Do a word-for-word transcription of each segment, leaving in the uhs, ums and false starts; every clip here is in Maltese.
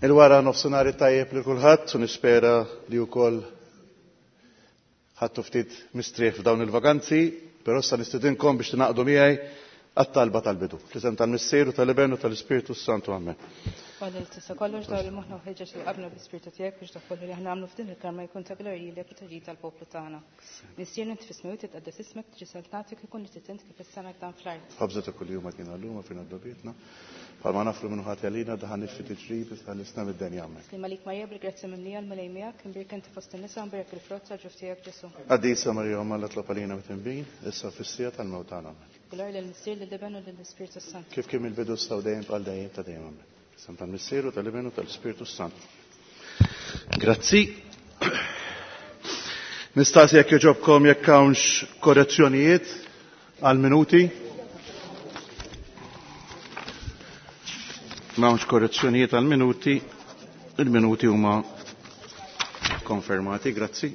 Il-wara nofsinhar tajjeb lil kulħadd u nispera li wkoll ħadtu ftit mistrieħ f'dawn il-vakanzi, però issa nistedinkom biex tingħaqdu miegħi għat-talba tal-bidu. Fl-isem tal-Missier u tal-Iben u tal-Ispirtu s-Santu. Amen. Għalil tista kollox dawl il-moħna u ħeġġeġ li qabna bl-ispirtu tiegħek biex dak kollu li aħna nagħmlu f'din il-karma jkun ta' glorja lilek u ta' ġid tal-poplu tagħna. Missier int fis-smewwiet titqaddes ismek, tiġi saltnatek, ikun li trid int kif is-sema hekk dan fl-art. Ħobża ta' kuljum agħtina llum, aħfrilna dnubietna, bħalma naħfru min hu ħati għalina, tdaħħalniex fi tiġrib, iżda ħlisna mid-deni. Amen. Sliem għalik Marija bil-grazzja mimlija, l-Mulej miegħek, imbierka inti fost in-nisa, imbierek il-frott tal-ġuf tiegħek Ġesù. Qaddisa Marija Omm Alla, itlob għalina midinbin, issa fis-siegħa tal-mewt tagħna. Amen. Glorja lill-Missier, lill-Iben u lill-Ispirtu s-Santu. Kif kien mill-bidu issa u dejjem għal dejjem ta' dejjem. Amen. Fl-isem tal-Missier u tal-Iben u tal-Ispirtu s-Santu. Grazzi. Nistaqsi jekk jogħġobkom jekk hawnx korrezzjonijiet għal minuti. M'hawnx korrezzjonijiet għal minuti. Il-minuti huma konfermati, grazzi.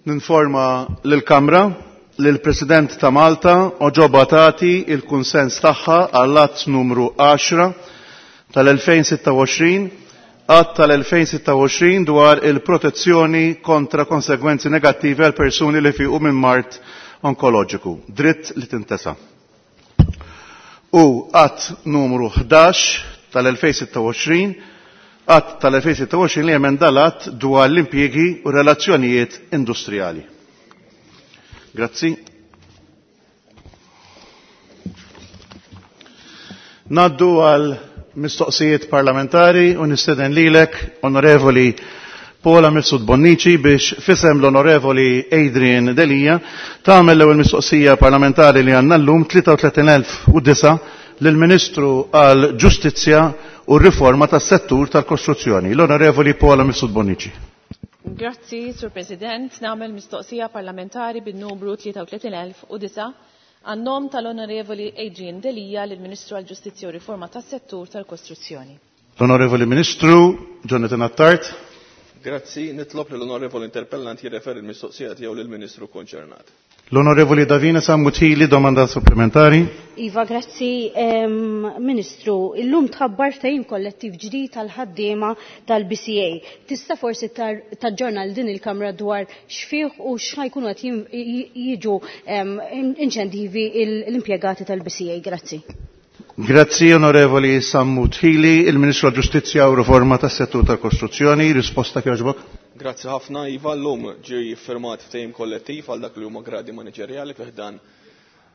Ninforma lill-Kamra li l-President ta' Malta oġobha tagħti il-kunsens tagħha għall-att numru għaxra tal-elfejn sitta u għoxrin, att tal-elfejn sitta u għoxrin dwar il-protezzjoni kontra konsegwenzi negattivi għal persuni li fiqu minn mard onkoloġiku, dritt li tintesa. U att numru ħdax tal-elfejn sitta u għoxrin, att tal-elfejn sitta u għoxrin li jemenda l-att dwar l-impjiegi u relazzjonijiet industrijali. Grazzi. Naddu għal mistoqsijiet parlamentari u nistieden lilek, Onorevoli Paula Mifsud Bonnici, biex fisem l-Onorevoli Adrian Delia tagħmel l-ewwel mistoqsija parlamentari li għandna llum tlieta u tletin elf u disa' lill-Ministru għal Ġustizzja u r-Riforma tas-Settur tal-Kostruzzjoni, l-Onorevoli Paula Mifsud Bonnici. Grazzi, Sur President. Nagħmel mistoqsija parlamentari bin-numru tlieta u tletin elf u disa' għan-nom tal-Onorevoli Adrian Delia lill-Ministru għal Ġustizzja u Riforma tas-Settur tal-Kostruzzjoni. L-Onorevoli Ministru Jonathan Attard. Grazzi, nitlob lill-Onorevoli Interpellant jirreferi l-mistoqsija tiegħu lill-Ministru konċernat. L-Onorevoli Davina Sammut Hili, domanda supplementari. Iva, grazzi, ehm, Ministru. Illum tħabbar ftehim kollettiv ġdid tal-ħaddiema tal-B C A. Tista' forsi tar-, taġġorna l din il-Kamra dwar x'fih u x'ħajkunu qed jim-, j-, jiġu, ehm, inċentivi il-, l-impjegati tal-B C A. Grazzi. Grazzi, Onorevoli Sammut Hili. Il-Ministru għall-Ġustizzja u Riforma tas-Settur tal-Kostruzzjoni, risposta kjoġbok. Grazzi ħafna, Iva. Llum ġie firmat ftehim kollettiv għal dak li huma gradi maniġerjali fih dan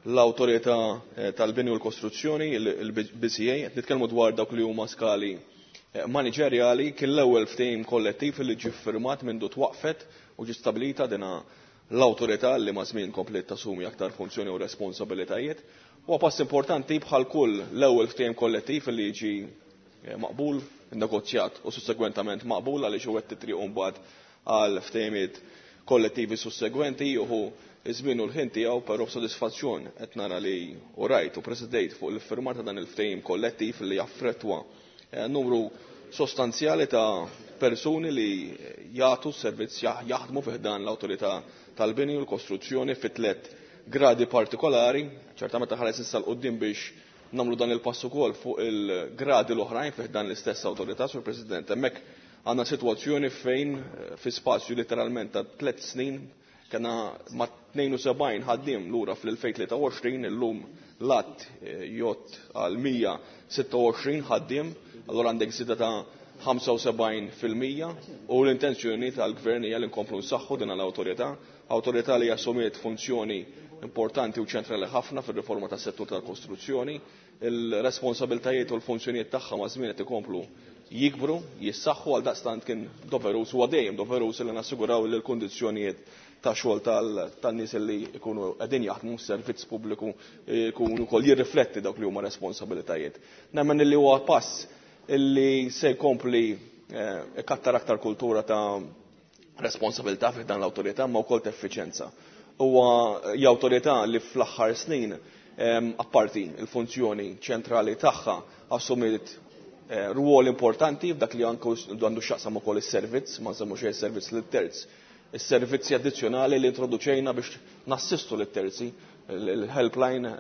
l-Awtorità, eh, tal-Bini u l-Kostruzzjoni, il-, il-B C A. Qed nitkellmu dwar dawk li huma skali, eh, maniġerjali. Kien l-ewwel ftehim kollettiv li ġie firmat mindu twaqfet u ġie stabilita dina l-awtorità li ma' żmien komplet tassumi aktar funzjoni u responsabilitajiet. Huwa pass importanti bħal kull l-ewwel ftehim kollettiv li jiġi, eh, maqbul, negozjat u sussegwentament maqbul għaliex u qed titriqu mbagħad għal ftehimiet kollettivi sussegwenti juhu iż-żmien u l-ħin tiegħu, però b'sodisfazzjon qed nara li u rajt u presidejt fuq l-iffirmar ta' dan il-ftehim kollettiv li jaffrettwa, eh, numru sostanzjali ta' persuni li jagħtu s-servizz jaħ-, jaħdmu fih dan l-awtorità tal-bini u l-kostruzzjoni fi tliet gradi partikolari. Ċertament ħares issa l-qudiem biex nagħmlu dan il-pass ukoll fuq il-gradi l-oħrajn fih dan l-istess awtorità, Sur President. Hemmhekk għandna sitwazzjoni fejn, eh, fi spazju literalment ta' tliet snin kena ma' tnejn u sebgħin ħaddiem lura fl-elfejn tlieta u għoxrin, illum l-att, eh, jgħodd għal mija sitta u għoxrin ħaddiem, allura għandek żieda ta' ħamsa u sebgħin fil-mija u l-intenzjoni tal-gvern hija li nkomplu nsaħħu din l-awtorità, awtorità li assumiet funzjoni importanti u ċentrali ħafna fir-riforma tas-settur tal-kostruzzjoni. Il-responsabiltajiet u l-funzjonijiet tagħha ma' żmien qed ikomplu jikbru, jissaħħu, għal daqstant kien doverus u dejjem doverus li nassiguraw li l-kundizzjonijiet ta' xogħol tal-, tan-nies li jkunu qegħdin jaħdmu s-servizz pubbliku jkunu wkoll jirrifletti dawk li huma responsabilitajiet. Nemmen li huwa pass illi se jkompli, eh, ikattar aktar kultura ta' responsabilità fi dan l-awtorità ma wkoll ta' effiċjenza. Huwa hija awtorità li fl-aħħar snin, ehm, apparti il-funzjoni ċentrali tagħha assumiet, eh, rwol importanti f'dak li anke għandu x'jaqsam ukoll is-servizz, ma nsemmu xejn servizz lil terz, is-servizzi addizzjonali li introduċejna biex nassistu lit-terzi, il-helpline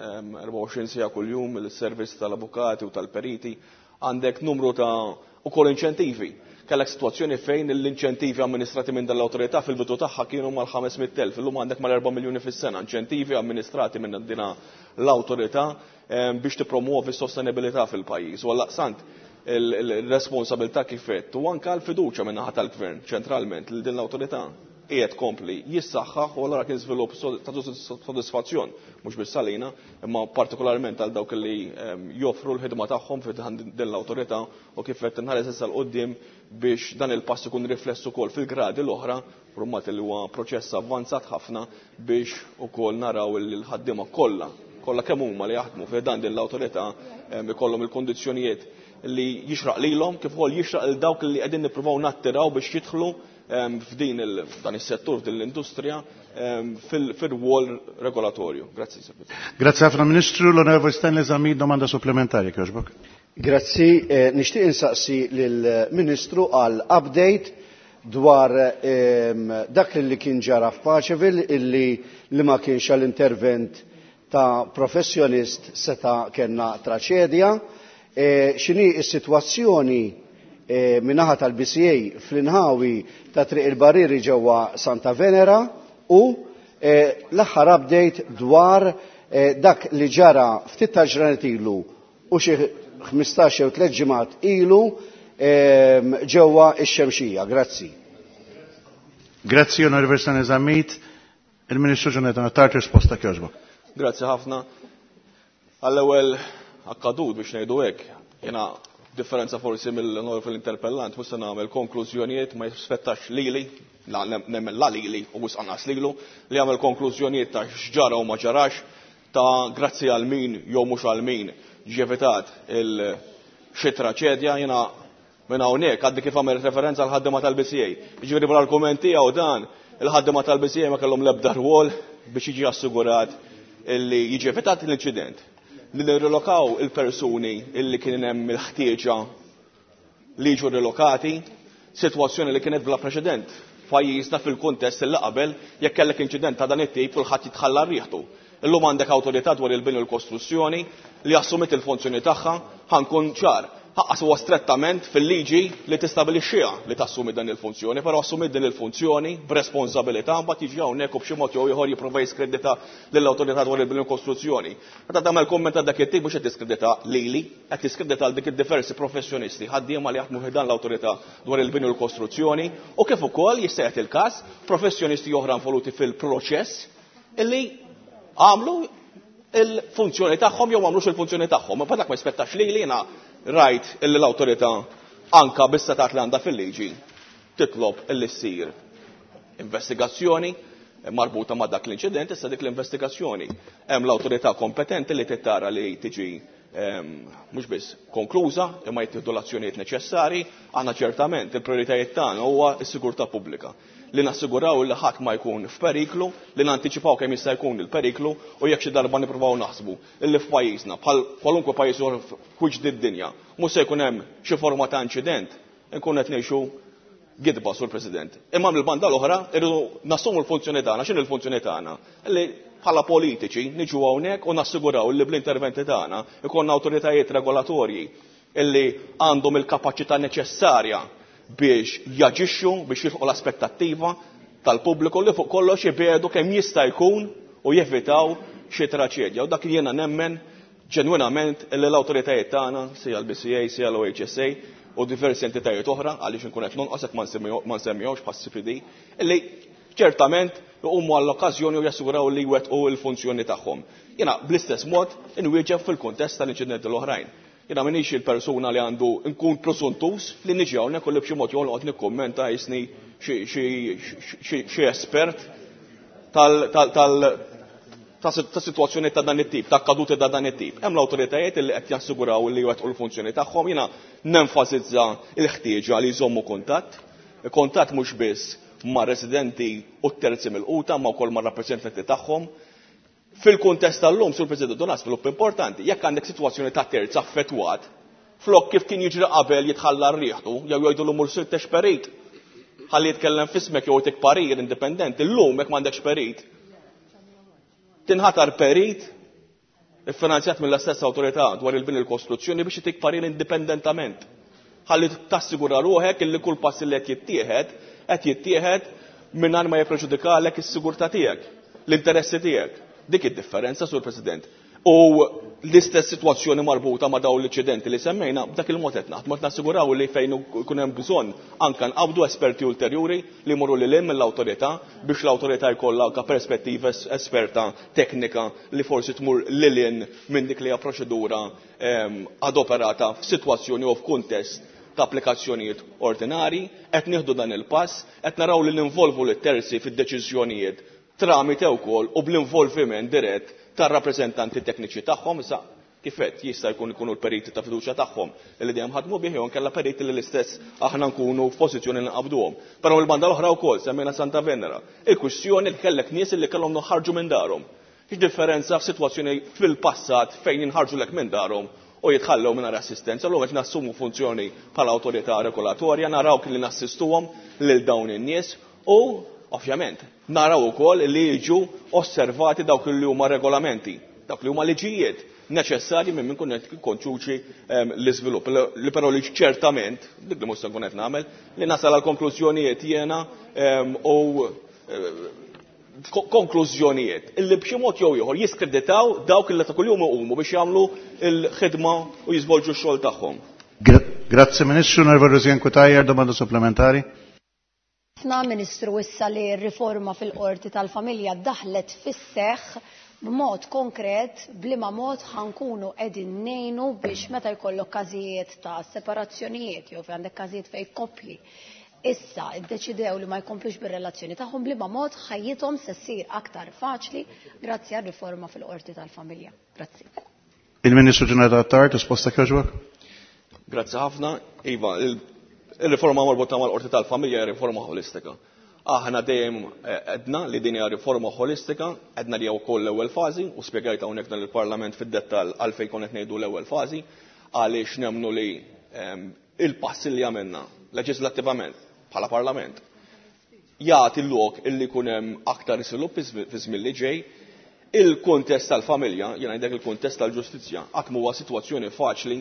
erbgħa u għoxrin siegħa kuljum, il-servizz tal-avukati u tal-periti, għandek numru ta' ukoll inċentivi. Kellek sitwazzjoni fejn l-inċentivi amministrati minn dal-awtorità fil-bidu tagħha kienu mal-ħames mitt elf, illum għandek mal-erba' miljuni fis-sena inċentivi amministrati minn dina l-awtorità biex tippromuovi s-sostenibilità fil-pajjiż. U għaldaqstant il-responsabilità kif għedt u anke l-fiduċja minn naħa tal-gvern ċentralment li din l-awtorità qiegħed kompli jissaħħaħ u allura kien żvilupp ta' sodisfazzjon mhux biss għalina imma partikolarment għal dawk li joffru l-ħidma tagħhom fi din l-awtorità u kif qed inħares issa l quddiem biex dan il-pass ikun rifless ukoll fil-gradi l-oħra, rummat li huwa proċess avvanzat ħafna biex ukoll naraw li l-ħaddiema kollha kollha kemm huma li jaħdmu fi dan din l-awtorità ikollhom il-kondizzjonijiet li jixraq lilhom kif ukoll jixraq lil dawk li qegħdin nippruvaw nattiraw biex jidħlu f'din dan is-settur, f'din l-industrija, fil-rwol regolatorju. Grazzi, Sir President. Grazzi ħafna Ministru. L-Onorevoli Stanley Zammit, domanda supplementari, kjoġbok. Grazzi, nixtieq insaqsi lill-Ministru għal update dwar dak li kien ġara f'Paċeville illi li ma kienx għall-intervent ta' professjonist seta' kellna traċedja. X'inhi s-sitwazzjoni min-naħa tal-B C A fl-inħawi ta' Triq il-Barrieri ġewwa Santa Venera u l-aħħar update dwar dak li ġara ftit ta' ġranet ilu u xi ħmistax jew tliet ġimgħat ilu ġewwa x-Xemxija. Grazzi. Grazzi, Onorevoli Stanley Zammit. Il-Ministru Jonathan Attard, risposta kjoġbok. Grazzi ħafna. Għall-ewwel akkadut biex ngħidu hekk, jiena differenza forsi mill-onorevoli interpellant, mhux se nagħmel konklużjonijiet ma jispettax lili, la nemmen la lili u wisq anqas lilu, li jagħmel konklużjonijiet ta' x'ġara u ma ġarax, ta' grazzi għal min jew mhux għal min ġevitat il xi traċedja. Jiena minn hawnhekk għaddi kif għamel referenza għal ħaddiema tal-B C A. Jiġifieri bl-argument tiegħu dan, il-ħaddiema tal-B C A ma kellhom l-ebda rwol biex jiġi assigurat illi jiġi evitat l-inċident. Li nirrilokaw il-persuni illi kien hemm il-ħtieġa li jiġu rilokati, sitwazzjoni li kienet bla preċedent f'pajjiżna fil-kuntest illi qabel jekk kellek inċident ta' dan it-tip kulħadd jitħalla rieħtu. Illum għandek awtorità dwar il-bini u l-kostruzzjoni li assumiet il-funzjoni tagħha, ħankun ċar, ħaqqas huwa strettament fil-liġi li tistabilixxiha li tassumi dan il-funzjoni, però assumiet din il-funzjoni b'responsabilità, mbagħad jiġi hawnhekk u b'xi mod jew ieħor jipprova jiskredita lill-awtorità dwar il-bini u l-kostruzzjoni. Meta tagħmel kumment ta' dak it-tip mhux qed tiskredita lili, qed tiskredita għal dik id-diversi professjonisti ħaddiema li jaħdmu fi dan l-awtorità dwar il-bini u l-kostruzzjoni u kif ukoll jista' jagħti il-każ professjonisti oħra involuti fil-proċess illi għamlu il-funzjoni tagħhom jew għamlux il-funzjoni tagħhom. Ma dak ma jispettax lili, jiena rajt illi l-awtorità anka bis-setat li għandha fil-liġi titlob illi ssir investigazzjoni marbuta ma' dak l-inċident, issa dik l-investigazzjoni hemm l-awtorità kompetenti li tittara li tiġi, ehm, mhux biss konkluża imma jittieħdu l-azzjonijiet neċessari. Aħna ċertament il-prijoritajiet tagħna huwa s-sigurtà pubblika, li nassiguraw li ħadd ma jkun f'periklu, li nantiċipaw kemm jista' jkun il-periklu u jekk xi darba nippruvaw naħsbu illi f'pajjiżna bħal kwalunkwe pajjiż ieħor f'wiċċ id-dinja mhux se jkun hemm xi forma ta' inċident, inkun qed ngħixu gidba, Sur President. Imma mill-banda l-oħra irridu nassumu l-funzjoni tagħna. X'inhi l-funzjoni tagħna? Illi bħala politiċi niġu hawnhekk u nassiguraw li bl-interventi tagħna ikollna awtoritajiet regolatorji illi għandhom il-kapaċità neċessarja biex jaġixxu, biex jilħqu l-aspettattiva tal-pubbliku li fuq kollox jibegħdu kemm jista' jkun u jevitaw xi traċedja. U dak jiena nemmen ġenwinament illi l-awtoritajiet tagħna, sija l-B C A, sija l-O H S A u diversi entitajiet oħra, għaliex inkun qed nonqos hekk ma nsemmihomx bħas C P D, illi ċertament iqumu għall-okkażjoni u jassiguraw li jwettqu l-funzjoni tagħhom. Jiena bl-istess mod inwieġeb fil-kuntest tal-inċidenti l-oħrajn. Jiena m'iniex il-persuna li għandu nkun prosuntus li niġi hawnhekk u li b'xi mod jew noqgħod nikkummenta jisni xi espert tal-, tal-, tal-, ta' sitwazzjoni ta' dan it-tip, ta' kaduti ta' dan it-tip. Hemm l-awtoritajiet li qed jassiguraw li jwettqu l-funzjoni tagħhom. Jiena nenfasizza l-ħtieġa li jżommu kuntatt, kuntatt mhux biss ma' residenti u terzi mill-quta, ma' wkoll ma' rappreżentanti tagħhom. Fil-kuntest tal-lum, Sur President, dan svilupp importanti. Jekk għandek sitwazzjoni ta' terz affettwat, flok kif kien jiġri qabel jitħalla rieħtu, jew jgħidu l mur sittex perit. ħalli jitkellem f'ismek jew tik parir indipendenti, illum jekk m'għandekx perit. Tinħatar perit iffinanzjat mill-istess awtorità dwar il-bini l-kostruzzjoni biex itik parir indipendentament. Ħalli tassigura ruħek illi kull pass li qed jittieħed qed jittieħed mingħajr ma jippreġudikalek is-sigurtà tiegħek, l-interessi tiegħek. Dik id-differenza, Sur President. U l-istess sitwazzjoni marbuta ma' dawn l-inċidenti li semmejna, b'dak il-mod qed naħdmu, qed nassiguraw li fejn ikun hemm bżonn anke nqabdu esperti ulterjuri li jmorru lil hemm mill-awtorità biex l-awtorità jkollha anke perspettiva esperta teknika li forsi tmur lil hinn minn dik li hija proċedura, ehm, adoperata f'sitwazzjoni u f'kuntest ta' applikazzjonijiet ordinari. Qed nieħdu dan il-pass, qed naraw li ninvolvu lit-terzi fid-deċiżjonijiet tramite wkoll u bl-involviment dirett tar-rappreżentanti tekniċi tagħhom. Issa kif qed jista' jkun ikunu l-periti ta' fiduċja tagħhom li dejjem ħadmu bih, jew inkella periti li l-istess aħna nkunu f'pożizzjoni li nqabduhom. Però mill-banda l-oħra wkoll semmejna Santa Venera, il-kwistjoni li kellek nies li kellhom noħarġu minn darhom. X'differenza f'sitwazzjoni fil-passat fejn jinħarġu lek minn darhom u jitħallew mingħajr assistenza. Llum qed nassumu funzjoni bħala awtorità regolatorja, naraw li nassistuhom lil dawn in-nies u ovvjament naraw ukoll li jiġu osservati dawk li huma regolamenti, dawk li huma liġijiet neċessarji minn min kun qed ikkonċuċi, ehm, l-iżvilupp. Li però li ċertament, dik li mhux se nkun qed nagħmel, li nasal għal konklużjonijiet jiena, ehm, u, eh, konklużjonijiet illi b'xi mod jew ieħor jiskreditaw dawk li ta' kuljum iqumu biex jagħmlu l-ħidma u jiżvolġu x-xogħol tagħhom. Grazzi Ministru. Onorevole Rosianne Cutajar, domanda supplementari. Ħafna Ministru, issa li r-riforma fil-qorti tal-familja daħlet fis-seħħ b'mod konkret, b'liema mod ħankunu qegħdin ngħinu biex meta jkollok każijiet ta' separazzjonijiet jew fejn għandek każijiet fejn koppji issa iddeċidew li ma jkomplux bir-relazzjoni tagħhom, b'liema mod ħajjithom se ssir aktar faċli grazzi għar-riforma fil-qorti tal-familja. Grazzi. Il-Ministru Ġenerali Attard, risposta kjoġbok? Grazzi ħafna. Iva, il-riforma marbuta mal-qorti tal-familja hija riforma ħolistika. Aħna dejjem, eh, għedna li din hija riforma ħolistika, għedna li hija wkoll l-ewwel fażi u spjegajt hawnhekk dan il-Parlament fid-dettall għalfejn kont qed ngħidu l-ewwel fażi, għaliex nemmnu li, ehm, il-passi li għamilna leġislattivament bħala Parlament jagħti l-lok illi jkun hemm aktar iżvilupp fi żmien li ġej. Il-kuntest tal-familja, jiena ngħidlek il-kuntest tal-ġustizzja, qatt huwa sitwazzjoni faċli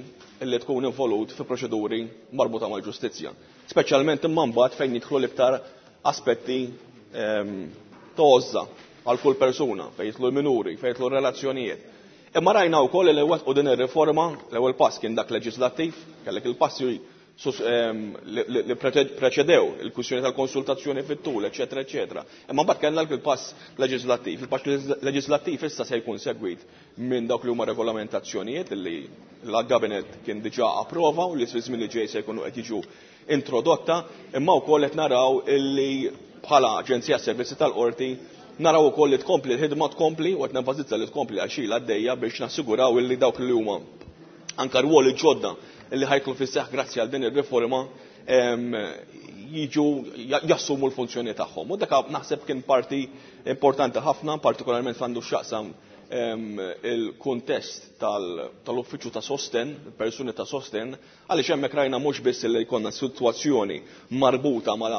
illi tkun involut fi proċeduri marbuta mal-ġustizzja. Speċjalment imma mbagħad fejn jidħlu l-iktar aspetti, ehm, tożza għal kull persuna, fejn jidħlu l-minuri, fejn jidħlu r-relazzjonijiet. Imma rajna wkoll li wettqu din ir-riforma, l-ewwel pass kien dak leġislattiv, kellek il-passi sus, ehm, li, li, li preċedew il-kwistjoni tal-konsultazzjoni fit-tul, eċetera, eċetera. Imma mbagħad kellna il-pass leġislattiv. Il-pass leġislattiv issa se jkun segwit minn dawk li huma regolamentazzjonijiet li l-Gabinet kien diġà approva u li fi żmien li ġej se jkunu qed jiġu introdotta, imma wkoll qed naraw illi bħala Aġenzija Servizzi tal-Qorti naraw ukoll li tkompli l-ħidma tkompli u qed nenfasizza li tkompli għal xi għaddejja biex nassiguraw illi dawk li huma anke rwoli ġodda li ħajkun fis-seħħ grazzi għal din ir-riforma, em, jiġu jassumu l-funzjoni tagħhom. U dak naħseb kien parti importanti ħafna, partikolarment għandu x'jaqsam, em, il-kuntest tal-, tal-uffiċċju ta' sosten, persuni ta' sosten, għaliex hemmhekk rajna mhux biss li jkollna sitwazzjoni marbuta ma'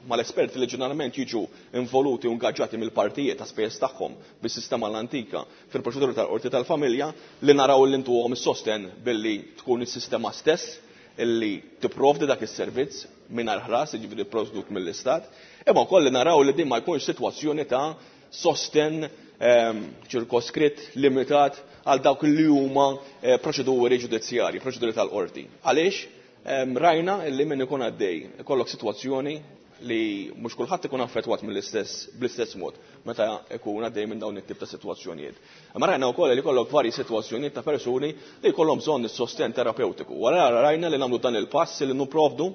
mal-esperti li ġeneralment jiġu involuti u ingaġġati mill-partijiet ta' spejjeż tagħhom bis-sistema l-antika fil-proċedura tal-qorti tal-familja, li naraw li ntuhom is-sosten billi tkun is-sistema stess illi tipprovdi dak is-servizz mingħajr ħlas, jiġifieri pprovdut mill-Istat, imma wkoll li naraw li din ma jkunx sitwazzjoni ta' sosten, ehm, ċirkoskritt limitat għal dawk li huma, eh, proċeduri ġudizzjarji, proċeduri tal-qorti. Għaliex? Ehm, rajna li min ikun għaddej ikollok sitwazzjoni li mhux kulħadd ikun affettwat mill-istess, bl-istess mod meta ikun għaddej minn dawn it-tip ta' sitwazzjonijiet. Imma rajna wkoll li jkollok varji sitwazzjonijiet ta' persuni li jkollhom bżonn is-sosten terapeutiku. Wara rajna li nagħmlu dan il-pass li nipprovdu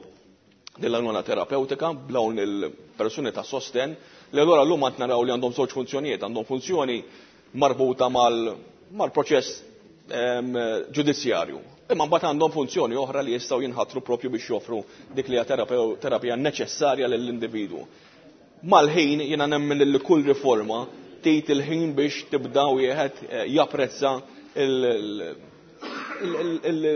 dil-għajnuna terapeutika b'dawn il-persuni ta' sosten li allura llum qed naraw li għandhom żewġ funzjonijiet, għandhom funzjoni marbuta mal-, mal-proċess, ehm, ġudizzjarju. Imma mbagħad għandhom funzjoni oħra li jistgħu jinħatru propju biex joffru dik li hija terapeu-, terapija neċessarja lill-individwu. Mal-ħin jiena nemmen li kull riforma tgħid il-ħin biex tibda wieħed, eh, japprezza il-, il-, il-, il-,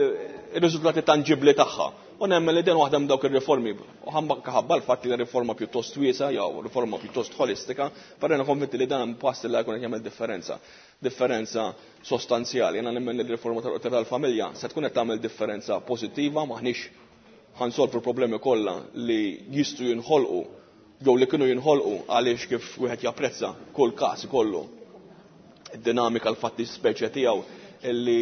il-riżultati tanġibbli tagħha. U nemmen li din waħda minn dawk ir-riformi, u ħabba l-fatt li riforma pjuttost wiesa jew riforma pjuttost holistika, però jiena konvinti li dan pass li jkun qed jagħmel differenza. Differenza sostanzjali. Jiena nemmen li r-riforma tal-Qorti tal-Familja se tkun qed tagħmel differenza pożittiva, maħniex ħansolvu problemi kollha li jistgħu jinħolqu jew li kienu jinħolqu għaliex kif wieħed japprezza kull każ ikollu id-dinamika l-fatti speċja tiegħu illi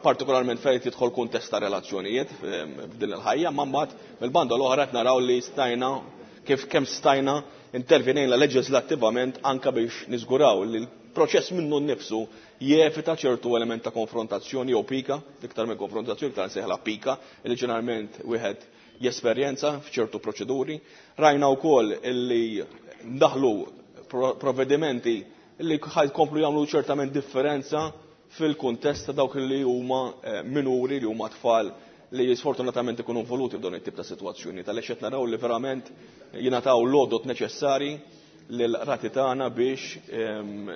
partikolarment fejn tidħol kuntest ta' relazzjonijiet f'din il-ħajja, ma mbagħad mill-banda l-oħra qed naraw li stajna kif kemm stajna intervenejna leġislattivament anke biex niżguraw li l-proċess minnu nnifsu jevita ċertu element ta' konfrontazzjoni jew pika, iktar minn konfrontazzjoni iktar nsejħla pika, li ġeneralment wieħed jesperjenza f'ċertu proċeduri. Rajna wkoll illi ndaħlu provvedimenti li ħajkomplu jagħmlu ċertament differenza fil-kuntest ta' dawk li huma minuri, li huma tfal li sfortunatament ikunu involuti f'dawn it-tip ta' sitwazzjoni. Tal-għex qed naraw li verament jingħataw l-għodot neċessari lill-rati tagħna biex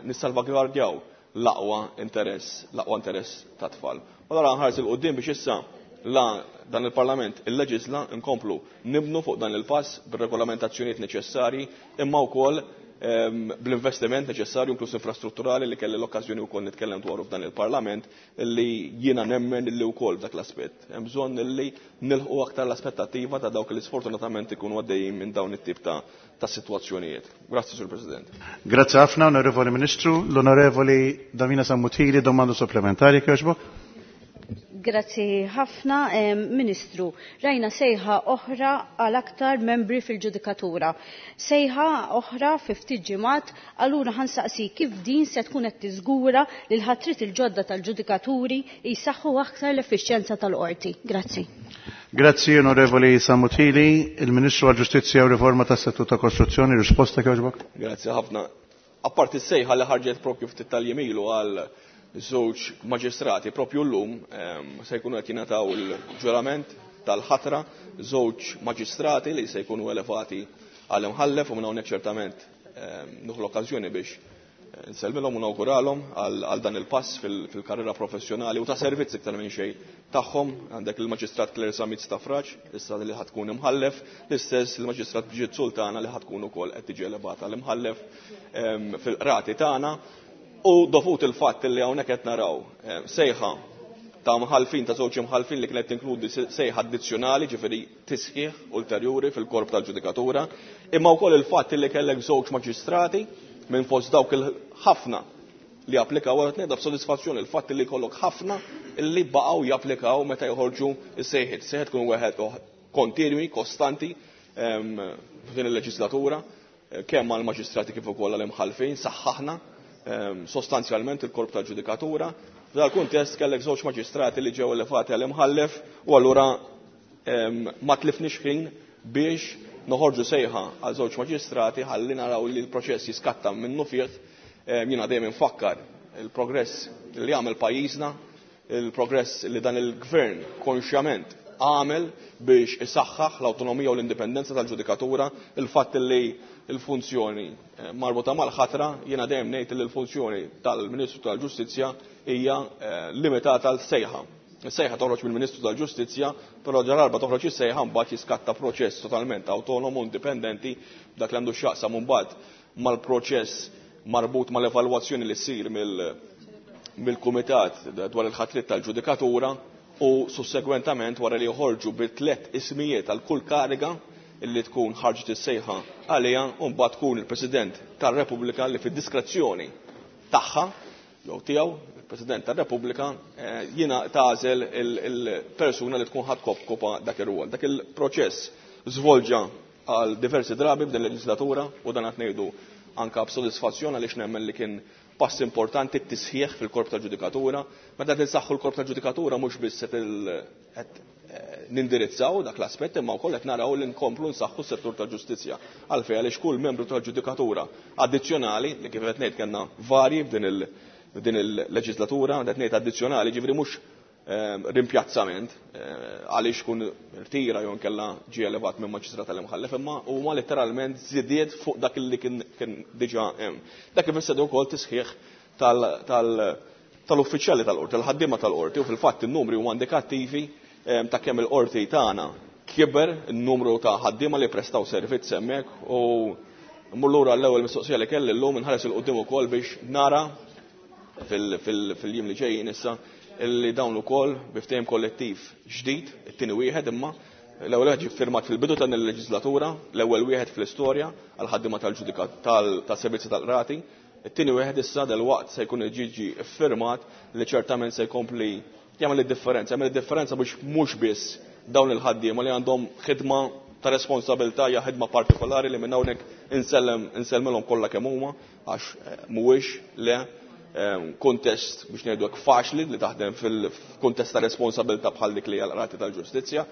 nissalvagwardjaw l-aqwa interess, l-aqwa interess ta' tfal. U allura nħares il quddiem biex issa la dan il-Parlament il-leġisla nkomplu nibnu fuq dan il-pass bir-regolamentazzjonijiet neċessarji imma wkoll bl-investiment neċessarju inkluż infrastrutturali li kelli l-okkażjoni wkoll nitkellem dwaru f'dan il-Parlament li jiena nemmen li wkoll f'dak l-aspett. Hemm bżonn li nilħqu aktar l-aspettattiva ta' dawk li sfortunatament ikunu għaddejjin minn dawn it-tip ta' ta' sitwazzjonijiet. Grazzi, Sur President. Grazzi ħafna, Onorevoli Ministru. L-Onorevoli Davina Sammut-Hili, domanda supplementari, kjoġbok. Grazzi ħafna, Ministru. Rajna sejħa oħra għal aktar membri fil-ġudikatura. Sejħa oħra fi ftit ġimgħat, allura ħansaqsi kif din se tkun qed tiżgura li l-ħatrit il-ġodda tal-ġudikaturi jsaħħu aktar l-effiċjenza tal-qorti. Grazzi. Grazzi, Onorevoli Sammut-Hili. Il-Ministru għall-Ġustizzja u Riforma tas-Settur ta' Kostruzzjoni, risposta kjoġbok? Grazzi ħafna. Apparti s-sejħa li ħarġet propju ftit tal-jiem ilu għal żewġ maġistrati propju llum se jkunu qed jingħataw il-ġurament tal-ħatra żewġ maġistrati li se jkunu elevati għal imħallef u minn hawnhekk ċertament nieħu l-okkażjoni biex nsellmilhom u nawguralhom għal dan il-pass fil-karriera professjonali u ta' servizz iktar minn xejn tagħhom. Għandek il-Maġistrat Claire Zammit Stafrace, issa li ħad tkun imħallef, l-istess il-Maġistrat Brigitte Sultana li ħad tkun ukoll qed tiġi elevata l-imħallef fil-qrati tagħna. U dovut il-fatt li hawnhekk qed naraw sejħa ta' mħalfin, ta' żewġ imħalfin li kienet tinkludi sejħa addizzjonali, ġifieri tisħiħ ulterjuri fil-korp tal-ġudikatura, imma wkoll il-fatt li kellek żewġ maġistrati minn fost dawk il-ħafna li applikaw, għaret ngħidha b'sodisfazzjoni il-fatt li jkollok ħafna li baqgħu japplikaw meta joħorġu s-sejħiet. Sejħiet tkun wieħed kontinwi, kostanti f'din il-leġislatura, kemm għall-maġistrati kif ukoll għall-imħalfin, saħħaħna sostanzjalment il-korp tal-ġudikatura. F'dal kuntest kellek żewġ maġistrati li ġew elevati għall-imħallef u allura ma tlifniex ħin biex noħorġu sejħa għal żewġ maġistrati ħalli naraw li l-proċess jiskatta minnu fih. Jiena dejjem infakkar il-progress li għamel pajjiżna, il-progress li dan il-gvern konxjament għamel biex isaħħaħ l-awtonomija u l-indipendenza tal-ġudikatura, il-fatt li l-funzjoni marbuta mal-ħatra, jiena dejjem ngħid li l-funzjoni tal-Ministru tal-Ġustizzja hija limitata għal sejħa. Is-sejħa toħroġ mill-Ministru tal-Ġustizzja, però ġararba toħroġ is-sejħa mbagħad jiskatta proċess totalment autonomu, indipendenti, dak li għandu x'jaqsam mbagħad mal-proċess marbut mal-evalwazzjoni li ssir mill-Kumitat dwar il-ħatrit tal-Ġudikatura u sussegwentament wara li joħorġu bi tliet ismijiet għal kull kariga illi tkun ħarġet is-sejħa għaliha, u mbagħad tkun il-President tar-Repubblika li fid-diskrezzjoni tagħha jew tiegħu, il-President tar-Repubblika, jiena tagħżel il-persuna li tkun ħadd kopa dak ir-rwol. Dak il-proċess żvolġa għal diversi drabi b'din il-leġislatura u dan qed ngħidu anka b'sodisfazzjon għaliex nemmen li kien pass importanti t-tisħiħ fil-korp tal-ġudikatura. Meta tinsaħħu l-korp tal-ġudikatura mhux biss qed nindirizzaw dak l-aspett, imma wkoll qed naraw li nkomplu nsaħħu s-settur tal-ġustizzja. Għalfejn għaliex kull membru tal-ġudikatura addizzjonali, li kif qed ngħid kellna varji f'din il-leġislatura, qed ngħid addizzjonali, ġifieri mhux rimpjazzament għaliex kun rtira jew nkella ġie elevat minn maġistrat tal-imħallef, imma huma letteralment żidiet fuq dak li kien diġà hemm. Dak ifisser ukoll tisħiħ tal-uffiċjali tal-qorti, tal-ħaddiema tal-qorti, u fil-fatt in-numri huma indikattivi ta' kemm il-qorti tagħna kiber n-numru ta' ħaddiema li prestaw servizz hemmhekk u mmur lura l-ewwel mistoqsija li kelli llum inħares il quddiem ukoll biex nara fil-jiem li ġejjin issa illi dawn ukoll bi ftehim kollettiv ġdid, it-tieni wieħed imma l-ewwel wieħed ġie ffirmat fil-bidu ta' il-leġislatura, l-ewwel wieħed fl-istorja għal ħaddiema tal-ġudikat tas-servizzi tal-qrati, it-tieni wieħed issa dalwaqt se jkun ġiġi ffirmat li ċertament se jkompli jagħmel id-differenza, jagħmel id-differenza biex mhux biss dawn il-ħaddiema li għandhom ħidma ta' responsabilità hija ħidma partikolari li minn hawnhekk insellem insellmilhom kollha kemm huma għax mhuwiex le kuntest biex ngħidu hekk faċli li taħdem fil-kuntest ta' responsabilità bħal dik li hija l-qrati tal-ġustizzja,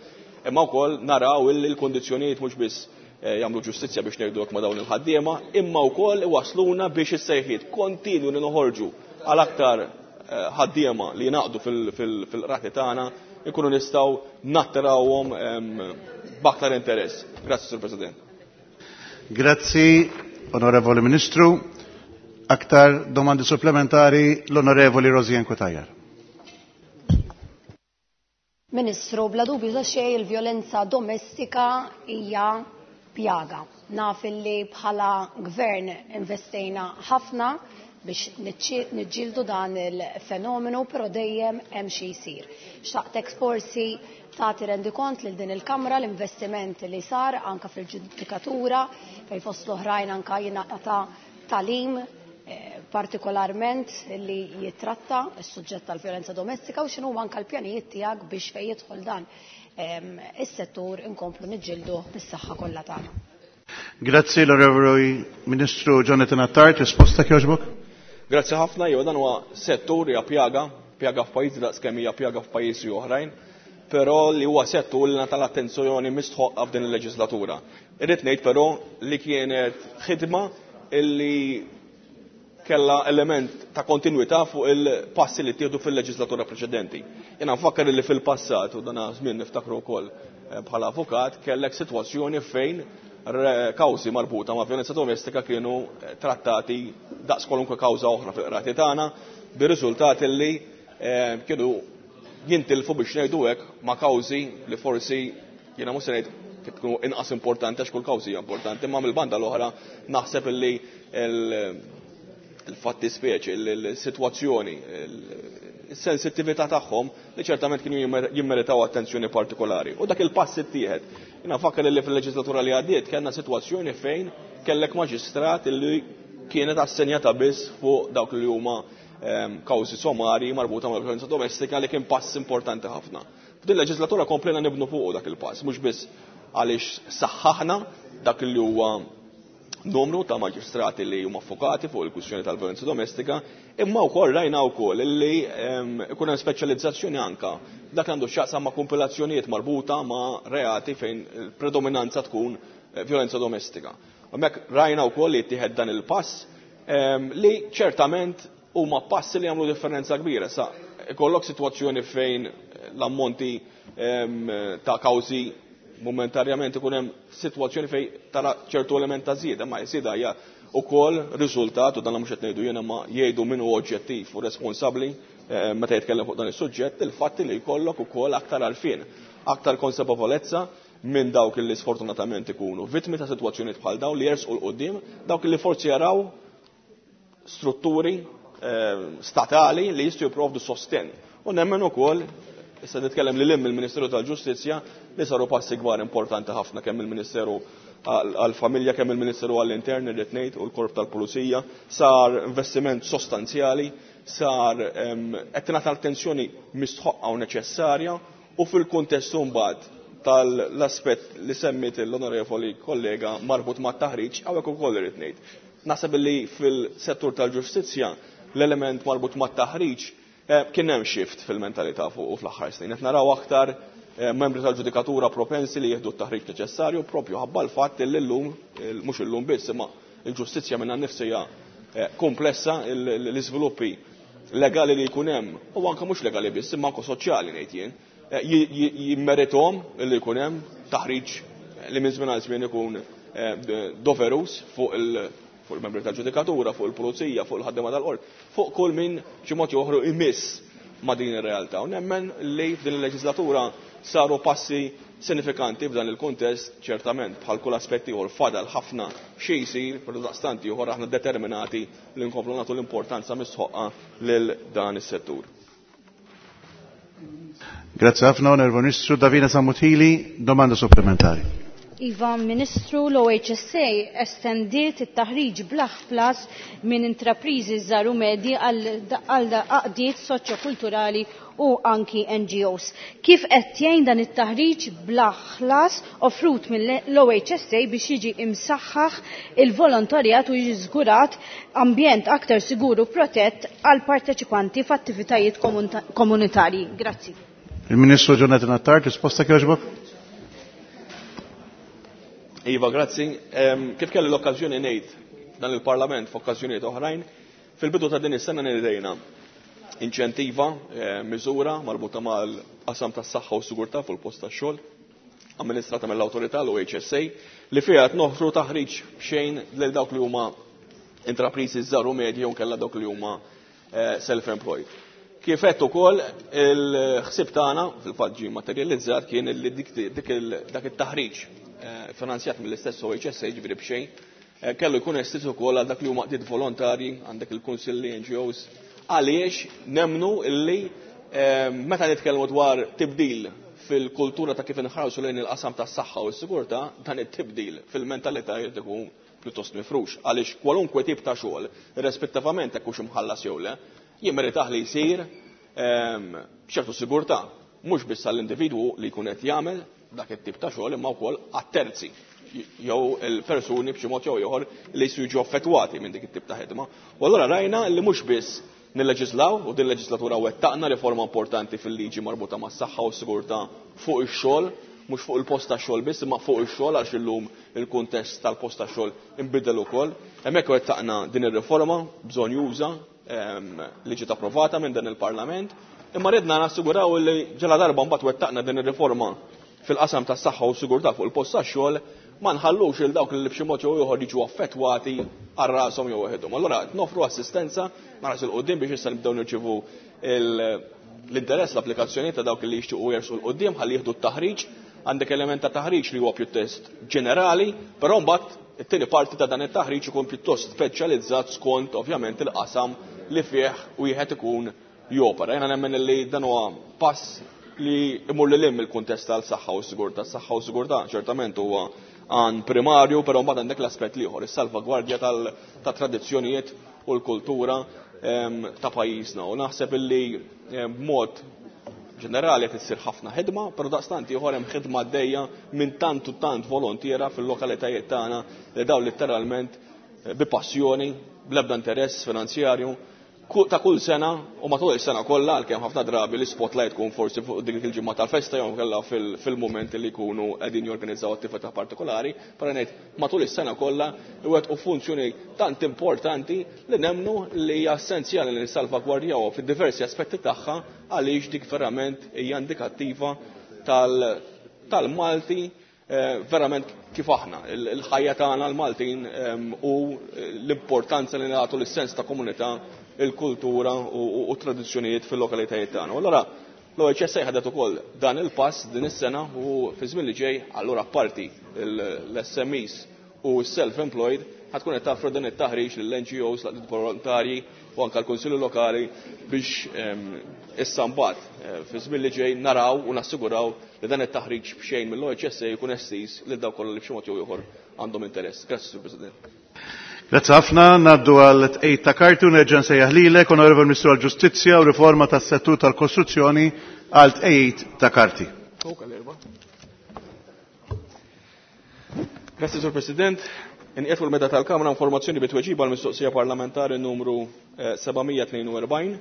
imma wkoll naraw illi l-kundizzjonijiet mhux biss jagħmlu ġustizzja biex ngħidu hekk ma' dawn il-ħaddiema, imma wkoll iwasluna biex is-sejħiet kontinwu li noħorġu għal aktar ħaddiema li jingħaqdu fil-qrati tagħna ikunu nistgħu nattirawhom b'aktar interess. Grazzi, Sur President. Grazzi, Onorevoli Ministru. Aktar domandi supplementari l-Onorevoli Rosianne Cutajar. Ministru, bla dubju ta' xejn il-vjolenza domestika hija pjaga. Naf illi bħala gvern investejna ħafna biex niġġieldu dan il-fenomenu, però dejjem hemm xi jsir. Xtaqtek forsi tagħti rendikont lil din il-Kamra l-investiment li sar anka fil-ġudikatura fejn fost l-oħrajn anka jingħata talim partikolarment li jitratta s-suġġett tal-vjolenza domestika u x'inhu anka l-pjanijiet tiegħek biex fejn jidħol dan is-settur inkomplu niġġieldu bis-saħħa kollha tagħna. Grazzi l-Onorevoli Ministru Jonathan Attard, risposta kjoġbok? Grazzi ħafna, jew dan huwa settur hija pjaga, pjaga f'pajjiżi daqskemm hija pjaga f'pajjiżi oħrajn, però li huwa settur li ngħata l-attenzjoni mistħoqqa f'din il-leġislatura. Irrid ngħid però li kienet ħidma illi kella element ta' kontinuità fuq il-passi li ttieħdu fil-leġislatura preċedenti. Jiena nfakkar li fil-passat, u dan żmien niftakru wkoll bħala avukat, kellek sitwazzjoni fejn kawżi marbuta ma' vjolenza domestika kienu trattati daqs kwalunkwe kawża oħra fil-qrati tagħna, bir-riżultat li kienu jintilfu biex ngħidu hekk ma' kawżi li forsi jiena mhux se ngħid kienu inqas importanti għax kull kawżi hija importanti, imma mill-banda l-oħra naħseb illi il-fatti speċi, il-sitwazzjoni, il-sensittività tagħhom li ċertament kienu jimmeritaw attenzjoni partikolari. U dak il-pass ittieħed. Jiena nfakkar li fil-leġislatura li għaddiet kellna sitwazzjoni fejn kellek maġistrat li kienet assenjata biss fuq dawk li huma kawżi somari marbuta mal vjolenza domestika li kien pass importanti ħafna. F'din il-leġislatura komplejna nibnu fuq dak il-pass, mhux biss għaliex saħħaħna dak li huwa numru ta' maġistrati li huma affokati fuq il-kwistjoni tal-violenza domestika, imma wkoll rajna wkoll li ikun hemm speċjalizzazzjoni anka dak għandu x'jaqsam ma' kompilazzjonijiet marbuta ma' reati fejn il-predominanza tkun violenza domestika. Hemmhekk rajna wkoll li jittieħed dan il-pass li ċertament huma passi li jagħmlu differenza kbira. Sa ikollok sitwazzjoni fejn l-ammonti ta' kawżi momentarjament ikun hemm sitwazzjoni fejn tara ċertu element ta' żieda, ma żieda hija wkoll riżultat, u dan mhux qed ngħidu jiena ma jgħidu min hu oġġettiv u responsabbli meta jitkellem fuq dan is-suġġett, il-fatt li jkollok ukoll aktar għarfien, aktar konsapevolezza minn dawk li sfortunatament ikunu vittmi ta' sitwazzjonijiet bħal dawn li jersqu l quddiem, dawk li forsi jaraw strutturi statali li jistgħu jipprovdu sostenn. U nemmen ukoll, issa nitkellem lil hemm il-Ministeru tal-Ġustizzja, li saru passi kbar importanti ħafna kemm il-Ministeru għall-Familja, kemm il-Ministeru għall-Intern, irrid ngħid, u l-Korp tal-Pulizija, sar investiment sostanzjali, sar qed tingħata attenzjoni mistħoqqa u neċessarja, u fil-kuntest mbagħad tal-aspett li semmit l-onorevoli kollega marbut mat-taħriġ, hawnhekk ukoll irrid ngħid. Naħseb li fil-settur tal-ġustizzja l-element marbut mat-taħriġ kien hemm shift fil-mentalità fuq u fl-aħħar snin. Qed naraw aktar membri tal-ġudikatura propensi li jieħdu t-taħriġ neċessarju propju ħabba l-fatt li llum, mhux illum biss, imma l-ġustizzja minnha nnifsha hija komplessa, l-iżviluppi legali li jkun hemm, u anke mhux legali biss, imma anke soċjali ngħid jien, jimmerithom li jkun hemm taħriġ li minn żmien għal żmien ikun doverus fuq il- fuq il-membri tal-ġudikatura, fuq il-pulizija, fuq il-ħaddiema tal-qorti, fuq kull min xi mod joħru imiss ma' din ir-realtà. U nemmen li f'din il-leġislatura saru passi sinifikanti f'dan il-kuntest, ċertament bħal kull aspett ieħor fadal ħafna xi jsir, però daqstant ieħor aħna determinati li nkomplu nagħtu l-importanza mistħoqqa lil dan is-settur. Grazie ħafna, Onorevole Ministru. Davina Sammut Hili, domanda supplementari. Iva, Ministru, l-O H S A estendiet it-taħriġ bla ħlas minn intrapriżi żgħar u medji għal għaqdiet soċjokulturali u anki N G Os. Kif qed jgħin dan it-taħriġ bla ħlas offrut mill-O H S A biex jiġi imsaħħaħ il-volontarjat u jiġi żgurat ambjent aktar sigur u protett għal parteċipanti f'attivitajiet komunitarji? Grazzi. Il-Ministru Jonathan Attard, risposta kjoġbok? Iva, grazzi. Kif kelli l-okkażjoni ngħid dan il-Parlament f'okkażjonijiet oħrajn, fil-bidu ta' din is-sena nidejna inċentiva, eh, miżura marbuta mal-qasam tas-saħħa u sigurtà fuq il-post tax-xogħol, amministrata mill-awtorità l-O H S A, li fiha qed noffru taħriġ b'xejn lil dawk li huma intrapriżi żgħar u medji u kellha dawk li huma eh, self-employed. Kif qed ukoll il-ħsieb tagħna fil-fatt ġie materializzat kien li dik dak it-taħriġ eh, finanzjat mill-istess O H S A, ġifieri b'xejn, eh, kellu jkun estiż ukoll għal dak li huma qdiet volontarji, għandek il-kunsilli, N G Os, għaliex nemnu illi eh, meta nitkellmu dwar tibdil fil-kultura ta' kif inħarsu lejn il-qasam tas-saħħa u s-sigurtà, dan it-tibdil fil-mentalità jrid ikun pjuttost mifrux, għaliex kwalunkwe tip ta' xogħol, rispettivament jekk hux imħallas jew le, jimmeritah li jsir ehm, b'ċertu sigurtà, mhux biss għall-individwu li jkun qed jagħmel dak it-tip ta' xogħol imma wkoll għat-terzi jew il-persuni b'xi mod jew ieħor li jistgħu jiġu affettwati minn dik it-tip ta' ħidma. U allura rajna li mhux biss nilleġislaw, u din leġislatura wettaqna riforma importanti fil-liġi marbuta mas-saħħa u s-sigurtà fuq ix-xogħol, mhux fuq il-post ta' xogħol biss, imma fuq ix-xogħol, għax illum il-kuntest tal-post ta' xogħol inbidel ukoll. Hemmhekk wettaqna din ir-riforma bżonnjuża ehm, li ġiet approvata minn dan il-Parlament, imma ridna nassiguraw li ġala darba mbagħad wettaqna din ir-riforma fil-qasam tas-saħħa u s-sigurtà fuq il-post tax-xogħol, ma nħallux il dawk li b'xi mod jew ieħor jiġu affettwati għal rashom jew waħedhom. Allura qed nofru assistenza nħares 'il quddiem biex issa nibdew nirċievu l-interess, l-applikazzjoni ta' dawk li jixtiequ jersqu 'l quddiem ħalli jieħdu t-taħriġ. Għandek element ta' taħriġ li huwa pjuttost ġenerali, però mbagħad it-tieni parti ta' dan it-taħriġ ikun pjuttost speċjalizzat skont ovvjament il-qasam li fih wieħed ikun jopera. Jiena nemmen li dan huwa pass li imur lil hinn il-kuntest tal-saħħa u s-sigurtà. S-saħħa u s-sigurtà ċertament huwa għan primarju, però mbagħad għandek l-aspett l-ieħor, is-salvagwardja tal-tradizzjonijiet u l-kultura ta' pajjiżna. U naħseb illi b'mod ġenerali qed issir ħafna ħidma, però daqstant ieħor hemm ħidma għaddejja minn tant u tant volontiera fil-lokalitajiet tagħna li daw letteralment eh, bi passjoni, bl-ebda interess finanzjarju, ta' kull sena u matul is-sena kollha, għalkemm ħafna drabi l-spotlight tkun forsi fuq dik il-ġimgħa tal-festa jew kellha fil-mument li jkunu qegħdin jorganizzaw attività partikolari, però ngħid matul is-sena kollha iwettqu funzjoni tant importanti li nemnu li hija essenzjali li nissalvagwardjaw fid-diversi aspetti tagħha, għaliex dik verament hija indikattiva tal-Malti eh, verament kif aħna, il-ħajja tagħna l-Maltin u l-importanza li nagħtu lis-sens ta' komunità, il-kultura u tradizzjonijiet fil-lokalitajiet tagħna. U allura l-O H S A ħadet ukoll dan il-pass din is-sena u fi żmien li ġej allura parti l-S M Es u self-employed ħa tkun qed taffru dan it-taħriġ lill-N G Os, l volontarji u anke l-Kunsilli Lokali biex issa mbagħad eh, fi żmien li ġej naraw u nassiguraw li dan it-taħriġ b'xejn mill-O H S A jkun estiż lil dawk kollha li b'xi mod jew ieħor għandhom interess. Grazzi, Sur President. Grazzi ħafna, ngħaddu għal tqegħid ta' karti u nerġa' nsejjaħ lilek, Onorevoli Ministru għall-Ġustizzja u Riforma tas-Settur tal-Kostruzzjoni, għal tqegħid ta' karti. Grazzi, Sur President. Inqiegħed fuq il-meda tal-Kamra informazzjoni bit-tweġiba l-mistoqsija parlamentari numru seba' mija tnejn u erbgħin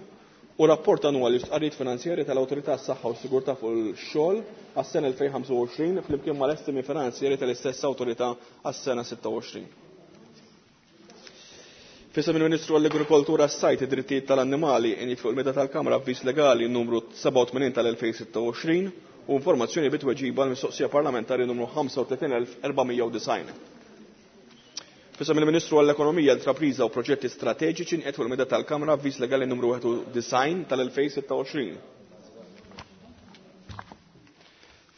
u rapport annwali stqarrijiet finanzjari tal-Awtorità s-Saħħa u Sigurtà fuq il-xogħol għas-sena elfejn u ħamsa u għoxrin flimkien mal-estimi finanzjari tal-istess awtorità għas-sena sitta u għoxrin. F'isem il-Ministru għall-Agrikoltura, s-Sajd, id-Drittijiet tal-Annimali, inqiegħed fuq il-meda tal-Kamra avviż legali numru sebgħa u tmenin tal-elfejn u sitta u għoxrin u informazzjoni bit-tweġiba l-mistoqsija parlamentari numru ħamsa u tletin elf erba' mija u disgħin. F'isem il-Ministru għall-Ekonomija, l-Intrapriża u Proġetti Strateġiċi, nqiegħed fuq il-meda tal-Kamra avviż legali numru disgħa u disgħin tal-elfejn u sitta u għoxrin.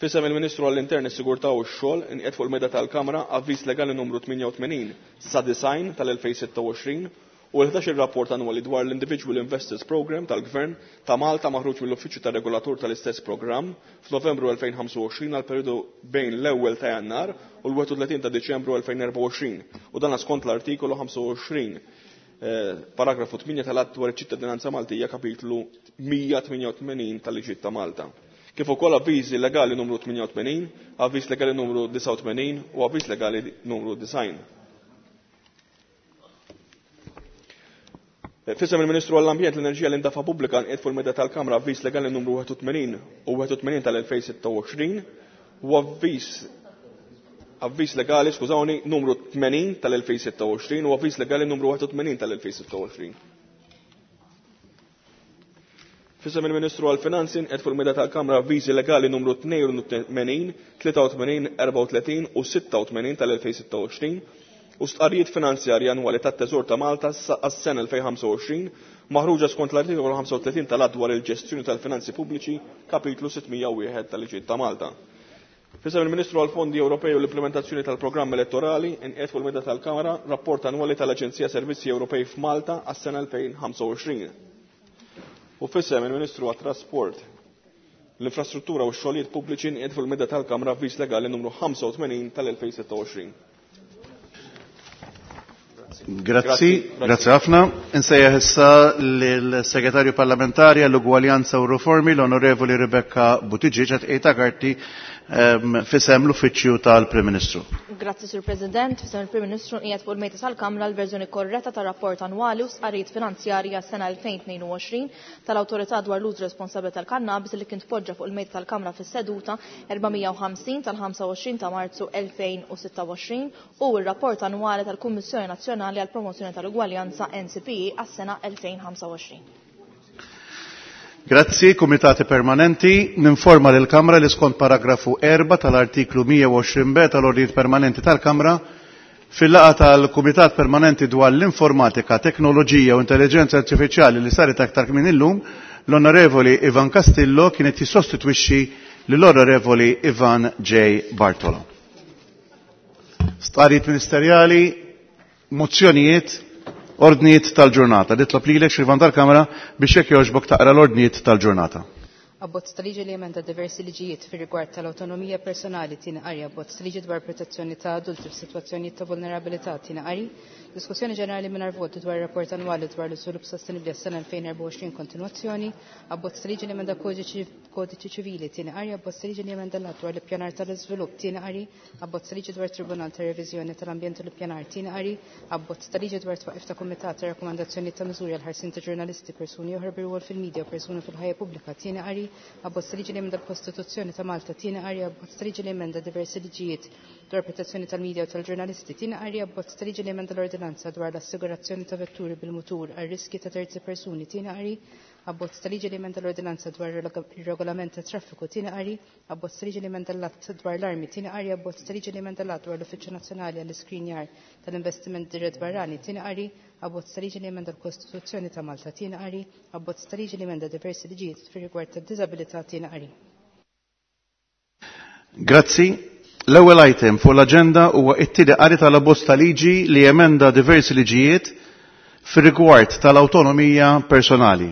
Fisem il-Ministru għall-Intern, is-Sigurtà u x-Xogħol inqiegħed fuq il-mejda tal-Kamra avviż legali numru tmienja u tmenin sa disgħin tal-elfejn u sitta u għoxrin u l-ħdax il rapport annwali dwar l-Individual Investors Program tal-Gvern ta' Malta maħruġ mill-Uffiċċju tar-Regolatur tal-istess programm f'Novembru elfejn u ħamsa u għoxrin għal periodu bejn l-ewwel ta' Jannar u l-wieħed u tletin ta' Diċembru elfejn u erbgħa u għoxrin, u dan skont l-artikolu ħamsa u għoxrin eh, paragrafu tmienja tal-Att dwar iċ-ċittadinanza Maltija, kapitlu mija u tmienja u tmenin tal-Liġi ta' Malta. Kif ukoll avviżi legali numru tmienja u tmenin, avviż legali numru disgħa u tmenin u avviż legali numru disgħin. Fisem il-Ministru għall-Ambjent, l-Enerġija, l-Indafa Pubblika nqiegħed fuq il-mejda tal-Kamra avviż legali numru wieħed u tmenin u wieħed u tmenin tal-elfejn u sitta u għoxrin u avviż avviż legali, skużawni, numru tmenin tal-elfejn u sitta u għoxrin u avviż legali numru wieħed u tmenin tal-elfejn u sitta u għoxrin. Fisem il-Ministru għall-Finanzi nqiegħed fuq il-mejda tal-Kamra avviżi legali numru tnejn u tmenin, tlieta u tmenin, erbgħa u tletin u sitta u tmenin tal-elfejn u sitta u għoxrin u stqarrijiet finanzjarji annwali tat-Teżor ta' Malta għas-sena elfejn u ħamsa u għoxrin maħruġa skont l-artikolu ħamsa u tletin tal-Att dwar il-ġestjoni tal-finanzi pubbliċi, kapitlu sitt mija u wieħed tal-Liġijiet ta' Malta. Fisem il-Ministru għall-Fondi Ewropej u l-implementazzjoni tal-programm elettorali inqiegħed fuq il-mejda tal-Kamra rapport annwali tal-Aġenzija Servizzi Ewropej f'Malta għas-sena elfejn u ħamsa u għoxrin. U fisem il-Ministru għat-Trasport, l-Infrastruttura u x-Xogħlijiet Pubbliċi nqiegħed fuq il-mejda tal-Kamra avviż legali numru ħamsa u tmenin tal-elfejn u sitta u għoxrin. Grazzi, grazzi ħafna. Insejjaħ issa lill-Segretarju Parlamentari għall-Ugwaljanza u Riformi, l-Onorevoli Rebecca Buttigieg, għat ejta karti ehm, fisem l-Uffiċċju tal-Prim Ministru. Grazzi, Sur President. Fisem il-Prim Ministru qiegħed fuq il-mejda tal-Kamra l-verżjoni korretta tar-rapport annwali u stqarrijiet finanzjarji għas-sena elfejn u tnejn u għoxrin tal-Awtorità dwar l-użu responsabbli tal-kannabis li kien tpoġġa fuq il-mejda tal-Kamra fis-seduta erba' mija u ħamsin tal-ħamsa u għoxrin ta' Marzu elfejn u sitta u għoxrin u r-rapport annwali tal-Kummissjoni Nazzjonali għall Promozzjoni tal-Ugwaljanza N C P E għas-sena elfejn u ħamsa u għoxrin. Grazzi, Kumitati Permanenti. Ninforma lil Kamra li skont paragrafu erbgħa tal-artiklu mija u għoxrin B tal-Ordnijiet Permanenti tal-Kamra, fil-laqgħa tal-Kumitat Permanenti dwar l-Informatika, Teknoloġija u Intelligenza Artifiċjali li saret aktar minn illum, l-Onorevoli Ivan Castillo kienet jissostitwixxi lill-Onorevoli Ivan J. Bartolo. Stqarrijiet ministerjali, mozzjonijiet, ordnijiet tal-ġurnata. Nitlob lilek, Xrivan tal-Kamra, biex jekk jogħġbok taqra l-ordnijiet tal-ġurnata. Abbozz ta' liġi li jemenda diversi liġijiet fir rigward tal-awtonomija personali, tieni qari. Abbozz ta' liġi dwar protezzjoni ta' adulti f'sitwazzjonijiet ta' vulnerabilità, tieni qari. Diskussjoni ġenerali mingħajr vot dwar rapport annwali dwar l-iżvilupp sostenibbli għas-sena elfejn u erbgħa u għoxrin, kontinwazzjoni. Abbozz ta' liġi li jemenda kodiċi ċivili, tieni qari. Abbozz ta' liġi li jemenda l-att dwar l-ippjanar tal-iżvilupp, tieni qari. Abbozz ta' liġi dwar Tribunal ta' Reviżjoni tal-Ambjent u l-Ippjanar, tieni qari. Abbozz ta' liġi dwar twaqif ta' kumitat ta' rakkomandazzjoni ta' miżuri għal ħarsien ta' ġurnalisti, persuni oħra bi rwol fil-medja u persuni fil-ħajja pubblika, tieni qari. Abbozz ta' liġi li jemenda l-Kostituzzjoni ta' Malta, tieni qari. Abbozz ta' liġi li jemenda diversi liġijiet dwar protezzjoni tal-medja u tal-ġurnalisti, tieni qari. Abbozz ta' liġi li jemenda l-ordinanza dwar l-assigurazzjoni ta' vetturi bil-mutur għal riski ta' terzi persuni, tieni qari. Abbozz ta' liġi li jemenda l-ordinanza dwar ir-regolament ta' traffiku, tieni qari. Abbozz ta' liġi li jemenda l-att dwar l-armi, tieni qari. Abbozz ta' liġi li jemenda l-att dwar l-Uffiċċju Nazzjonali għall-Iskrinjar tal-Investiment Dirett Barrani, tieni qari. Abbozz ta' liġi li jemenda l-Kostituzzjoni ta' Malta, tieni qari. Abbozz ta' liġi li jemenda diversi liġijiet fir-rigward tad-diżabilità, tieni qari. Grazzi. L-ewwel item fuq l-aġenda huwa t-tieni qari tal-abbozz ta' liġi li jemenda diversi liġijiet fir-rigward tal-awtonomija personali.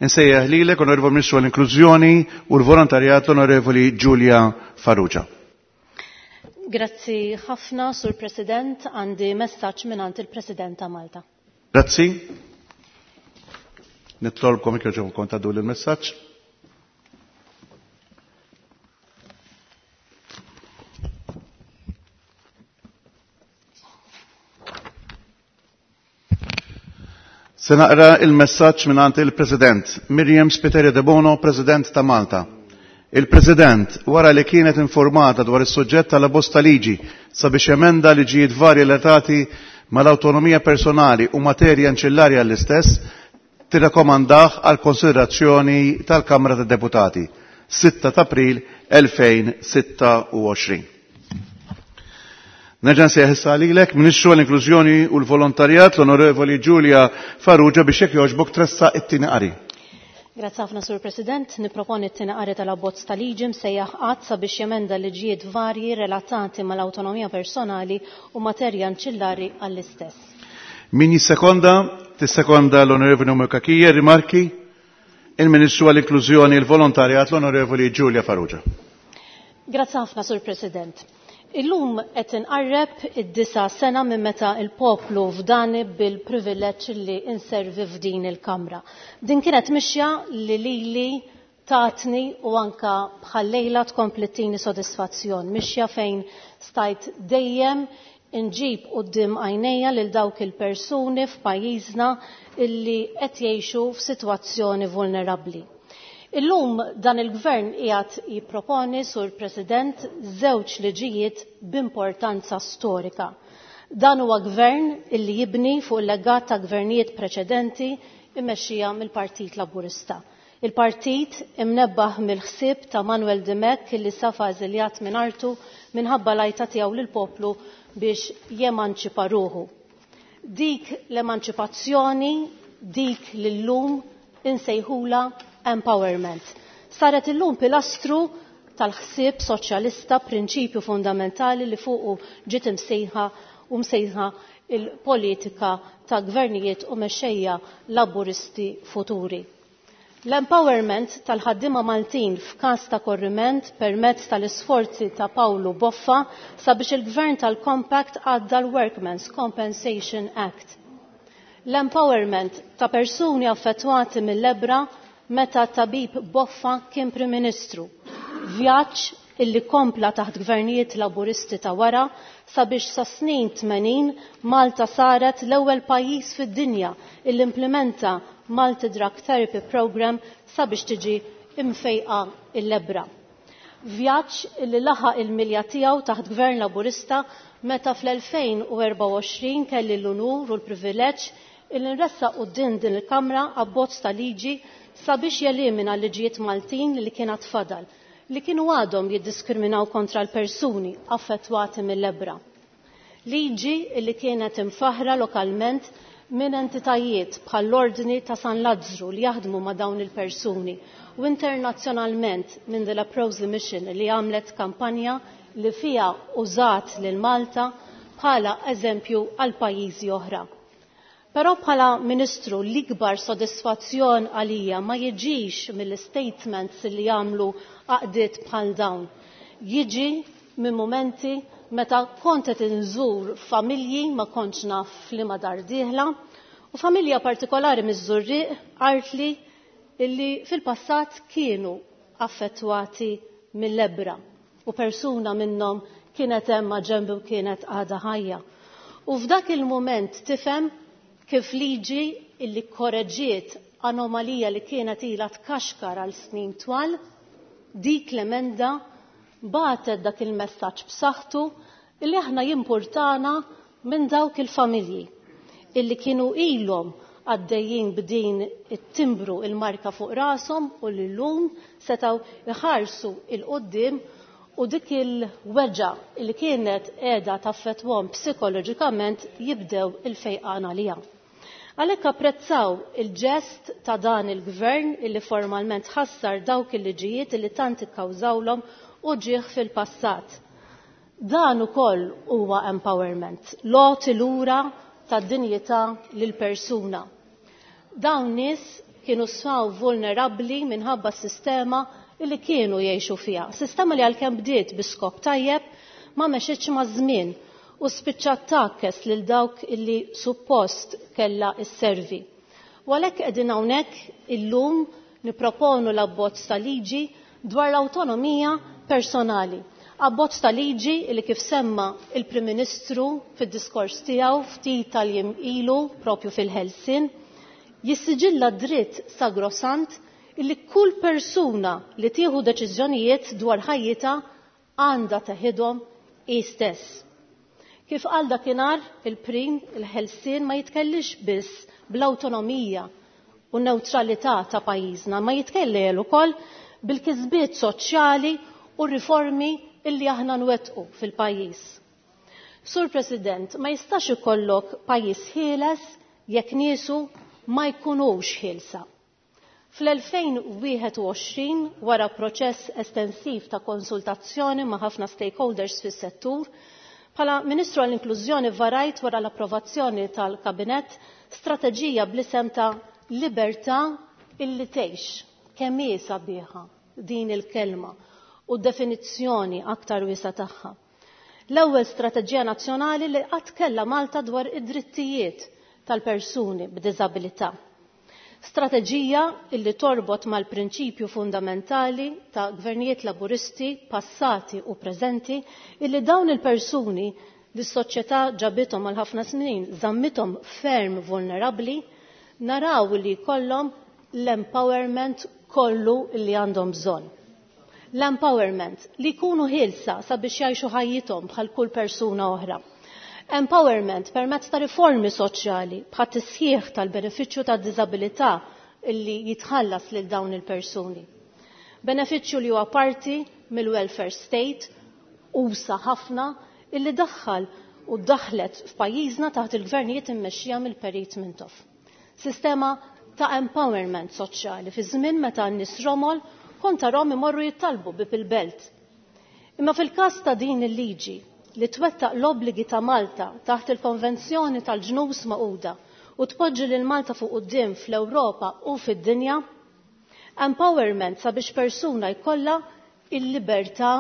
Insejjaħ lilek, Onorevoli Ministru għall-Inklużjoni u l-Volontarjat, l-Onorevoli Julia Farrugia. Grazzi ħafna, Sur President, għandi messaġġ mingħand il-President ta' Malta. Grazzi. Nitlobkom jekk jogħġobkom tgħaddu l-messaġġ. Se naqra il-messaġġ mingħand il-President Miriam Spiteri Debono, President ta' Malta. Il-President, wara li kienet informata dwar is-suġġett tal-abbozz ta' liġi sabiex emenda liġijiet varji relatati mal-awtonomija personali u materja anċillarja l-istess, tirrakkomandah għal konsiderazzjoni tal-Kamra tad-Deputati. sitta ta' April elfejn u sitta u għoxrin. Nerġa' nsejjaħ issa lilek, Ministru għall-Inklużjoni u l-Volontarjat, l-Onorevoli Julia Farrugia, biex jekk jogħġbok tressaq it-tieni qari. Grazzi ħafna, Sur President. Niproponi t-tieni qari tal-abbozz ta' liġi msejjaħ att sabiex jemenda liġijiet varji relatati mal-awtonomija personali u materja anċillari għall-istess. Min jissekonda? Tissekonda l-Onorevoli Naomi Cachia. Rimarki? Il-Ministru għall-Inklużjoni e l-Volontarjat, l-Onorevoli Giulia Farrugia. Grazzi ħafna, Sur President. Illum qed inqarreb id-disa sena minn meta il-poplu fdani bil-privileġġ li inservi f'din il-Kamra. Din kienet mixja li lili tatni u anka bħal-lejla tkompli tini sodisfazzjon. Mixja fejn stajt dejjem inġib quddiem għajnejja lil dawk il-persuni f'pajjiżna illi qed jgħixu f'sitwazzjoni vulnerabbli. Illum dan il-gvern qiegħed jipproponi, Sur President, żewġ liġijiet b'importanza storika. Dan huwa gvern illi jibni fuq il-legat ta' gvernijiet preċedenti immexxija mill-Partit Laburista. Il-partit imnebbaħ mill-ħsieb ta' Manuel Dimech illi safa eżiljat minn artu minħabba lajta tiegħu lill-poplu biex jemanċipa ruħu. Dik l-emanċipazzjoni, dik l-lum insejħula empowerment. Saret illum pilastru tal-ħsieb soċjalista, prinċipju fundamentali li fuqu ġiet imsejħa u msejħa il-politika ta' gvernijiet u mexxejja laburisti futuri. L-empowerment tal-ħaddiema Maltin f'każ ta' korriment permezz tal-isforzi ta' Paolo Boffa sabiex il-gvern tal-Compact għadda l-Workmen's Compensation Act. L-empowerment ta' persuni affettwati mill-lebbra meta tabib Boffa kien Prim Ministru. Vjaġġ illi kompla taħt gvernijiet laburisti ta' wara sabiex sa snin tmenin Malta saret l-ewwel pajjiż fid-dinja illi implementa Multi Drug Therapy Program sabiex tiġi imfejqa il-lebbra. Vjaġġ illi laħaq il-milja tiegħu taħt gvern laburista meta fl-elfejn u erbgħa u għoxrin kelli l-unur u l-privileġġ illi nressaq quddiem din il-Kamra abbozz ta' liġi sabiex jelimina liġijiet Maltin li kienet fadal, li kienu għadhom jiddiskriminaw kontra l-persuni affettwati mill-lebbra. Liġi li kienet imfaħra lokalment minn entitajiet bħall-Ordni ta' San Lazzru li jaħdmu ma' dawn il-persuni u internazzjonalment minn The Leprosy Mission li għamlet kampanja li fija użat lil Malta bħala eżempju għal pajjiżi oħra. Però bħala Ministru l-ikbar sodisfazzjon għalija ma jiġix mill-statements li jagħmlu għaqdiet bħal dawn. Jiġi minn momenti meta kont qed inżur familji ma kontx naf li ma dar dieħla u familja partikolari miż-Żurrieq qaltli illi fil-passat kienu affettwati mill-lebbra u persuna minnhom kienet hemm ma' ġenbi u kienet għadha ħajja. U f'dak il-mument tifhem kif liġi illi korreġiet anomalija li kienet ilha tkaxkar għal snin twal, dik l-emenda bagħtet dak il-messaġġ b'saħħtu illi aħna jimpurtana minn dawk il-familji illi kienu ilhom għaddejjin b'din it-timbru il-marka fuq rashom u li llum setgħu iħarsu il-qudiem u dik il-weġgħa li kienet qiegħda taffettwhom psikoloġikament jibdew il-fejqan għaliha. Għalhekk apprezzaw il-ġest ta' dan il-gvern illi formalment ħassar dawk il-liġijiet illi tant ikkawżawlhom u ġieħ fil-passat. Dan ukoll huwa empowerment, loti lura tad-dinjità lil persuna. Dawn nies kienu sfaw vulnerabbli minħabba s-sistema illi kienu jgħixu fiha. Sistema li għalkemm bdiet bi skop tajjeb ma mexitx maż-żmien u spiċċat takkes lil dawk illi suppost kellha s-servi. U għalhekk qegħdin hawnhekk illum nipproponu l-abbozz ta' liġi dwar l-awtonomija personali. Abbozz ta' liġi li kif semma il-Prim Ministru fid-diskors tiegħu ftit tal-jiem ilu propju fil-Ħelsien, jissiġilla dritt sagrosant illi kull persuna li tieħu deċiżjonijiet dwar ħajjitha għandha teħidhom hi stess. Kif qal dakinhar il-Prim, il-Ħelsien ma jitkellix biss bl-awtonomija u n-newtralità ta' pajjiżna, ma jitkellem ukoll bil-kisbiet soċjali u riformi illi aħna nwettqu fil-pajjiż. Sur President, ma jistax ikollok pajjiż ħieles jekk niesu ma jkunux ħielsa. Fl-elfejn u wieħed u għoxrin, wara proċess estensiv ta' konsultazzjoni ma' ħafna stakeholders fis-settur, bħala Ministru għall-Inklużjoni varajt wara l-approvazzjoni tal-Kabinett strateġija bl-isem ta' Libertà illi tgħix. Kemm hi sabiħa din il-kelma u definizzjoni aktar wiesa' tagħha. L-ewwel strateġija nazzjonali li qatt kellha Malta dwar id-drittijiet tal-persuni b'diżabilità. Strateġija illi torbot mal-prinċipju fundamentali ta' gvernijiet laburisti passati u preżenti illi dawn il-persuni li s-soċjetà ġabithom għal ħafna snin żammithom ferm vulnerabbli, naraw li jkollhom l-empowerment kollu li għandhom bżonn. L-empowerment li jkunu ħielsa sabiex jgħixu ħajjithom bħal kull persuna oħra. Empowerment permezz ta' riformi soċjali bħat tisħiħ tal-benefiċċju tad-diżabilità illi jitħallas lil dawn il-persuni. Benefiċċju li huwa parti mill-welfare state usa ħafna illi daħħal u daħlet f'pajjiżna taħt il-gvernijiet immexxija mill-Perit Mintoff. Sistema ta' empowerment soċjali fi żmien meta n-nies romol kont tarahom imorru jittalbu bib il-belt. Imma fil-każ ta' din il-liġi li twettaq l-obbligi ta' Malta taħt il-Konvenzjoni tal-Ġnus Magħquda u tpoġġi lil Malta fuq quddiem fl-Ewropa u fid-dinja, empowerment sabiex persuna jkollha il-libertà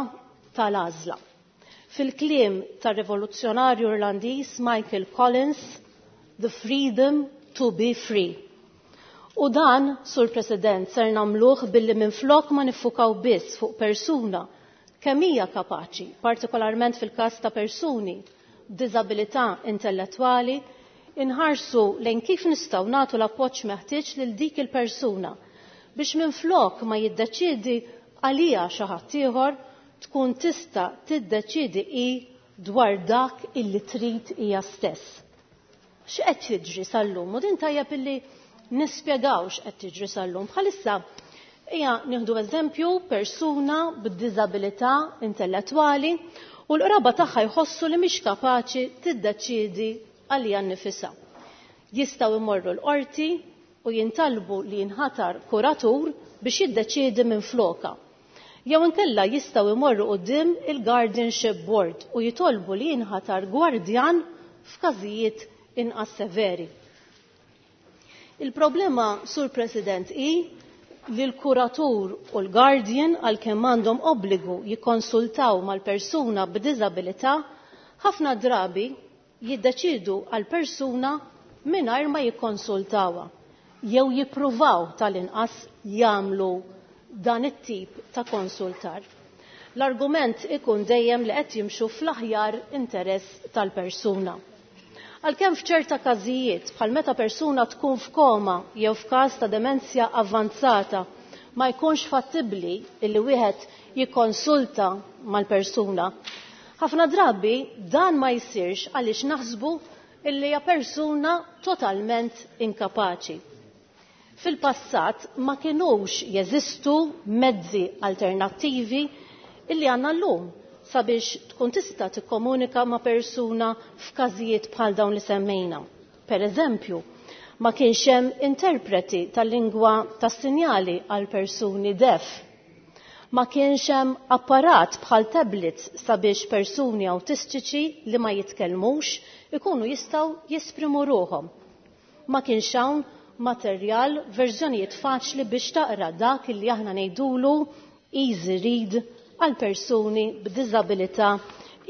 tal-għażla. Fil-kliem tar-rivoluzzjonarju Irlandiż Michael Collins, the freedom to be free. U dan, Sur President, ser nagħmluh billi minflok ma niffukaw biss fuq persuna kemm hija kapaċi, partikolarment fil-każ ta' persuni b'diżabilità intellettwali, inħarsu lejn kif nistgħu nagħtu l-appoġġ meħtieġ lil dik il-persuna biex minflok ma jiddeċiedi għalija xi ħadd ieħor tkun tista' tiddeċiedi hi dwar dak illi trid hija stess. X'qed jiġri sal-lum? U din tajjeb illi nispjegaw x'qed jiġri sal-lum. Bħalissa hija nieħdu eżempju persuna b'diżabilità intellettwali u l-qraba tagħha jħossu li mhix kapaċi tiddeċiedi għalija nnifisha. Jistgħu jmorru l-qorti u jintalbu li jinħatar kuratur biex jiddeċiedi minn floka. Jew inkella jistgħu jmorru quddiem il-Guardianship Board u jitolbu li jinħatar gwardjan f'każijiet inqas severi. Il-problema, Sur President, hi li l-kuratur u l-guardian għalkemm għandhom obbligu jikkonsultaw mal-persuna b'diżabilità, ħafna drabi jiddeċidu għal persuna mingħajr ma jikkonsultawha jew jippruvaw tal-inqas jagħmlu dan it-tip ta' konsultar. L-argument ikun dejjem li qed jimxu fl-aħjar interess tal-persuna. Għalkemm f'ċerta każijiet bħal meta persuna tkun f'koma jew f'każ ta' demenzja avvanzata ma jkunx fattibbli illi wieħed jikkonsulta mal-persuna. Ħafna drabi dan ma jsirx għaliex naħsbu illi hija persuna totalment inkapaċi. Fil-passat ma kinux jeżistu mezzi alternattivi illi għandna llum sabiex tkun tista' tikkomunika ma' persuna f'każijiet bħal dawn li semmejna. Per eżempju, ma kienx hemm interpreti tal-lingwa tas-sinjali għal persuni def. Ma kienx hemm apparat bħal tablets sabiex persuni awtistiċi li ma jitkellmux ikunu jistgħu jesprimu ruħhom. Ma kienx hawn materjal verżjonijiet faċli biex taqra dak li aħna ngħidulu easy read għal persuni b'diżabilità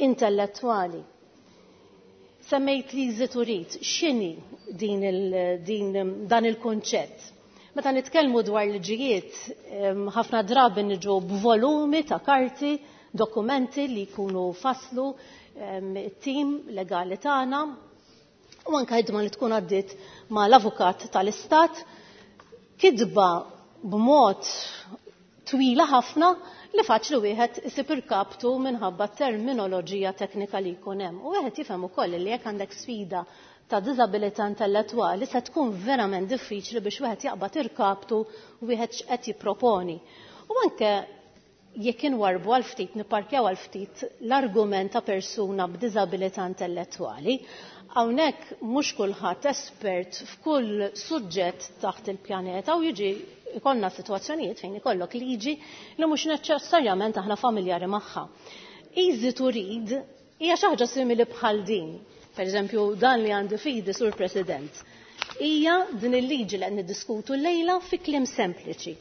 intellettwali. Semmejt li easy to read, x'inhi din il, din, dan il-konċett? Meta nitkellmu dwar liġijiet, ħafna drabi niġu b'volumi ta' karti, dokumenti li jkunu faslu it-tim legali tagħna u anke ħidma li tkun għaddiet ma' l-avukat tal-Istat, kitba b'mod twila ħafna li faċli wieħed isib irkaptu minħabba terminoloġija teknika li jkun hemm. U wieħed jifhem ukoll li jekk għandek sfida ta' diżabilità intellettwali se tkun verament diffiċli biex wieħed jaqbad irkaptu u wieħed x'qed jipproponi. U anke Jekk inwarbu għal ftit, nipparkjaw għal ftit l-argument ta' persuna b'diżabilità intellettwali, hawnhekk mhux kulħadd espert f'kull suġġett taħt il-pjaneta u jiġi ikollna sitwazzjonijiet fejn ikollok liġi li mhux neċessarjament aħna familjari magħha. Easy to read hija xi ħaġa simili bħal din. Per eżempju, dan li għandi fidi, Sur President, hija din il-liġi li qed niddiskutu llejla fi kliem sempliċi.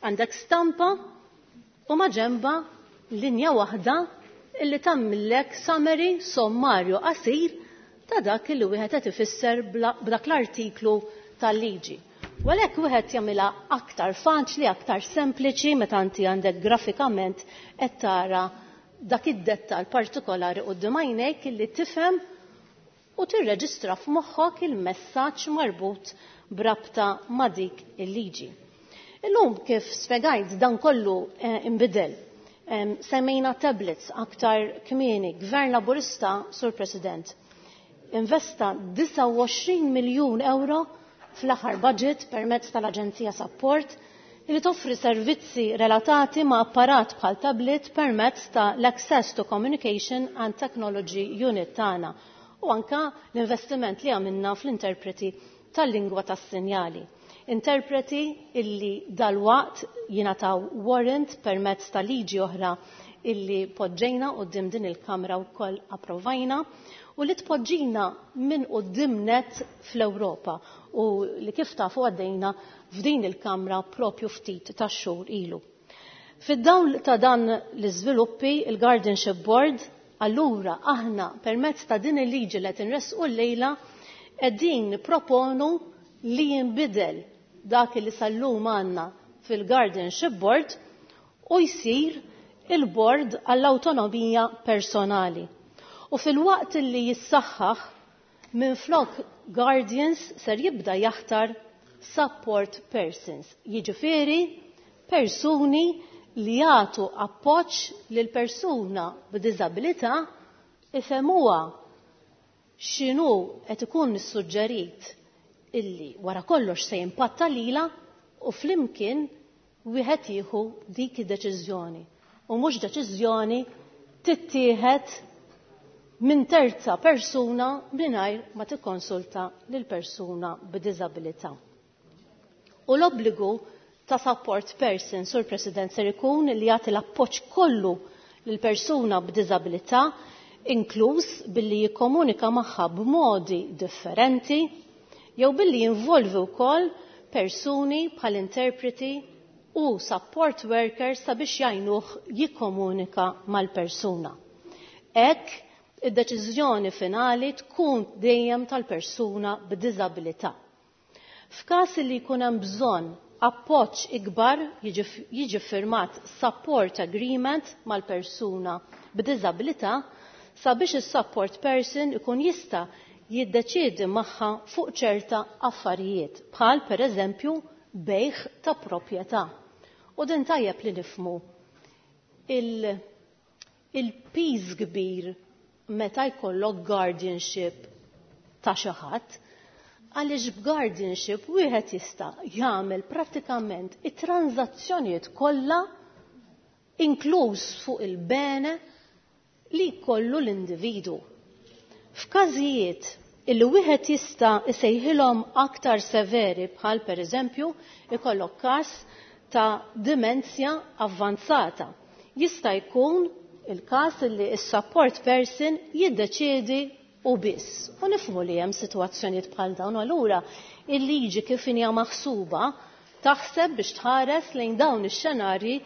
Għandek stampa u maġenba linja waħda illi tagħmillek summary, sommarju qasir ta' dak li wieħed qed ifisser b'dak l-artiklu tal-liġi. U għalhekk wieħed jagħmilha aktar faċli, aktar sempliċi meta inti għandek grafikament qed tara dak id-dettal partikolari quddiem għajnejk illi tifhem u tirreġistra f'moħħok il-messaġġ marbut b'rabta ma' dik il-liġi. Illum kif spjegajt dan kollu inbidel. Semmejna tablets aktar kmieni, Gvern Laburista, Sur President, investa disgħa u għoxrin miljun euro fl-aħħar budget permezz tal-Aġenzija Support li toffri servizzi relatati ma' apparat bħal tablet permezz ta' l-Access to Communication and Technology Unit tagħna u anka l-investiment li għamilna fl-interpreti tal-lingwa tas-sinjali. Interpreti illi dalwaqt jingħataw warrant permezz ta' liġi oħra illi poġġejna quddiem din il-Kamra wkoll approvajna u li tpoġġina minn quddiem net fl-Ewropa u li kif tafu għaddejna f'din il-Kamra propju ftit ta' xhur ilu. Fid-dawl ta' dan l-iżviluppi, il-Guardianship Board, allura aħna permezz ta' din il-liġi li qed inressqu llejla qegħdin nipproponu li jinbidel dak li sal-lum għandna fil-Guardianship Board u jsir il-Board għall-Awtonomija Personali. U fil-waqt li jissaħħaħ minflok Guardians ser jibda jaħtar support persons, jiġifieri persuni li jagħtu appoġġ lil persuna b'diżabilità ifhemuha x'inhu qed ikun issuġġerit illi wara kollox se jimpatta lila u flimkien wieħed jieħu dik id-deċiżjoni u mhux deċiżjoni tittieħed minn terza persuna mingħajr ma tikkonsulta lil persuna b'diżabilità. U l-obbligu ta' support person, Sur President, ser ikun li jagħti l-appoġġ kollu lil persuna b'diżabilità, inkluż billi jikkomunika magħha b'modi differenti jew billi jinvolvi wkoll persuni bħal interpreti u support workers sabiex jgħinuh jikkomunika mal-persuna. Hekk id-deċiżjoni finali tkun dejjem tal-persuna b'diżabilità. F'każ li jkun hemm bżonn appoġġ ikbar jiġi firmat support agreement mal-persuna b'diżabilità sabiex is-support person ikun jista' jiddeċiedi magħha fuq ċerta affarijiet, bħal pereżempju bejgħ ta' proprjetà. U din tajjeb li nifhmu il-piż kbir meta jkollok guardianship ta' xi ħadd, għaliex b'guardianship wieħed jista' jagħmel prattikament it-transazzjonijiet kollha inkluż fuq il-bene li jkollu l-individu. F'każijiet illi wieħed jista' isejħilhom aktar severi bħal pereżempju ikollok każ ta' dimenzja avvanzata. Jista' jkun il-każ illi s-support person jiddeċiedi u biss. U nifhmu li hemm sitwazzjonijiet bħal dawn, allura il-liġi kif hija maħsuba taħseb biex tħares lejn dawn ix-xenarji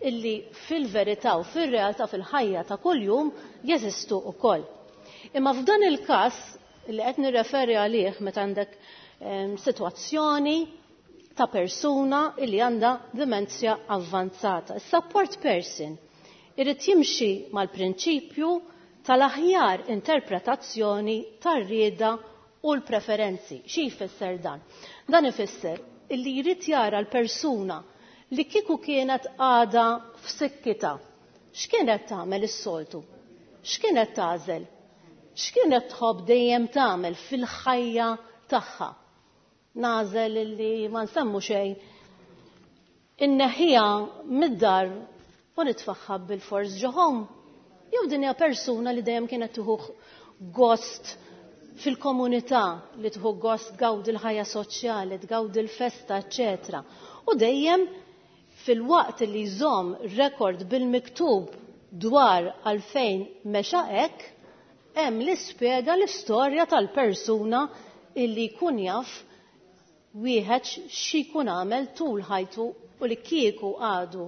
illi fil-verità u fir-realtà fil-ħajja ta' kuljum jeżistu wkoll. Imma f'dan il-każ li qed nirreferi għalih meta għandek sitwazzjoni ta' persuna illi għandha dimenzja avvanzata. Is-support person irid jimxi mal-prinċipju tal-aħjar interpretazzjoni tar-rieda u l-preferenzi. Xi jfisser dan? Dan ifisser illi jrid jara l-persuna li kieku kienet għada f'sikkita. X'kienet tagħmel is-soltu? X'kienet tagħżel? X'kienet tħobb dejjem tagħmel fil-ħajja tagħha? Nażel illi ma nsemmu xejn. Inneħħija mid-dar U nitfaħħa bil-fors ġo home. Jew din hija persuna li dejjem kienet tieħu gost fil-komunità, li tieħu gost tgawdi l-ħajja soċjali, tgawdi l-festa, eċċetera. U dejjem fil-waqt li jżomm rekord bil-miktub dwar għalfejn mexa hekk, hemm li spjega l-istorja tal-persuna illi jkun jaf wieħed xi jkun għamel tul ħajtu u li kieku għadu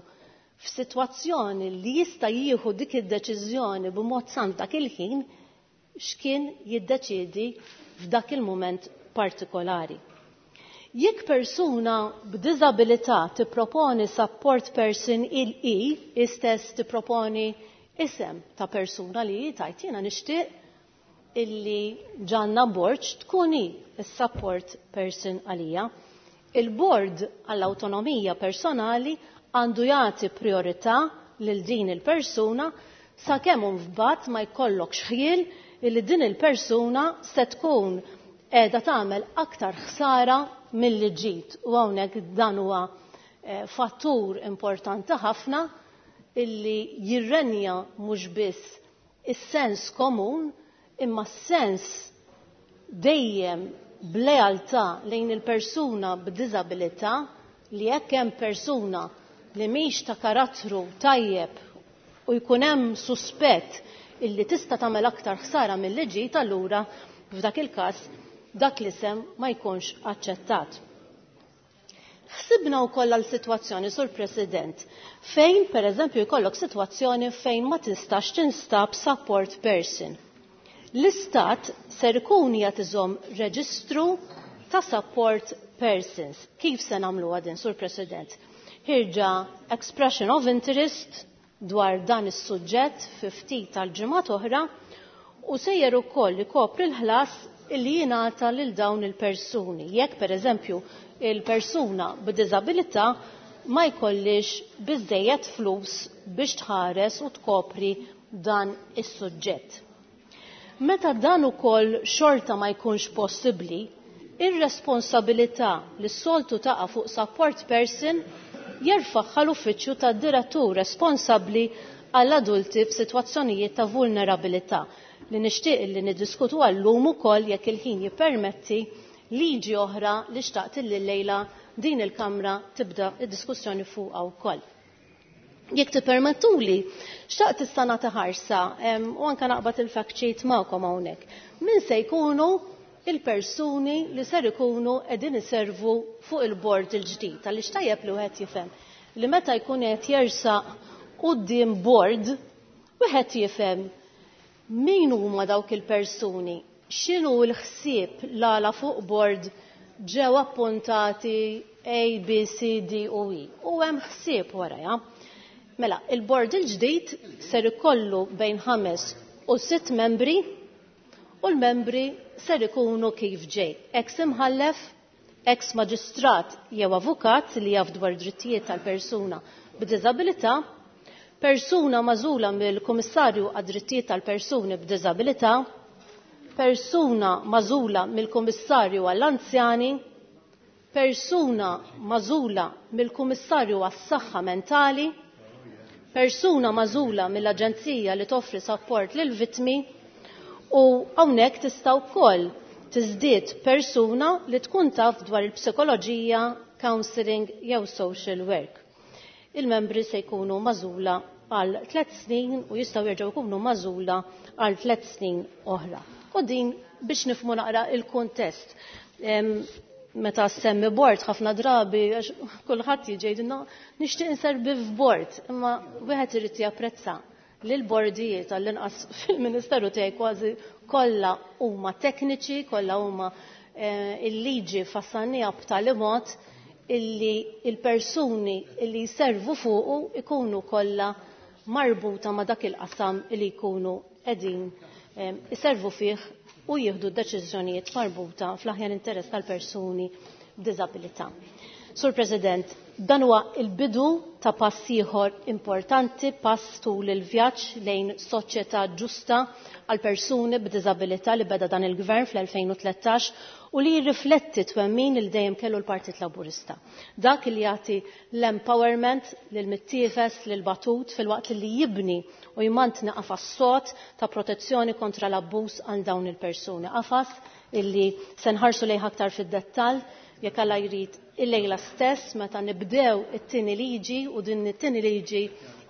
f'sitwazzjoni li jista' jieħu dik id-deċiżjoni b'mod sant dak il-ħin x'kien jiddeċiedi f'dak il-mument partikolari. Jekk persuna b'diżabilità tipproponi support person il-i, istess tipproponi isem ta' persuna li tajt jiena nixtieq illi Ġanna Borg tkun hi is-support person għalija. Il-bord għall-awtonomija personali għandu jagħti priorità lil din il-persuna sakemm mbagħad ma jkollokx ħjiel illi din il-persuna se tkun qiegħda tagħmel aktar ħsara milli ġid. U hawnhekk dan huwa fattur importanti ħafna illi jirrenja mhux biss is-sens komun imma s-sens dejjem b'lealtà lejn il-persuna b'diżabilità li jekk hemm persuna li mhix ta' karattru tajjeb u jkun hemm suspett illi tista' tagħmel aktar ħsara milli ġid, allura f'dak il-każ dak l-isem ma jkunx aċċettat. Ħsibna wkoll għal sitwazzjoni, Sur President, fejn pereżempju jkollok sitwazzjoni fejn ma tistax tinstab support person. L-istat ser ikun qiegħed iżomm reġistru ta' support persons. Kif se nagħmluha din, Sur President? Ħirġa expression of interest dwar dan is-suġġett fi ftit tal-ġimgħat oħra u sejjer ukoll ikopri l-ħlas illi jingħata lil dawn il-persuni. Jekk pereżempju il-persuna b'diżabilità ma jkollix biżejjed flus biex tħares u tkopri dan is-suġġett. Meta dan ukoll xorta ma jkunx possibbli, ir-responsabilità li s-soltu taqa' fuq support person jerfaħħa l-uffiċċju tad-direttur responsabbli għall-adulti f'sitwazzjonijiet ta' vulnerabilità li nixtieq li niddiskutu għallum ukoll jekk il-ħin jippermetti liġi oħra li xtaqt li llejla din il-Kamra tibda id-diskussjoni fuqha wkoll. Jekk tippermettuli, xtaqt issa nagħti ħarsa u anke naqbad il-fact sheet magħkom hawnhekk. Min se jkunu il-persuni li ser ikunu qegħdin iservu fuq il-bord il-ġdid, għaliex tajjeb li wieħed jifhem li meta jkun qed jersaq quddiem bord, wieħed jifhem min huma dawk il-persuni, x'inhu l-ħsieb l-għala fuq bord ġew appuntati A, B, C, D u E. U hemm ħsieb warajha. Mela, il-bord il-ġdid ser ikollu bejn ħames u sitt membri u l-membri ser ikunu kif ġej. Ex imħallef, ex maġistrat jew avukat li jaf dwar drittijiet tal-persuna b'diżabilità, persuna magħżula mill-Kummissarju għad-drittijiet tal-persuni b'diżabilità, persuna magħżula mill-Kummissarju għall-anzjani, persuna magħżula mill-Kummissarju għas-saħħa mentali, persuna magħżula mill-Aġenzija li toffri support lil vittmi u hawnhekk tista' wkoll tiżdied persuna li tkun taf dwar il-psikoloġija, counseling jew social work. Il-membri se jkunu magħżula għal tliet snin u jistgħu jerġgħu jkunu magħżula għal tliet snin oħra. U din biex nifhmu naqra il-kuntest. Meta semmi bord ħafna drabi għax kulħadd jiġi jgħidilna nixtieq inservi f'bord, imma wieħed irid japprezza li l-bordijiet għall-inqas fil-Ministeru tiegħi kważi kollha huma tekniċi, kollha huma il-liġi fassanija b'tali mod illi il-persuni illi jservu fuqu ikunu kollha marbuta ma' dak il-qasam illi jkunu qegħdin iservu fih u jieħdu deċiżjonijiet marbuta fl-aħjar interess tal-persuni b'diżabilità. Sur President, dan huwa il-bidu ta' pass ieħor importanti, pass tul il-vjaġġ lejn soċjetà ġusta għal persuni b'diżabilità li beda dan il-gvern fl-elfejn u tlettax u li jirrifletti twemmin il dejjem kellu l-Partit Laburista. Dak li jagħti l-empowerment lil mittiefes, lil batut, filwaqt li jibni u jmantni qafas sod ta' protezzjoni kontra l-abbuż għal dawn il-persuni. Qafas illi se nħarsu lejh aktar fid-dettall jekk Alla jrid il-lejla stess meta nibdew it-tieni liġi, u din it-tieni liġi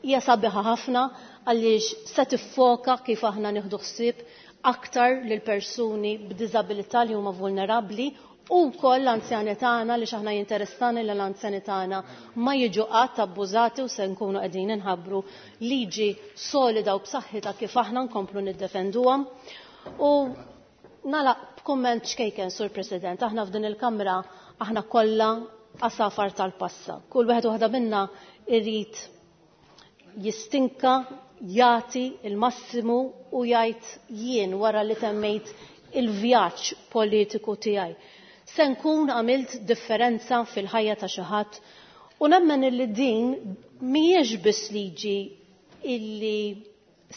hija sabiħa ħafna għaliex se tiffoka kif aħna nieħdu ħsieb aktar lil persuni b'diżabilità li huma vulnerabbli u wkoll l-anzjani tagħna, li x'aħna jinteressani li l-anzjani tagħna ma jiġu qatt abbużati, u se nkunu qegħdin inħabbru liġi solida u b'saħħitha kif aħna nkomplu niddefenduhom. U nagħlaq b'kumment xkejken, Sur President, aħna f'din il-Kamra aħna kollha għasafar tal-passa. Kull wieħed waħda minna irrid jistinka, jagħti il-massimu u jgħid jien wara li temmejt il-vjaġġ politiku tiegħi. Se nkun għamilt differenza fil-ħajja ta' xi ħadd, u nemmen illi din mhijiex biss liġi illi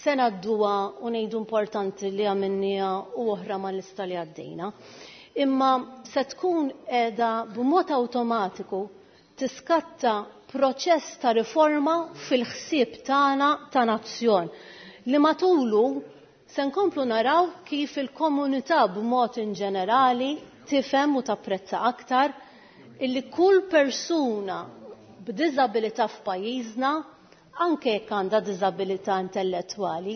se ngħadduha u ngħidu importanti li għamilniha u oħra mal-lista li għaddejna, imma se tkun qiegħda b'mod awtomatiku tiskatta proċess ta' riforma fil-ħsieb tagħna ta' nazzjon li matulu se nkomplu naraw kif il-komunità b'mod in ġenerali tifhem u tapprezza aktar illi kull persuna b'diżabilità f'pajjiżna, anke jekk għandha diżabilità intellettwali,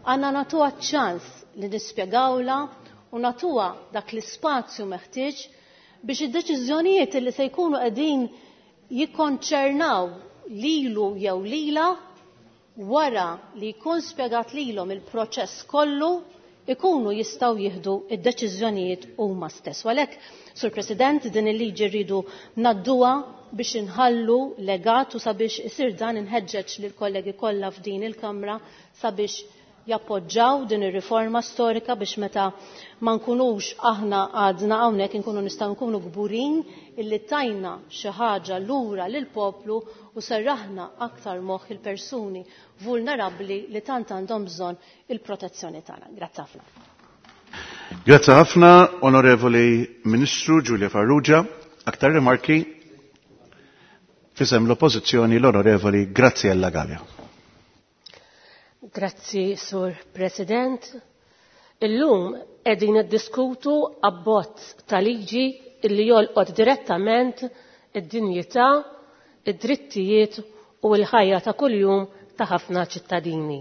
għandna nagħtuha ċ-ċans li nispjegawla u nagħtuha dak l-ispazju meħtieġ biex id-deċiżjonijiet li se jkunu qegħdin jikkonċernaw lilu jew lila wara li jkun spjegat lilhom il-proċess kollu ikunu jistgħu jieħdu id-deċiżjonijiet huma stess. U għalhekk, Sur President, din il-liġi rridu ngħadduha biex inħallu legat u sabiex isir dan inħeġġeġ lill kollegi kollha f'din il-Kamra sabiex jappoġġaw din ir-riforma storika biex meta ma nkunux aħna għadna hawnhekk inkunu nistgħu nkunu kburin illi tajna xi ħaġa lura lill-poplu u serraħna aktar moħħ il-persuni vulnerabbli li tant għandhom bżonn il-protezzjoni tagħna. Grazzi ħafna. Grazzi ħafna, Onorevoli Ministru Julia Farrugia. Aktar rimarki fisem l-Oppożizzjoni l-Onorevoli Graziella Galea. Grazzi, Sur President. Illum qegħdin niddiskutu abbozz ta' liġi illi jolqot direttament id-dinjità, id-drittijiet u l-ħajja ta' kuljum ta' ħafna ċittadini.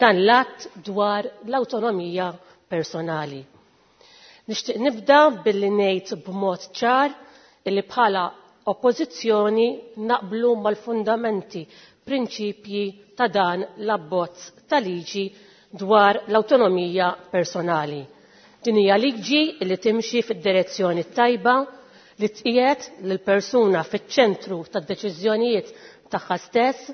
Dan l-att dwar l-awtonomija personali. Nixtieq nibda billi ngħid b'mod ċar illi bħala oppożizzjoni naqblu mal-fundamenti, prinċipji ta' dan l-abbozz ta' liġi dwar l-awtonomija personali. Din hija liġi li timxi fid-direzzjoni tajba li tqiegħed lill-persuna fiċ-ċentru tad-deċiżjonijiet tagħha stess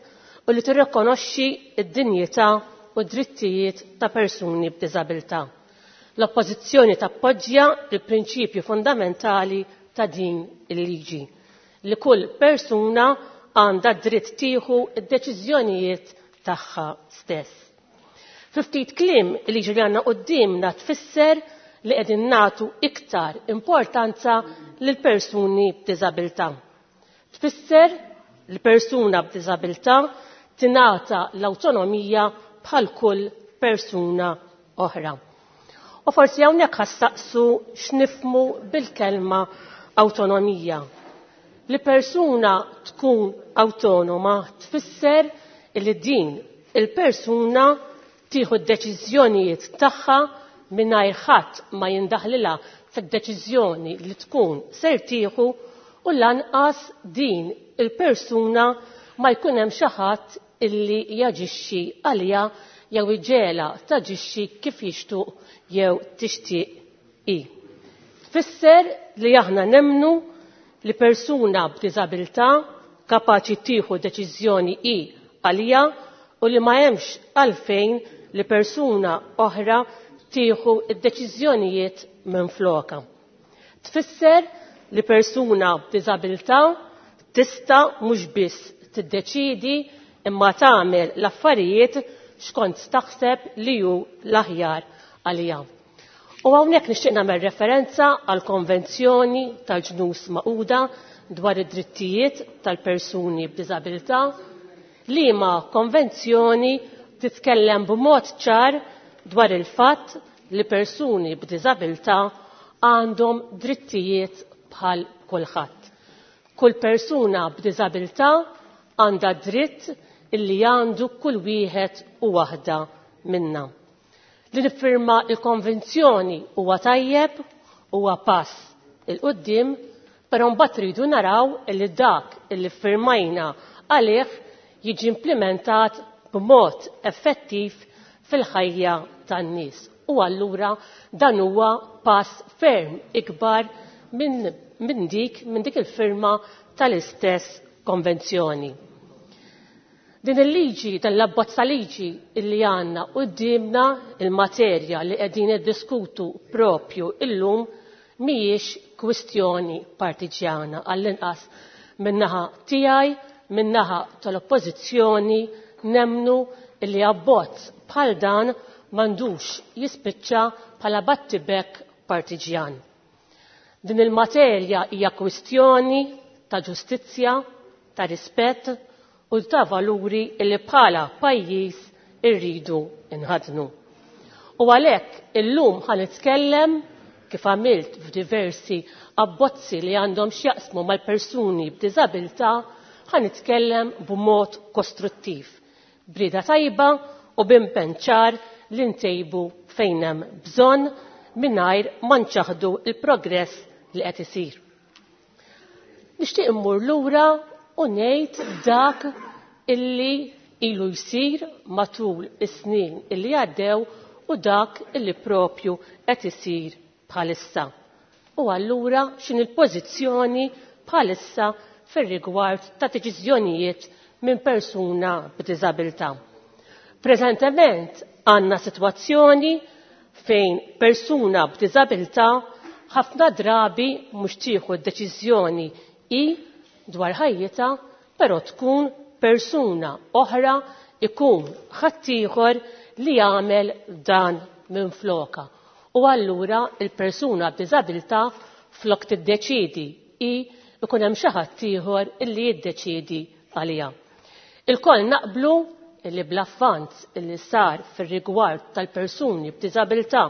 u li tirrikonoxxi d-dinjità u d-drittijiet ta' persuni b'diżabilità. L-oppożizzjoni tappoġġja l-prinċipju fundamentali ta' din il-liġi li kull persuna għandha dritt tieħu d-deċiżjonijiet tagħha stess. Fi ftit kliem il-liġi li għandna quddiemna tfisser li qegħdin nagħtu iktar importanza lil persuni b'diżabilità. Tfisser li persuna b'diżabilità tingħata l-awtonomija bħal kull persuna oħra. U forsi hawnhekk ħassaqsu x'nifmu bil-kelma awtonomija. Li persuna tkun awtonoma tfisser li din il-persuna tieħu d-deċiżjonijiet tagħha mingħajr ħadd ma jindaħlilha fid-deċiżjoni li tkun ser tieħu u lanqas din il-persuna ma jkun hemm xi ħadd illi jaġixxi għaliha jew iġela taġixxi kif jixtuq jew tixtieq hi. Tfisser li aħna nemmnu li persuna b'diżabilità kapaċi tieħu deċiżjoni hi għalija u li ma hemmx għalfejn li persuna oħra tieħu d-deċiżjonijiet minn floka. Tfisser li persuna b'diżabilità tista' mhux biss tiddeċiedi imma tagħmel l-affarijiet xkont taħseb li hu l-aħjar għalija. U hawnhekk nixtieq nagħmel referenza għal konvenzjoni tal-Ġnus Magħquda dwar id-drittijiet tal-persuni b'diżabilità, liema konvenzjoni titkellem b'mod ċar dwar il-fatt li persuni b'diżabilità għandhom drittijiet bħal kulħadd. Kull persuna b'diżabilità għandha dritt illi għandu kull wieħed u waħda minna. Li niffirma il-konvenzjoni huwa tajjeb, huwa pass il quddiem, però mbagħad ridu naraw illi dak illi ffirmajna għalih jiġi implementat b'mod effettiv fil-ħajja tan-nies. U allura dan huwa pass ferm ikbar minn min dik, min dik il-firma tal-istess konvenzjoni. Din il-liġi, dan l-abbozza liġi illi għandna quddiemna, il-materja li qegħdin niddiskutu propju illum mhijiex kwistjoni partiġjana, għall-inqas min-naħa tiegħi, min-naħa tal-oppożizzjoni, nemnu illi abbozz bħal dan m'għandux jispiċċa bħala battibek partiġjan. Din il-materja hija kwistjoni ta' ġustizzja, ta' rispett u ta' valuri illi bħala pajjiż irridu nħadnu. U għalhekk illum ħa nitkellem kif għamilt f'diversi abbozzi li għandhom x'jaqsmu mal-persuni b'diżabilità, ħa nitkellem b'mod kostruttiv, b'rieda tajba u b'impenn ċar li ntejbu fejn hemm bżonn mingħajr ma nċaħdu l-progress li qed isir. Nixtieq immur lura u ngħid dak illi ilu jsir matul is-snin illi għaddew u dak illi propju qed isir bħalissa. U allura x'in il-pożizzjoni bħalissa fir-rigward ta' deċiżjonijiet minn persuna b'diżabilità. Preżentement għandna sitwazzjoni fejn persuna b'diżabilità ħafna drabi mhux tieħu d-deċiżjoni hi dwar ħajjitha, però tkun persuna oħra, ikun ħaddieħor li jagħmel dan minn floka. U allura il-persuna b'diżabilità flok tiddeċiedi hi ikun hemm xi ħadd ieħor illi jiddeċiedi għaliha. Il-koll naqblu illi bl-avvanz illi sar fir-rigward tal-persuni b'diżabilità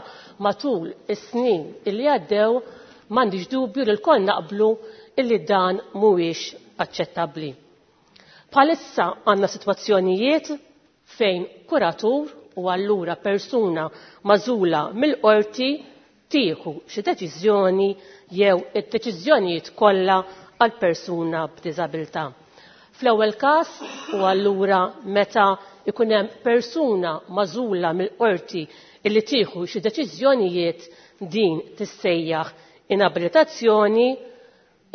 matul is-snin illi għaddew, m'għandix dubju li l-koll naqblu illi dan mhuwiex aċċettabbli. Bħalissa għandna sitwazzjonijiet fejn kuratur u allura persuna magħżula mill-qorti tieħu xi deċiżjoni jew id-deċiżjonijiet kollha għal persuna b'diżabilità. Fl-ewwel każ u allura meta ikun hemm persuna magħżula mill-qorti illi tieħu xi deċiżjonijiet, din tissejjaħ inabilitazzjoni.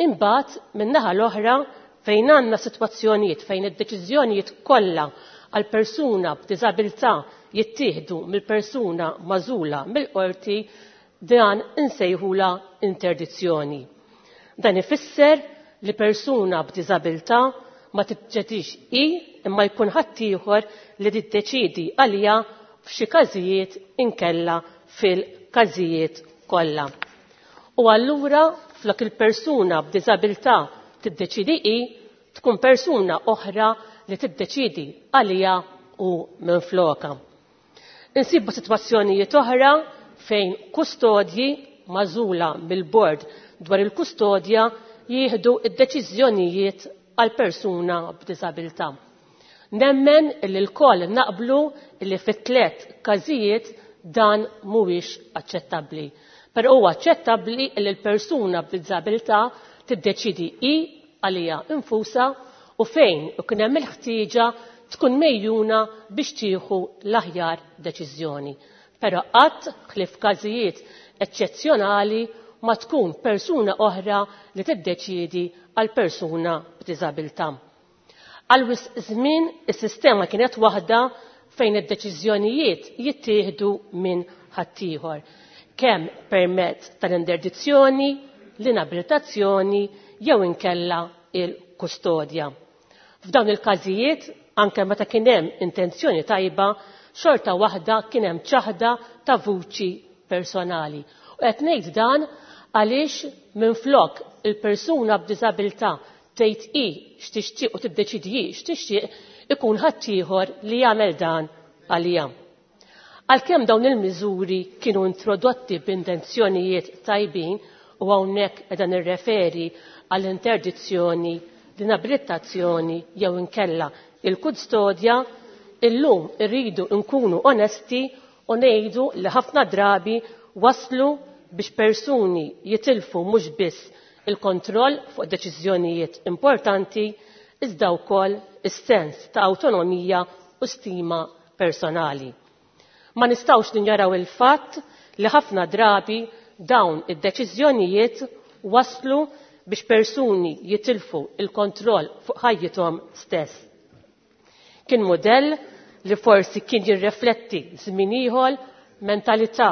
Imbagħad min-naħa l-oħra fejn għandna sitwazzjonijiet fejn id-deċiżjonijiet kollha għal persuna b'diżabilità jittieħdu mill-persuna magħżula mill-qorti, dan insejħula interdizzjoni. Dan ifisser li persuna b'diżabilità ma tiddeċidix hi imma jkun ħaddieħor li tiddeċiedi għaliha f'xi każijiet inkella fil-każijiet kollha. U allura flok il-persuna b'diżabilità tiddeċiedi hi, tkun persuna oħra li tiddeċiedi għaliha u minfloka. Insibu sitwazzjonijiet oħra fejn kustodji magħżula mill-bord dwar il-kustodja jieħdu id-deċiżjonijiet għal persuna b'diżabilità. Nemmen li l-koll naqblu li fit-tliet każijiet dan mhuwiex aċċettabbli. Però huwa aċċettabbli li l-persuna b'diżabilità tiddeċidi hi għaliha infusa u fejn ikun hemm il-ħtieġa tkun mejjuna biex tieħu l-aħjar deċiżjoni. Però qatt ħlief każijiet eċċezzjonali ma tkun persuna oħra li tiddeċiedi għal persuna b'diżabilità. Għal wisq żmien is-sistema kienet waħda fejn id-deċiżjonijiet jittieħdu minn ħaddieħor, kemm permezz tal-interdizzjoni l-inabilitazzjoni jew inkella il-kustodja. F'dawn il-każijiet, anke meta kien hemm intenzjoni tajba, xorta waħda kien hemm ċaħda ta' vuċi personali. U qed ngħid dan għaliex minflok il-persuna b'diżabilità tgħid hi x'tixtieq u tiddeċidi hi x'tixtieq ikun ħaddieħor li jagħmel dan għaliha. Għalkemm dawn il-miżuri kienu introdotti b'intenzjonijiet tajbin u hawnhekk qiegħda nirreferi għall-interdizzjoni, l-inabilitazzjoni jew inkella il-kustodja, illum irridu nkunu onesti u ngħidu li ħafna drabi waslu biex persuni jitilfu mhux biss il-kontroll fuq deċiżjonijiet importanti iżda wkoll is-sens ta' awtonomija u stima personali. Ma nistgħux ninjaraw il-fatt li ħafna drabi dawn id-deċiżjonijiet waslu biex persuni jitilfu il-kontroll fuq ħajjithom stess. Kien mudell li forsi kien jirrefletti żmien ieħor, mentalità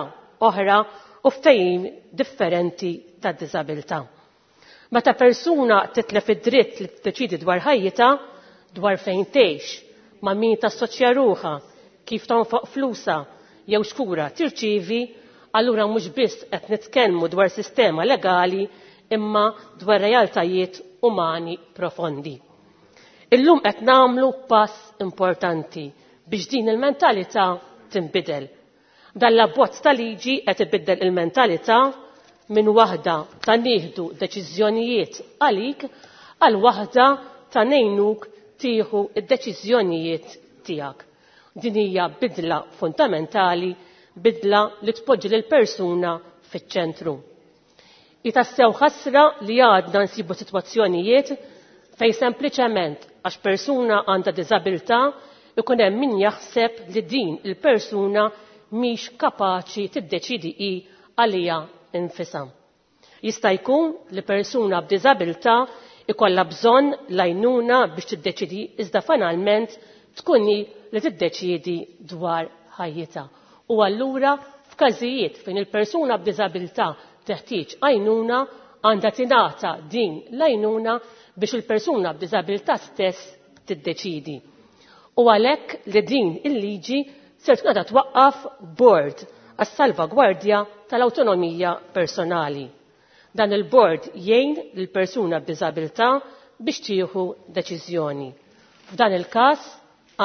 oħra u ftehim differenti ta' diżabilità. Meta persuna titlef id-dritt li tiddeċidi dwar ħajjitha, dwar fejn tgħix, ma' min tassoċja ruħha, kif tonfoq flusha jew x'kura tirċievi, allura mhux biss qed nitkellmu dwar sistema legali imma dwar realtajiet umani profondi. Illum qed nagħmlu pass importanti biex din il-mentalità tinbidel. Dan l-abbozz ta' liġi qed ibiddel il-mentalità minn waħda ta' nieħdu deċiżjonijiet għalik għal waħda ta' ngħinuk tieħu d-deċiżjonijiet tiegħek. Din hija bidla fundamentali, bidla li tpoġġi lil persuna fiċ-ċentru. Jitassew ħasra li għadna nsibu sitwazzjonijiet fejn sempliċement għax persuna għandha diżabilità ikun hemm min jaħseb li din il-persuna mhix kapaċi tiddeċidi hi għaliha infisha. Jista' jkun li persuna b'diżabilità ikollha bżonn l-għajnuna biex tiddeċidi iżda finalment tkun hi li tiddeċidi dwar ħajjitha. U allura f'każijiet fejn il-persuna b'diżabilità teħtieġ għajnuna għandha tingħata din l-għajnuna biex il-persuna b'diżabilità stess tiddeċidi. U għalhekk li din il-liġi ser tkun qiegħda twaqqaf bord għas-salvagwardja tal-awtonomija personali. Dan il-bord jgħin lill-persuna b'diżabilità biex tieħu deċiżjoni. F'dan il-każ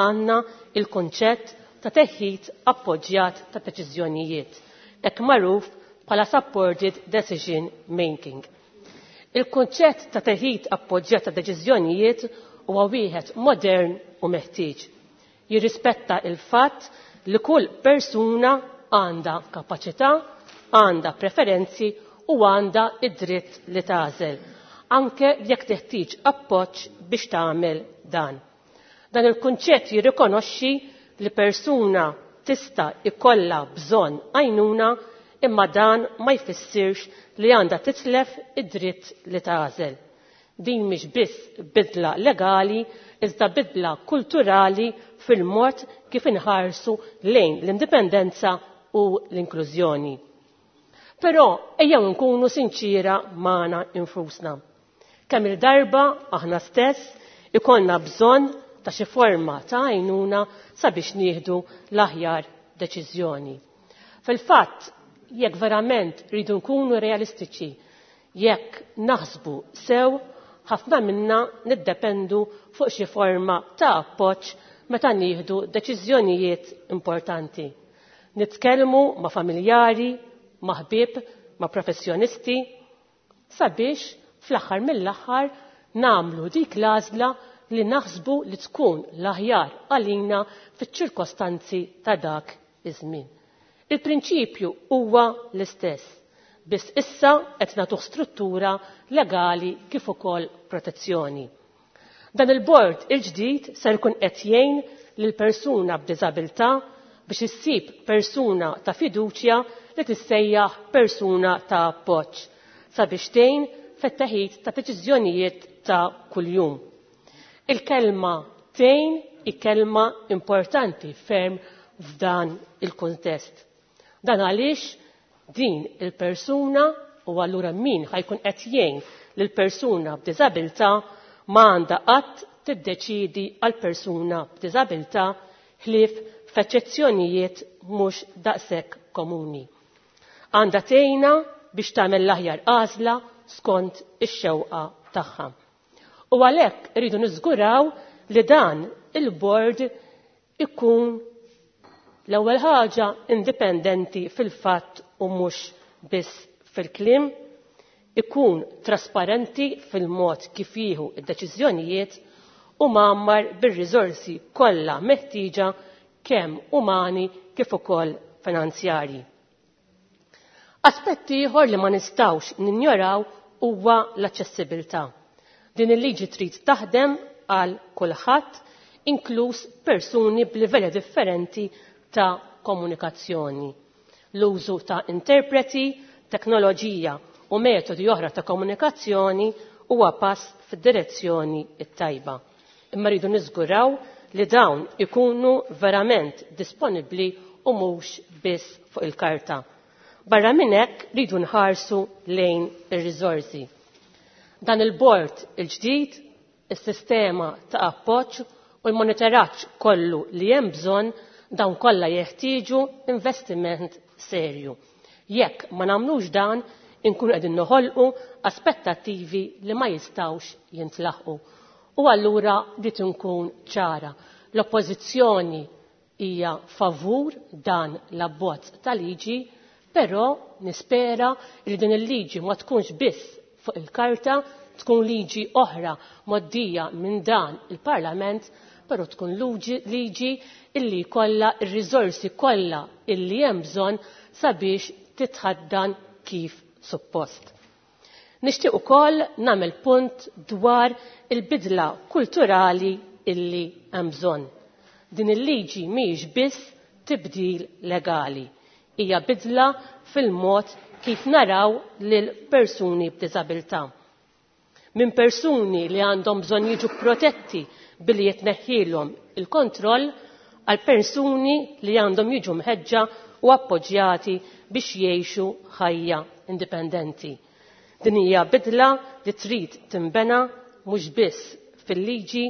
għandna il-konċett ta' teħid appoġġjat ta' deċiżjonijiet, hekk magħruf bħala supported decision making. Il-konċett ta' teħid appoġġjat ta' deċiżjonijiet huwa wieħed modern u meħtieġ. Jirrispetta il-fatt li kull persuna għandha kapaċità, għandha preferenzi u għandha id-dritt li tagħżel, anke jekk teħtieġ appoġġ biex tagħmel dan. Dan il-kunċett jirrikonoxxi li persuna tista' ikollha bżonn għajnuna imma dan ma jfissirx li għandha titlef id-dritt li tagħżel. Din mhix biss bidla legali, iżda bidla kulturali fil-mod kif inħarsu lejn l-indipendenza u l-inklużjoni. Però ejjew nkunu sinċira magħna infusna. Kemm il-darba aħna stess ikollna bżonn ta' xi forma ta' għajnuna sabiex nieħdu l-aħjar deċiżjoni. Fil-fatt, jekk verament rridu nkunu realistiċi, jekk naħsbu sew, ħafna minna niddependu fuq xi forma ta' appoġġ meta nieħdu deċiżjonijiet importanti. Nitkellmu ma' familjari, ma' ħbieb, ma' professjonisti, sabiex fl-aħħar mill-aħħar nagħmlu dik l-għażla li naħsbu li tkun l-aħjar għalina fiċ-ċirkostanzi ta' dak iż-żmien. Il-prinċipju huwa l-istess, biss issa qed nagħtuh struttura legali kif ukoll protezzjoni. Dan il-bord il-ġdid ser jkun qed jgħin lil persuna b'diżabilità biex issib persuna ta' fiduċja li tissejjaħ persuna ta' appoġġ sabiex tgħin fit-teħid ta' deċiżjonijiet ta' kuljum. Il-kelma tgħin hi kelma importanti ferm f'dan il-kuntest. Dan għaliex din il-persuna u allura min ħajkun qed jgħin lil persuna b'diżabilità ma għandha qatt tiddeċidi għal persuna b'diżabilità ħlief f'eċċezzjonijiet mhux daqshekk komuni. Għandha tgħinha biex tagħmel l-aħjar għażla skont ix-xewqa tagħha. U għalhekk iridu niżguraw li dan il-bord ikun l-ewwel ħaġa indipendenti fil-fatt u mhux biss fil-kliem, ikun trasparenti fil-mod kif jieħu id-deċiżjonijiet u mgħammar bir-riżorsi kollha meħtieġa kemm umani kif ukoll finanzjarji. Aspett ieħor li ma nistgħux ninjoraw huwa l-aċċessibilità. Din il-liġi trid taħdem għal kulħadd, inkluż persuni b'livelli differenti ta' komunikazzjoni. L-użu ta' interpreti, teknoloġija u metodi oħra ta' komunikazzjoni huwa pass fid-direzzjoni t-tajba. Imma rridu niżguraw li dawn ikunu verament disponibbli u mhux biss fuq il-karta. Barra minn hekk rridu nħarsu lejn ir-riżorsi. Dan il-bord il-ġdid, is-sistema ta' appoġġ u l-monitoraġġ kollu li hemm bżonn dawn kollha jeħtieġu investiment serju. Jekk ma nagħmlux dan, inkunu qegħdin noħolqu aspettattivi li ma jistgħux jintlaħqu. U allura rid inkun ċara. L-oppożizzjoni hija favur dan l-abbozz ta' liġi, però nispera li din il-liġi ma tkunx biss fuq il-karta, tkun liġi oħra moddija minn dan il-Parlament, però tkun liġi illi kollha ir-riżorsi kollha illi hemm bżonn sabiex titħaddan kif suppost. Nixtieq ukoll nagħmel punt dwar il-bidla kulturali illi hemm bżonn. Din il-liġi mhijiex biss tibdil legali, hija bidla fil-mod kif naraw lil persuni b'diżabilità. Minn persuni li għandhom bżonn jiġu protetti billi jitneħħilhom il-kontroll għal persuni li għandhom jiġu mħeġġa u appoġġjati biex jgħixu ħajja indipendenti. Din hija bidla li trid tinbena mhux biss fil-liġi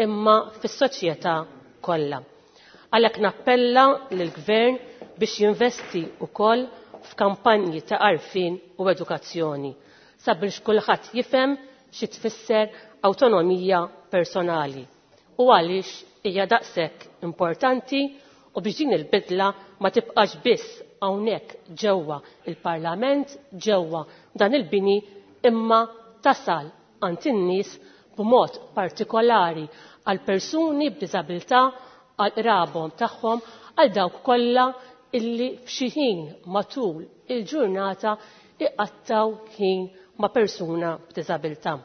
imma fis-soċjetà kollha. Għalhekk nappella lill-Gvern biex jinvesti wkoll f'kampanji ta' għarfien u edukazzjoni sabiex kulħadd jifhem xi tfisser awtonomija personali u għaliex hija daqshekk importanti u biex din il-bidla ma tibqax biss hawnhekk ġewwa il-Parlament, ġewwa dan il-bini, imma tasal għand in-nies b'mod partikolari għal persuni b'diżabilità, għal qrabhom tagħhom, għal dawk kollha illi f'xi ħin matul il-ġurnata iqattaw ħin ma' persuna b'diżabilità.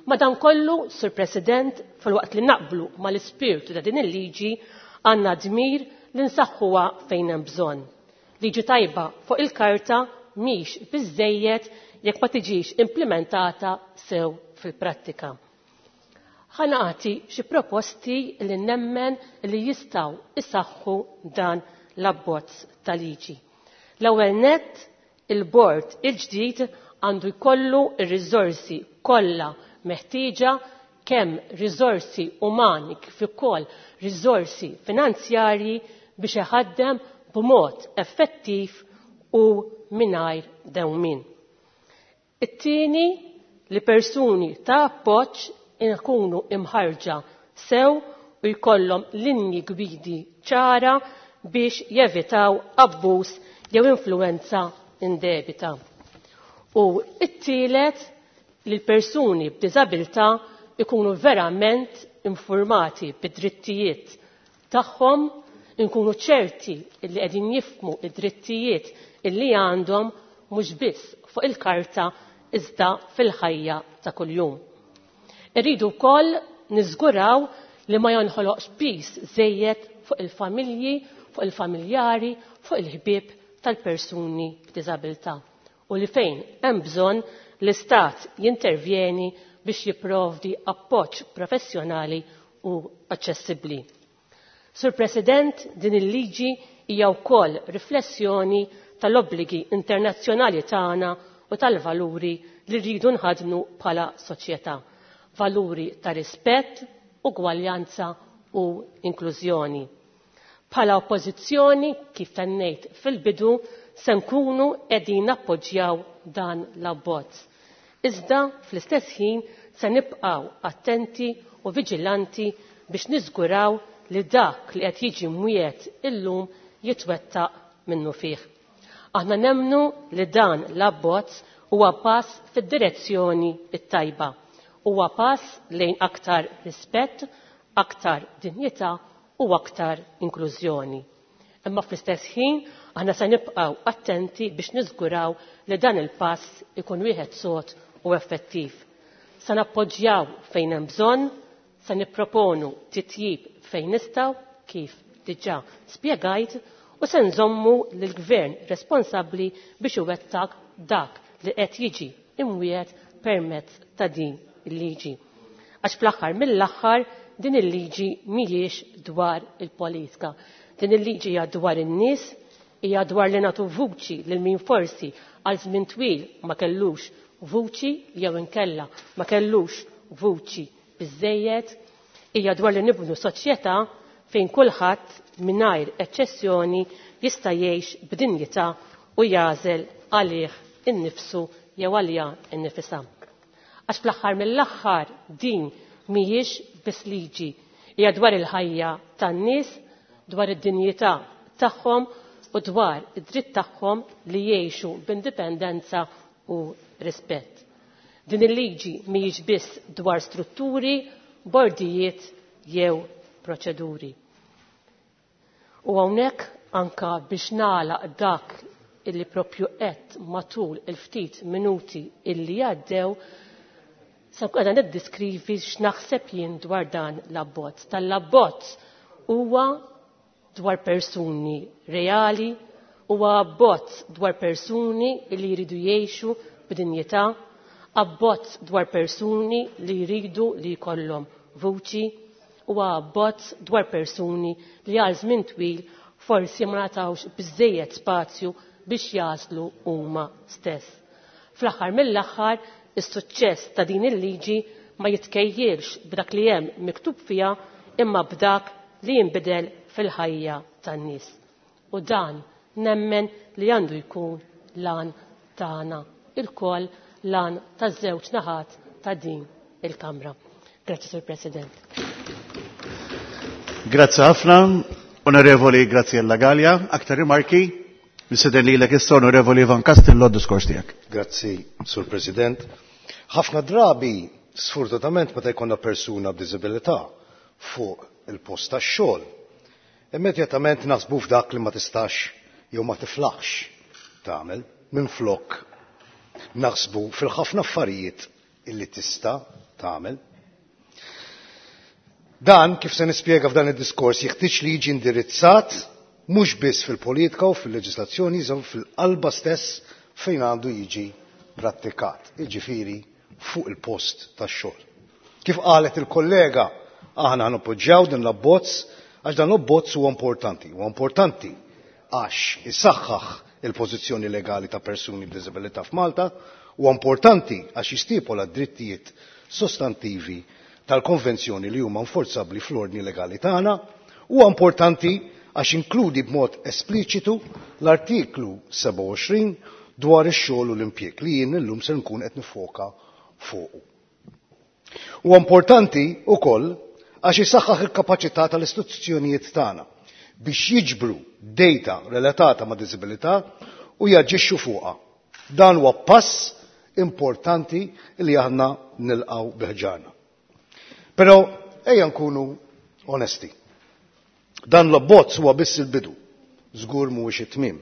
Madankollu, Sur President, fil-waqt li naqblu mal-ispirtu ta' din il-liġi, għandna dmir li nsaħħuha fejn hemm bżonn. Liġi tajba fuq il-karta mhix biżżejjed jekk ma tiġix implementata sew fil-prattika. Ħa nagħti xi proposti li nemmen li jistgħu isaħħu dan l-abbozz ta' liġi. L-ewwel nett, il-bord il-ġdid għandu jkollu r-riżorsi kollha meħtieġa, kemm riżorsi umani kif ukoll riżorsi finanzjarji biex iħaddem b'mod effettiv u mingħajr dewmien. It-tieni, li persuni ta' appoġġ ikunu imħarġa sew u jkollhom linji gwidi ċara biex jevitaw abbuż jew influenza indebita. U it-tielet, li l-persuni b'diżabilità ikunu verament informati bid-drittijiet tagħhom, inkunu ċerti li qegħdin jifhmu id-drittijiet illi għandhom mhux biss fuq il-karta iżda fil-ħajja ta' kuljum. Irridu wkoll niżguraw li ma jonħoloqx pis żejjed fuq il-familji, fuq il-familjari, fuq il-ħbieb tal-persuni b'diżabilità u li fejn hemm bżonn l-Istat jintervjeni biex jipprovdi appoġġ professjonali u aċċessibbli. Sur President, din il-liġi hija wkoll riflessjoni tal-obbligi internazzjonali tagħna u tal-valuri li rridu nħadnu bħala soċjetà. Valuri ta' rispett, ugwaljanza u inklużjoni. Bħala oppożizzjoni, kif tennejt fil-bidu, se nkunu qegħdin nappoġġjaw dan l-abbozz. Iżda fl-istess ħin se nibqgħu attenti u viġilanti biex niżguraw li dak li qed jiġi mwiet illum jitwettaq minnu fih. Aħna nemmnu li dan l-abbozz huwa pass fid-direzzjoni t-tajba. Huwa pass lejn aktar rispett, aktar dinjità u aktar inklużjoni. Imma fl-istess ħin aħna se nibqgħu attenti biex niżguraw li dan il-pass ikun wieħed sod u effettiv. Se nappoġġjaw fejn hemm bżonn, se nipproponu titjib fejn nistgħu kif diġà spjegajt u se nżommu lill-gvern responsabbli biex iwettaq dak li qed jiġi imwiet permezz ta' din il-liġi. Għax fl-aħħar mill-aħħar din il-liġi mhijiex dwar il-politika. Din il-liġi hija dwar in-nies, hija dwar li nagħtu vuċi lil min forsi għal żmien twil ma kellux vuċi jew inkella ma kellux vuċi biżejjed, hija dwar li nibnu soċjetà fejn kulħadd mingħajr eċċessjoni jista' jgħix b'dinjità u jagħżel għalih innifsu jew għaliha innifisha. Għax fl-aħħar mill-aħħar din mhijiex biss liġi, hija dwar il-ħajja tan-nies, dwar id-dinjità tagħhom u dwar id-dritt tagħhom li jgħixu b'indipendenza u rispett. Din il-liġi mhijiex biss dwar strutturi, bordijiet jew proċeduri. U hawnhekk anka biex nagħlaq dak illi propju qed matul il-ftit minuti illi għaddew, se nkun qiegħda niddiskrivi x'naħseb jien dwar dan l-abbozz. Tal-abbozz huwa dwar persuni reali, huwa abbozz dwar persuni li jridu jgħixu b'dinjità, abbozz dwar persuni li jridu li jkollhom vuċi, huwa abbozz dwar persuni li għal żmien twil forsi ma ngħatawx biżżejjed spazju biex jaslu huma stess. Fl-aħħar mill-aħħar, is-suċċess ta' din il-liġi ma jitkejjilx b'dak li hemm miktub fiha imma b'dak li jinbidel fil-ħajja tan-nies. U dan nemmen li għandu jkun lan tagħna ilkoll, lan taż-żewġ naħat ta' din il-Kamra. Grazzi, Sur President. Grazzi ħafna, Onorevoli Graziella Gallia. Aktar rimarki? Niseden lilek issa, Onorevoli Ivan Castillo, d-diskors tiegħek. Grazzi, Sur President. Ħafna drabi, sfortunatament, meta jkollna persuna b'diżabilità fuq il-post tax-xogħol, immedjatament naħsbu f'dak li ma tistax jew ma tiflaħx tagħmel, minflok naħsbu fil-ħafna affarijiet illi tista' tagħmel. Dan, kif se nispjega f'dan id-diskors, jeħtieġ li jiġi indirizzat mhux biss fil-politika u fil-leġislazzjoni, iżda fil-qalba stess fejn għandu jiġi prattikat, jiġifieri fuq il-post tax-xogħol. Kif qalet il-kollega, aħna nappoġġjaw din l-abbozz għax dan l-abbozz huwa importanti. Huwa importanti għax isaħħaħ il-pożizzjoni legali ta' persuni b'diżabilità f'Malta, huwa importanti għax jistipola drittijiet sostantivi tal-konvenzjoni li huma nforzabbli fl-ordni legali tagħna, huwa importanti għax inkludi b'mod espliċitu l-artiklu sebgħa u għoxrin dwar ix-xogħol u l-impjieg li jien illum se nkun qed nifoka fuqu. Huwa importanti wkoll għax isaħħaħ il-kapaċità tal-istituzzjonijiet tagħna biex jiġbru data relatata ma' diżabilità u jaġixxu fuqha. Dan huwa pass importanti li aħna nilqgħu biħġarna. Però ejja nkunu onesti. Dan l-abbozz huwa biss il-bidu, żgur mhuwiex it-tmiem.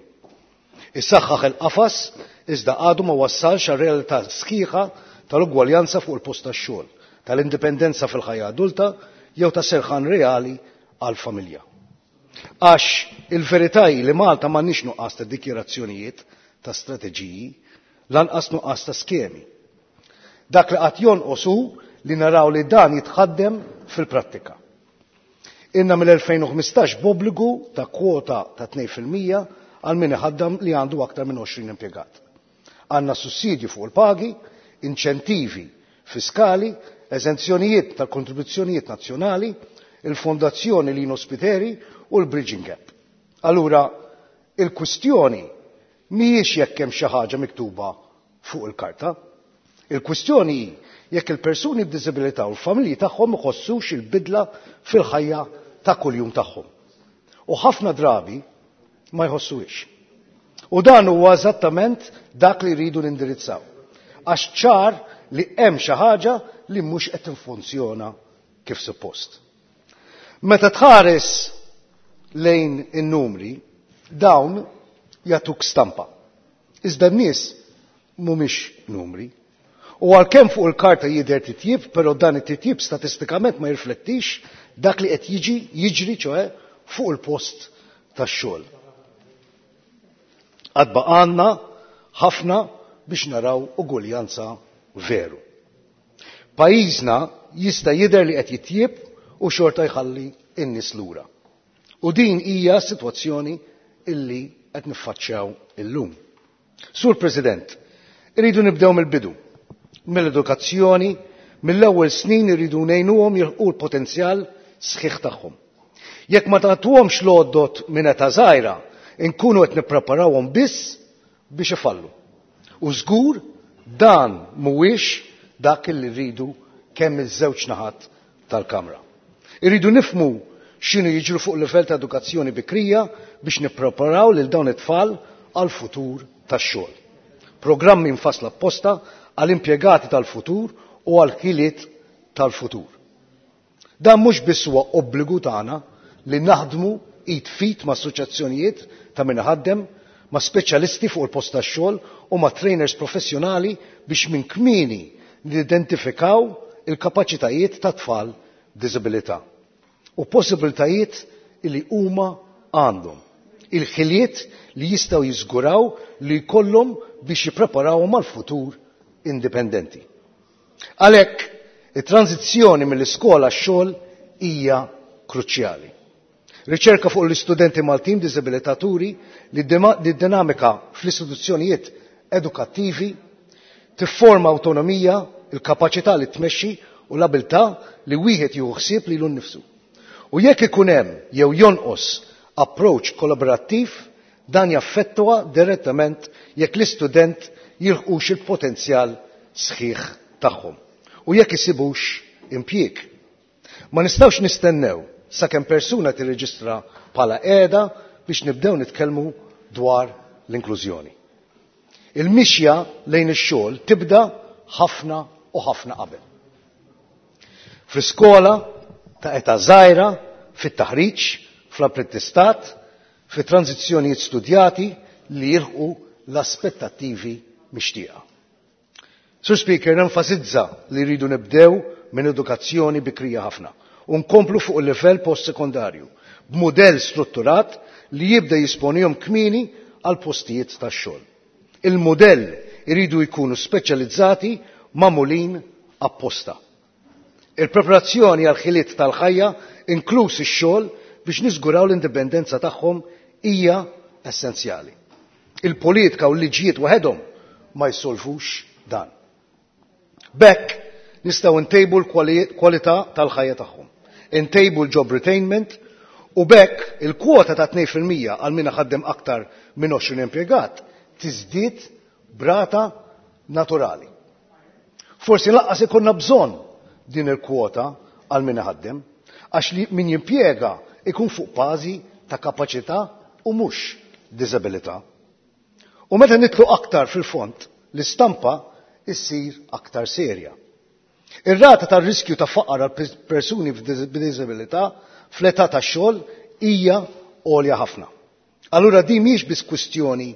Issaħħaħ il-qafas iżda għadu ma wassalx għal realtà sħiħa tal-ugwaljanza fuq il-post tax-xogħol, tal-indipendenza fil-ħajja adulta jew ta' serħan reali għal-familja. Għax il-verità hi li Malta m'għandniex nuqqas ta' dikjarazzjonijiet, ta' strateġiji, lanqas nuqqas ta' skemi. Dak li qatt jonqos hu li naraw li dan jitħaddem fil-prattika. Inna mill-elfejn u ħmistax b'obbligu ta' kwota ta' tnejn fil-mija għal min iħaddam li għandu aktar minn għoxrin impjegat. Għandna sussidju fuq il-pagi, inċentivi fiskali, eżenzjonijiet tal-kontribuzzjonijiet nazzjonali, il-Fondazzjoni Lino Spiteri u l-Bridging Gap. Allura, il-kwistjoni mhijiex jekk hemm xi ħaġa miktuba fuq il-karta. Il-kwistjoni hi jekk il-persuni b'diżabilità u l-familji tagħhom iħossux il-bidla fil-ħajja ta' kuljum tagħhom. U ħafna drabi ma jħossuhiex. U dan huwa eżattament dak li rridu nindirizzaw. Għax ċar li hemm xi ħaġa li mhux qed tinfunzjona kif suppost. Meta tħares lejn in-numri, dawn jagħtuk stampa. Iżda n-nies mhumiex numri. U għalkemm fuq il-karta jidher titjib, però dan it-titjib statistikament ma jirflettix dak li qed jiġi jiġri ċoe fuq il-post tax-xogħol. Għad baqgħalna ħafna biex naraw ugwaljanza veru. Pajjiżna jista' jidher li qed jitjib u xorta jħalli n-nies lura. U din hija sitwazzjoni illi qed niffaċċjaw illum. Sur President, irridu nibdew mill-bidu, mill-edukazzjoni, mill-ewwel snin irridu ngħinuhom jilħqu l-potenzjal sħiħ tagħhom. Jekk ma tagħtuhomx l-għodot minn età żgħira, inkunu qed nippreparawhom biss biex ifallu. U żgur dan mhuwiex dak li rridu kemm iż-żewġ naħat tal-Kamra. Irridu nifhmu x'inhu jiġru fuq livell ta' edukazzjoni bikrija biex nippreparaw lil dawn it-tfal għal futur tax-xogħol. Programmi mfassla apposta għal impjegati tal-futur u għal ħiliet tal-futur. Dan mhux biss huwa obbligu tagħna li naħdmu id f'id ma' assoċjazzjonijiet ta' min iħaddem, ma' speċjalisti fuq il-post tax-xogħol u ma' trainers professjonali biex minn kmieni nidentifikaw il-kapaċitajiet ta' tfal b'diżabilità u possibiltajiet li huma għandhom. Il-ħiliet li jistgħu jiżguraw li jkollhom biex jippreparawhom għal futur indipendenti. Għalhekk, it-tranzizzjoni mill-iskola għax-xogħol hija kruċjali. Riċerka fuq l-istudenti Maltin b'diżabilità turi li d-dinamika fl-istituzzjonijiet edukattivi tifforma awtonomija, il-kapaċità li tmexxi u l-abilità li wieħed jieħu ħsieb lilu nnifsu. U jekk ikun hemm jew jonqos approach kollaborattiv, dan jaffettwa direttament jekk l-istudent jilħqux il-potenzjal sħiħ tagħhom u jekk isibux impjieg. Ma nistgħux nistennew sakemm persuna tirreġistra bħala qiegħda biex nibdew nitkellmu dwar l-inklużjoni. Il-mixja lejn ix-xogħol tibda ħafna u ħafna qabel. Fl-iskola ta' età żgħira, fit-taħriġ, fl-apprentistat, fi tranzizzjonijiet studjati li jilħqu l-aspettattivi mixtieqa. Sur Speaker, nenfasizza li rridu nibdew minn edukazzjoni bikrija ħafna u nkomplu fuq il-livell post-sekondarju b'mudell strutturat li jibda jesponihom kmieni għal postijiet tax-xogħol. Il-mudell iridu jkunu speċjalizzati magħmulin apposta. Il-preparazzjoni għal ħiliet tal-ħajja, inkluż ix-xogħol biex niżguraw l-indipendenza tagħhom hija essenzjali. Il-politika u l-liġijiet waħedhom ma jsolvux dan. B'hekk nistgħu ntejbu l-kwalità tal-ħajja tagħhom. Intejbu l-job retainment u b'hekk il-kwota ta' tnejn fil-mija għal min ħaddem aktar minn għoxrin impjegat tiżdied b'rata naturali. Forsi lanqas ikollna bżonn din il-kwota għal min ħaddem, għax li min jimpjega ikun fuq bażi ta' kapaċità u mhux diżabilità. U meta nidħlu aktar fil-fond, l-istampa issir aktar serja. Ir-rata tar-riskju ta' faqar għal persuni b'diżabilità fl-età tax-xogħol hija għolja ħafna. Allura din mhijiex biss kwistjoni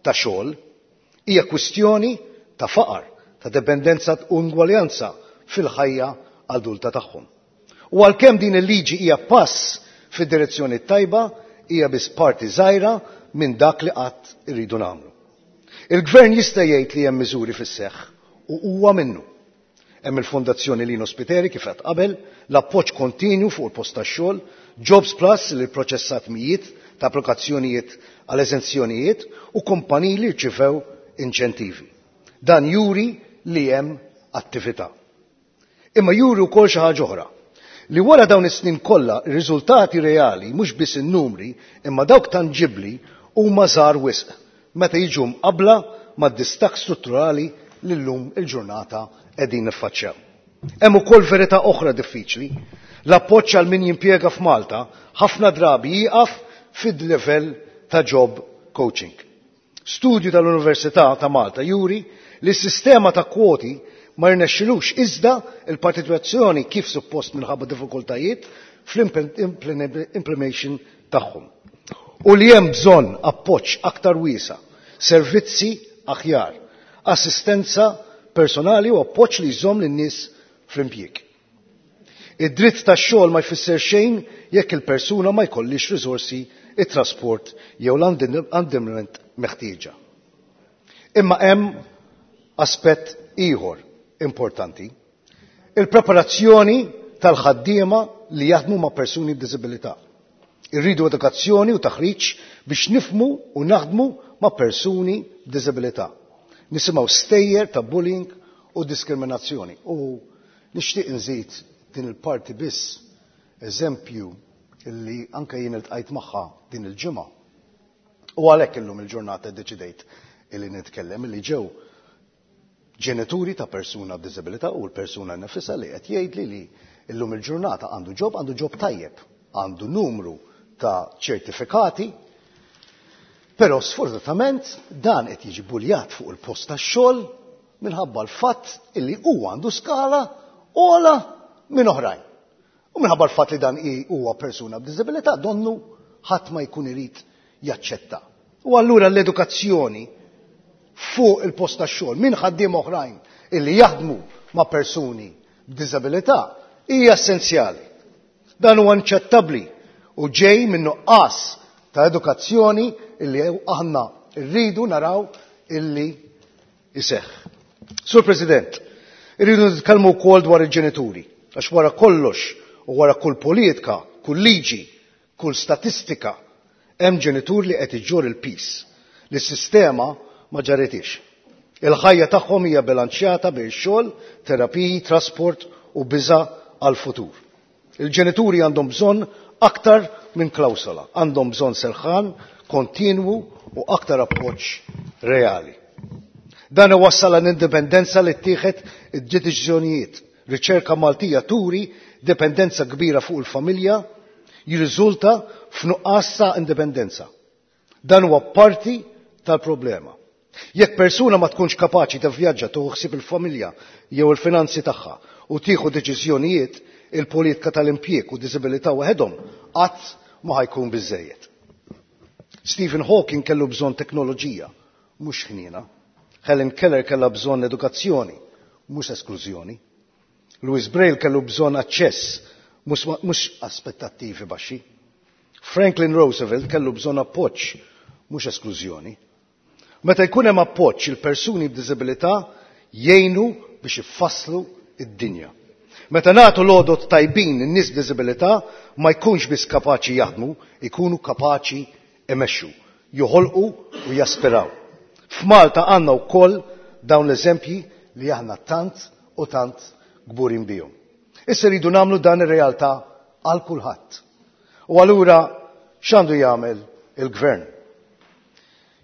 ta' xogħol, hija kwistjoni ta' faqar, ta' dependenza u ingwaljanza fil-ħajja adulta tagħhom. U għalkemm din il-liġi hija pass fid-direzzjoni tajba, hija biss parti żgħira minn dak li qatt irridu nagħmlu. Il-gvern jista' jgħid li hemm miżuri fis-seħħ u huwa minnu. Hemm il-Fondazzjoni Lino Spiteri kif qed qabel, l-appoġġ kontinju fuq il-post tax-xogħol, Jobs Plus li proċessat mijiet ta' applikazzjonijiet għal eżenzjonijiet u kumpaniji li rċivew inċentivi. Dan juri li hemm attività. Imma juri wkoll xi ħaġa oħra li wara dawn is-snin kollha ir-riżultati reali mhux biss in-numri imma dawk tanġibbli huma żgħar wisq meta jiġu mqabbla mad-distakk strutturali li llum il-ġurnata qegħdin niffaċċjaw. Hemm ukoll verità oħra diffiċli. L-appoġġ għal min jimpjega f'Malta ħafna drabi jieqaf fid-livell ta' job coaching. Studju tal-Università ta' Malta juri li s-sistema ta' kwoti ma rnexxilux iżda il-partizipazzjoni kif suppost minħabba diffikultajiet fl-implementation tagħhom. U li hemm bżonn appoġġ aktar wiesa, servizzi aħjar, assistenza personali u appoġġ li jżomm lin-nies fl-impjieg. Id-dritt tax-xogħol ma jfisser xejn jekk il-persuna ma jkollix riżorsi, it-trasport jew l-andament meħtieġa. Imma hemm aspett ieħor importanti. Il-preparazzjoni tal-ħaddiema li jaħdmu ma' persuni b'diżabilità. Irridu edukazzjoni u taħriġ biex nifhmu u naħdmu ma' persuni b'diżabilità. Nisimgħu stejjer ta' bullying u diskriminazzjoni. U nixtieq nżid din il-parti biss eżempju illi anke jien iltqajt magħha din il-ġimgħa. U għalhekk illum il-ġurnata ddeċidejt illi nitkellem illi ġew ġenituri ta' persuna b'diżabilità u l-persuna nefisha li qed jgħidli li illum il-ġurnata għandu job, għandu job tajjeb, għandu numru ta' ċertifikati, però sfortunatament dan qed jiġi buljat fuq il-post tax-xogħol minħabba l-fatt illi huwa għandu skala ogħla minn oħrajn. U minħabba l-fatt li dan huwa persuna b'diżabilità donnu ħadd ma jkun irid jaċċetta. U allura l-edukazzjoni fuq il-post tax-xogħol minn ħaddiem oħrajn illi jaħdmu ma' persuni b'diżabilità hija essenzjali. Dan huwa inaċċettabbli u ġej minn nuqqas ta' edukazzjoni illi aħna rridu naraw illi iseħħ. Sur President, irridu nitkellmu wkoll dwar il-ġenituri, għax wara kollox u wara kull politika, kull liġi, kull statistika, hemm ġenitur li qed iġġor il-piż li s-sistema ma ġarritix. Il-ħajja tagħhom hija bilanċjata bejn xogħol, terapiji, trasport u biża' għal-futur. Il-ġenituri għandhom bżonn aktar minn klawsola, għandhom bżonn serħan kontinwu u aktar appoġġ reali. Dan iwassal għal indipendenza li ttieħed id-deċiżjonijiet. Riċerka Maltija turi dipendenza kbira fuq il-familja jirriżulta f'nuqqas ta' indipendenza. Dan huwa parti tal-problema. Jekk persuna ma tkunx kapaċi tivvjaġġa tieħu ħsieb il-familja jew il-finanzi tagħha u tieħu deċiżjonijiet, il-politika tal-impjieg u diżabilità waħedhom qatt ma ħajkun biżejjed. Stephen Hawking kellu bżonn teknoloġija, mhux ħniena. Helen Keller kellha bżonn edukazzjoni, mhux esklużjoni. Louis Braille kellu bżonn aċċess, mhux aspettattivi baxxi. Franklin Roosevelt kellu bżonn appoġġ, mhux esklużjoni. Meta jkun hemm appoġġ il-persuni b'diżabilità jgħinu biex ifasslu id-dinja. Meta nagħtu l-għodot tajbin in-nies b'diżabilità ma jkunx biss kapaċi jaħdmu, ikunu kapaċi imexxu, joħolqu u jaspiraw. F'Malta għandna wkoll dawn l-eżempji li aħna tant u tant kburin bihom. Issa rridu nagħmlu dan ir-realtà għal kulħadd. U allura x'għandu jagħmel il-gvern?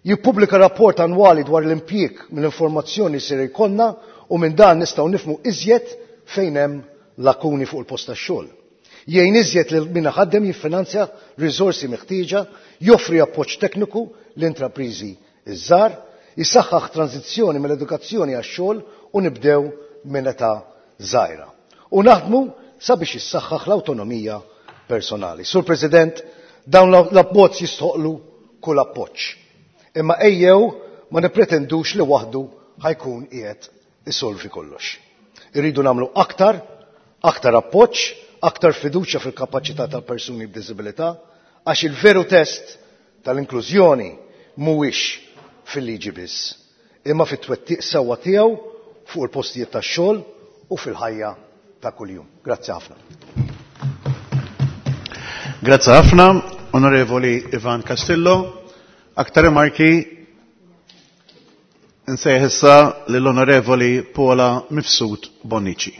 Jippubblika rapport annwali dwar l-impjieg mill-informazzjoni ser jkollna u minn dan nistgħu nifhmu iżjed fejn hemm lakuni fuq il-post tax-xogħol. Jgħin iżjed lil min ħaddem jiffinanzja riżorsi meħtieġa, joffri appoġġ tekniku l-intrapriżi iż-żgħar, jisaħħaħ tranzizzjoni mill-edukazzjoni għax-xogħol u nibdew minn età żgħira. U naħdmu sabiex jissaħħaħ l-awtonomija personali. Sur President, dawn l-abbozz jistħoqlu kull appoġġ. Imma ejjew ma nippretendux li waħdu ħajkun qiegħed isolvi kollox. Irridu nagħmlu aktar, aktar appoġġ, aktar fiduċja fil-kapaċità tal-persuni b'diżabilità, għax il-veru test tal-inklużjoni mhuwiex fil-liġi biss, imma fit-twettiq sewwa tiegħu fuq il-postijiet tax-xogħol u fil-ħajja ta' kuljum. Grazzi ħafna. Grazzi ħafna, Onorevoli Ivan Castillo. Aktar rimarki Nsejħ issa lill-Onorevoli Paula Mifsud Bonnici.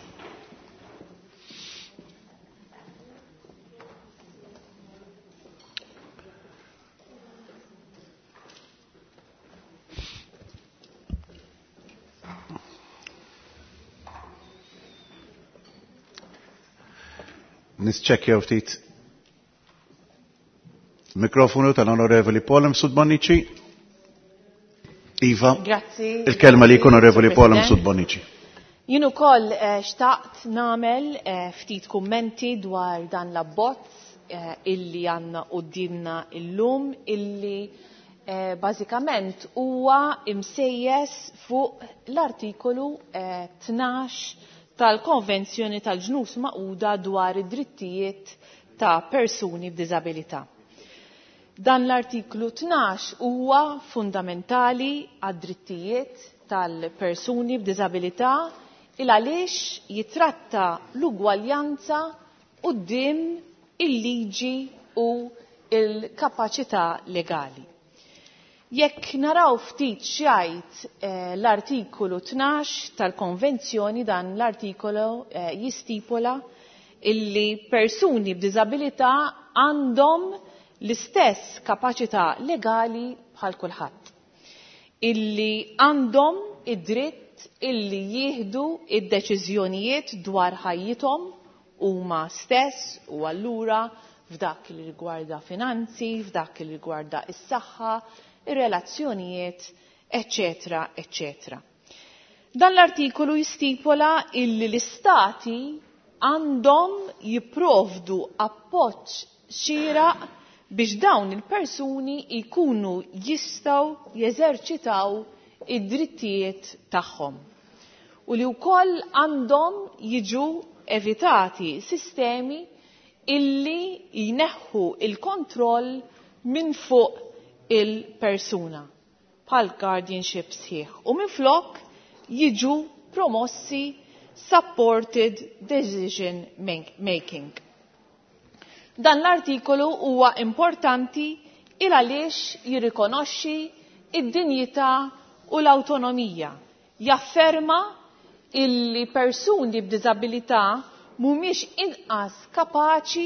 Nisċekkjaw ftit mikrofonu tal-Onorevoli Paula Mifsud Bonnici. Iva, Grazzi. Il-kelma li Onorevoli Paula President. Mifsud Bonnici. Jien ukoll eh, xtaqt nagħmel eh, ftit kummenti dwar dan l-abbozz eh, illi għandna quddiemna illum illi eh, bażikament huwa imsejjes fuq l-artikolu eh, tnax tal-Konvenzjoni tal-Ġnus Magħquda dwar id-drittijiet ta' persuni b'diżabilità. Dan l-artiklu tnax huwa fundamentali għad-drittijiet tal-persuni b'diżabilità il għaliex jitratta l-ugwaljanza quddiem il-liġi u il-kapaċità legali. Jekk naraw ftit x'jgħid eh, l-artikolu tnax tal-konvenzjoni, dan l-artikolu eh, jistipola illi persuni b'diżabilità għandhom l-istess kapaċità legali bħal kulħadd, illi għandhom id-dritt illi jieħdu id-deċiżjonijiet dwar ħajjithom huma stess u allura f'dak li rigwarda finanzi, f'dak li rigwarda is-saħħa, ir-relazzjonijiet, eċċetera, eċċetera. Dan l-artikolu jistipola illi l-istati għandhom jipprovdu appoġġ xieraq biex dawn il-persuni jkunu jistgħu jeżerċitaw id-drittijiet tagħhom u li wkoll għandhom jiġu evitati sistemi illi jneħħu il-kontroll minn fuq il-persuna bħal guardianship sħiħ u minflok jiġu promossi supported decision making. Dan l-artikolu huwa importanti il għaliex jirrikonoxxi id-dinjità u l-awtonomija, jafferma illi persuni b'diżabilità mhumiex inqas kapaċi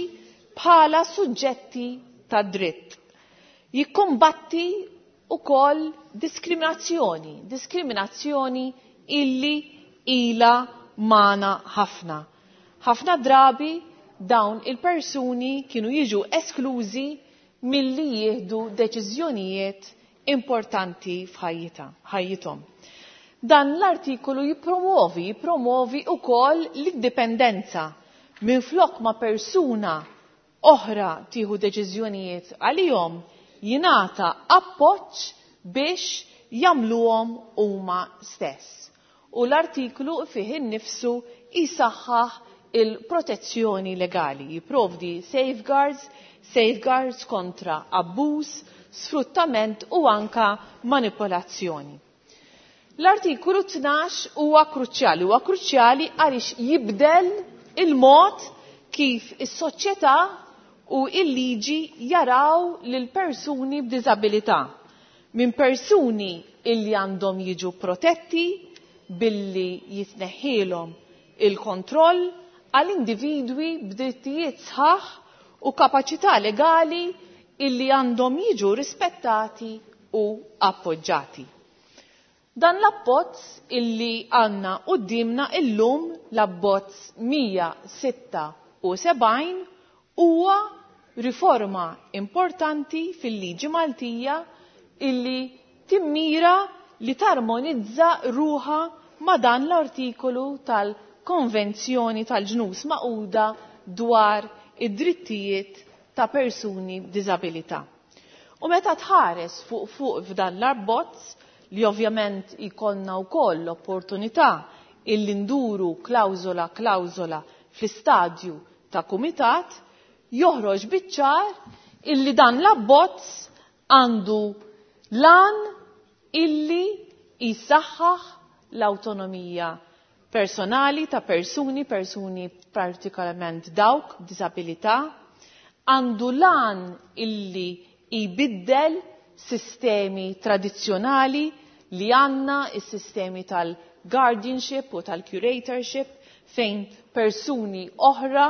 bħala suġġetti ta' dritt. Jikkumbatti ukoll diskriminazzjoni, diskriminazzjoni illi ila magħna ħafna. Ħafna drabi dawn il-persuni kienu jiġu esklużi milli jieħdu deċiżjonijiet importanti f'ħajjithom. Dan l-artikolu jippromovi, jippromovi wkoll l-indipendenza minflok ma' persuna oħra tieħu deċiżjonijiet għalihom jingħata appoġġ biex jagħmluhom huma stess. U l-artiklu fih innifsu jisaħħaħ il-protezzjoni legali, jipprovdi safeguards, safeguards kontra abbuż, sfruttament u anka manipolazzjoni. L-artikolu tnax huwa kruċjali, huwa kruċjali għaliex jibdel il-mod kif is-soċjetà u il-liġi jaraw lil persuni b'diżabilità. Minn persuni illi għandhom jiġu protetti billi jitneħħilhom il-kontroll għal individwi b'drittijiet sħaħ u kapaċità legali illi għandhom jiġu rispettati u appoġġati. Dan l-abbozz illi għandna quddiemna illum, l-abbozz mija sitta u sebgħin, huwa riforma importanti fil-liġi Maltija illi timmira li tarmonizza ruħa ma' dan l-artikolu tal-Konvenzjoni tal-Ġnus Magħquda dwar id-drittijiet ta' persuni b'diżabilità. U meta tħares fuq fuq f'dan l-abbozz, li ovvjament ikollna wkoll l-opportunità illi nduru klawżola klawżola fl-istadju ta' kumitat, joħroġ biċ-ċar illi dan l-abbozz għandu lan illi jisaħħaħ l-awtonomija personali ta' persuni, persuni partikolarment dawk b'diżabilità, għandu lan illi jbiddel sistemi tradizzjonali li għandna is-sistemi tal-guardianship u tal-curatorship fejn persuni oħra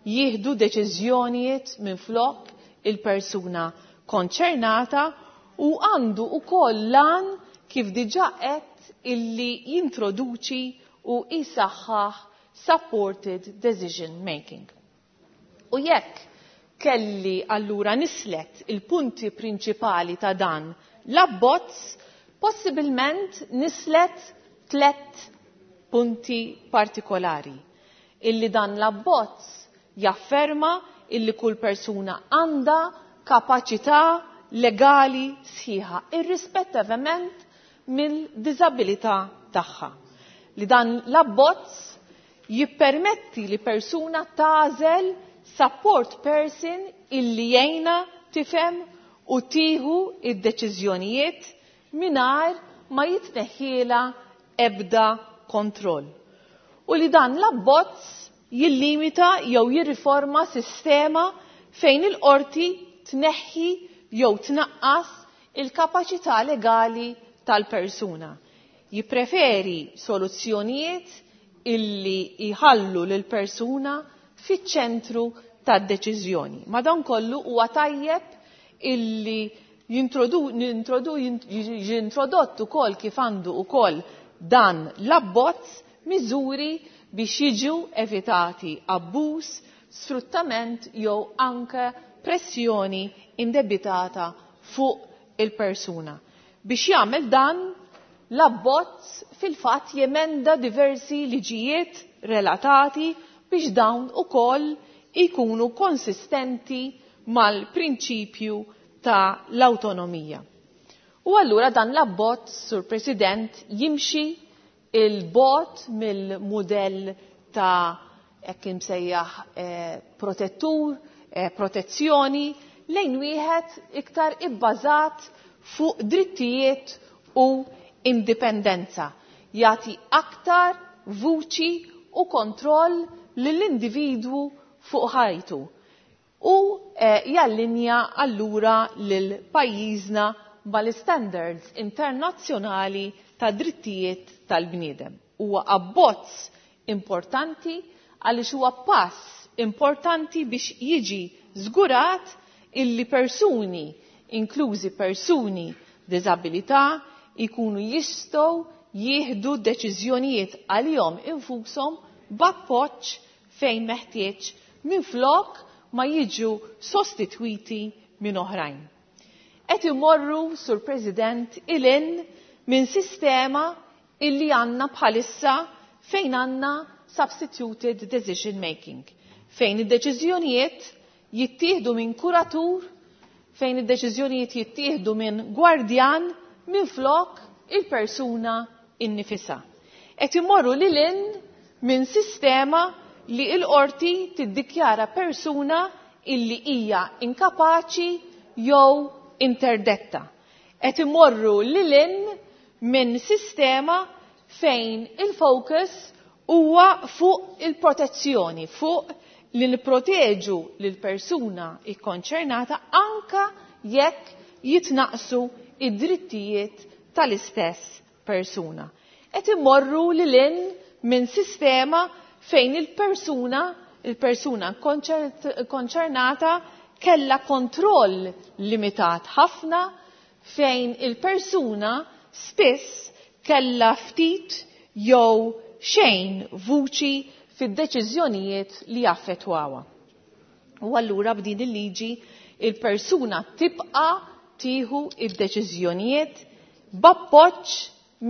jieħdu deċiżjonijiet minflok il-persuna konċernata u għandu ukoll lan kif diġà qed illi jintroduċi u jisaħħaħ supported decision making. U jekk kelli allura nislet il-punti prinċipali ta' dan l-abbozz, possibilment nislet tlet punti partikolari. Illi dan l-abbozz jafferma illi kull persuna għandha kapaċità legali sħiħa, irrispettivament mill-diżabilità tagħha. Li dan l-abbozz jippermetti li persuna tagħżel support person illi jgħinha tifhem u tieħu id-deċiżjonijiet mingħajr ma jitneħħiela ebda kontroll. U li dan l-abbozz jillimita jew jirriforma sistema fejn il-qorti tneħħi jew tnaqqas il-kapaċità legali tal-persuna. Jippreferi soluzzjonijiet illi jħallu lil persuna fiċ-ċentru tad-deċiżjoni. Madankollu huwa tajjeb illi jiġi introdott ukoll kif għandu ukoll dan l-abbozz miżuri biex jiġu evitati abbuż, sfruttament jew anke pressjoni indebitata fuq il-persuna. Biex jagħmel dan, l-abbozz fil-fatt jemenda diversi liġijiet relatati biex dawn ukoll ikunu konsistenti mal-prinċipju ta' l-autonomija. U allura dan l-abbozz, Sur President, jimxi il-bot mill-mudell ta' hekk imsejjaħ eh, protettur, eh, protezzjoni, lejn wieħed iktar ibbażat fuq drittijiet u indipendenza. Jagħti aktar vuċi u kontroll lill-individwu fuq ħajtu. U eh, jallinja allura lil pajjiżna mal-standards internazzjonali ta' drittijiet tal-bniedem. Huwa abbozz importanti għaliex huwa pass importanti biex jiġi żgurat illi persuni, inklużi persuni b'diżabilità, ikunu jistgħu jieħdu deċiżjonijiet għalihom infushom b'appoġġ fejn meħtieġ minflok ma jiġu sostitwiti minn oħrajn. Qed imorru, Sur President, ilin minn sistema illi għandna bħalissa fejn għandna substituted decision making, fejn id-deċiżjonijiet jittieħdu minn kuratur, fejn id-deċiżjonijiet jittieħdu minn gwardjan minn flok il-persuna innifisha. Qed imorru lil hinn minn sistema li l-qorti tiddikjara persuna illi hija inkapaċi jew interdetta. Qed imorru lil hinn minn sistema fejn il-focus huwa fuq il-protezzjoni, fuq li nipproteġu lil persuna ikkonċernata anka jekk jitnaqsu id-drittijiet tal-istess persuna. Qed imorru lil hinn minn sistema fejn il-persuna il-persuna konċernata kella kontroll limitat ħafna, fejn il-persuna spiss kella ftit jew xejn vuċi fid-deċiżjonijiet li jaffettwawha. U allura b'din il-liġi il-persuna tibqa' tieħu id-deċiżjonijiet b'appoġġ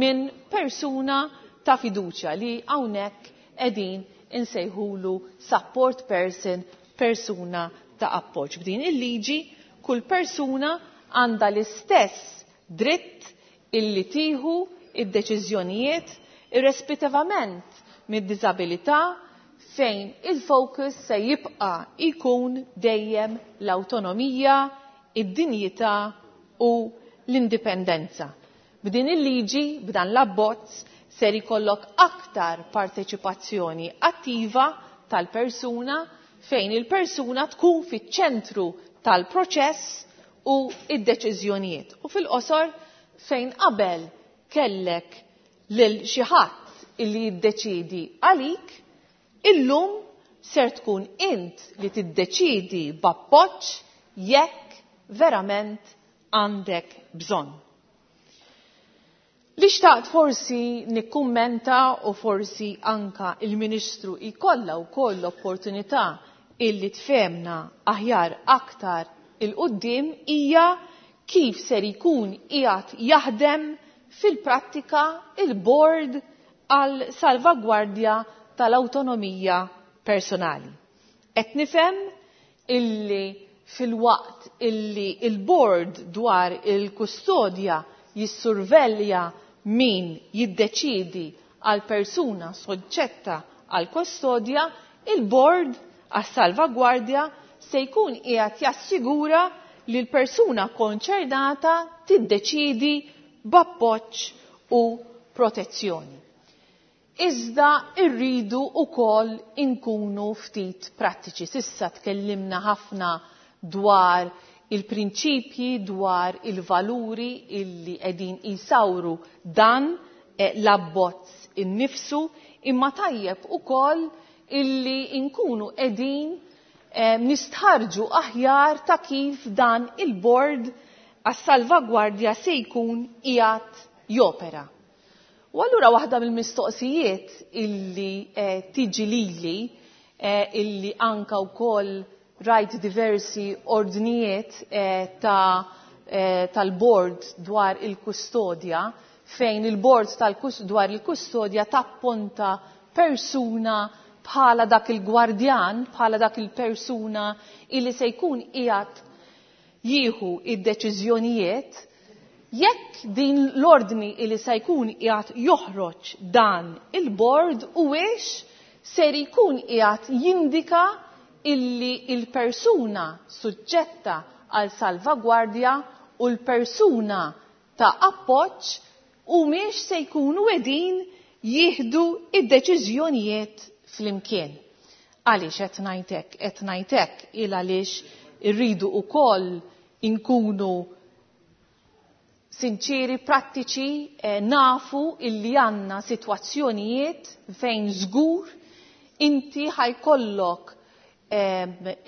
minn persuna ta' fiduċja li hawnhekk qegħdin insejħulu support person, persuna ta' appoġġ. B'din il-liġi kull persuna għandha l-istess dritt illi tieħu id-deċiżjonijiet irrispettivament mid-diżabilità, fejn il-focus se jibqa' jkun dejjem l-awtonomija, id-dinjità u l-indipendenza. B'din il-liġi, b'dan l-abbozz, ser ikollok aktar parteċipazzjoni attiva tal-persuna fejn il-persuna tkun fiċ-ċentru tal-proċess u id-deċiżjonijiet. U fil-qosor, fejn qabel kellek lil xi ħadd illi jiddeċiedi għalik, illum ser tkun int li tiddeċidi b'appoġġ jekk verament għandek bżonn. Li xtaqt forsi nikkummenta u forsi anka il-Ministru jkollha wkoll l-opportunità illi tfehmna aħjar aktar il-qudiem hija kif ser jkun qiegħed jaħdem fil-prattika il-board għal salvagwardja tal-awtonomija personali. Qed nifhem illi fil-waqt illi il-board dwar il-kustodja jissurvelja min jiddeċidi għal persuna soġġetta għal kustodja, il-board għas salvagwardja se jkun qiegħed jassigura li l-persuna konċernata tiddeċidi b'appoġġ u protezzjoni. Iżda rridu wkoll inkunu ftit prattiċi. Sissa tkellimna ħafna dwar il-prinċipji, dwar il-valuri illi qegħdin jisawru dan l-abbozz innifsu, imma tajjeb ukoll illi nkunu qegħdin nistħarġu aħjar ta' kif dan il-board għas-salvagwardja se jkun qiegħed jopera. U allura waħda mill-mistoqsijiet illi tiġi lili, illi anka wkoll rajt diversi ordnijiet ta' tal-board dwar il-kustodja, fejn il-board dwar il-kustodja tapponta persuna bħala dak il-gwardjan, bħala dak il-persuna illi se jkun qiegħed jieħu id-deċiżjonijiet, jekk din l-ordni illi se jkun qiegħed joħroġ dan il-board huwiex ser jkun qiegħed jindika illi il-persuna suġġetta għal salvagwardja u l-persuna ta' appoġġ humiex se jkunu qegħdin jieħdu id-deċiżjonijiet flimkien. Għaliex qed ngħid hekk? Qed ngħid hekk il għaliex irridu wkoll inkunu sinċiri, prattiċi, nafu illi għandna sitwazzjonijiet fejn żgur inti ħajkollok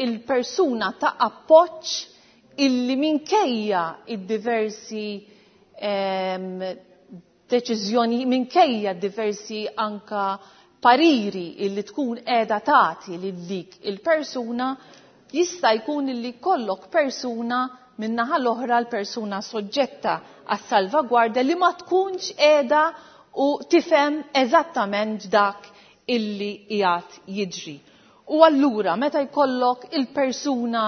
il-persuna ta' appoġġ illi minkejja id-diversi deċiżjoni, minkejja diversi anka pariri illi tkun qiegħda tagħti lil dik il-persuna, jista' jkun illi kollok persuna min-naħa l-oħra, l-persuna soġġetta għas-salvagwardja li ma tkunx qiegħda u tifhem eżattament dak illi qiegħed jiġri. U allura meta jkollok il-persuna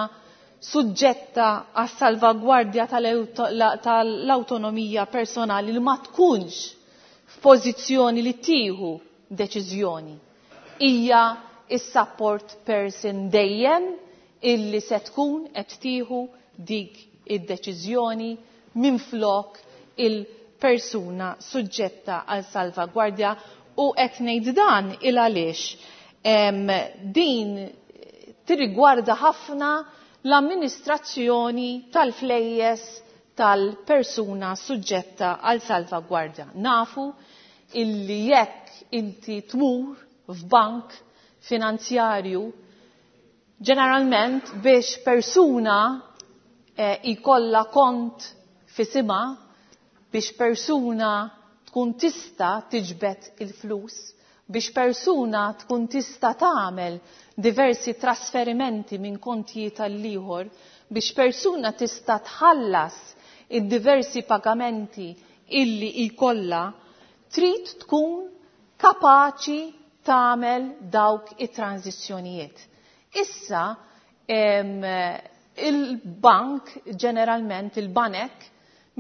suġġetta għas-salvagwardja tal-awtonomija personali li ma tkunx f'pożizzjoni li tieħu deċiżjoni, hija is-support person dejjem illi se tkun qed tieħu dik id-deċiżjoni minflok il-persuna suġġetta għal salvagwardja. U qed ngħid dan il għaliex din tirrigwarda ħafna l-amministrazzjoni tal-flejjes tal-persuna suġġetta għal salvagwardja. Nafu illi jekk inti tmur f'bank finanzjarju, ġeneralment biex persuna jkollha kont f'isimha, biex persuna tkun tista' tiġbed il-flus, biex persuna tkun tista' tagħmel diversi trasferimenti minn kontijiet għall-ieħor, biex persuna tista' tħallas id-diversi pagamenti illi jkollha, trid tkun kapaċi tagħmel dawk it-tranzizzjonijiet. Issa il-bank, ġeneralment il-banek,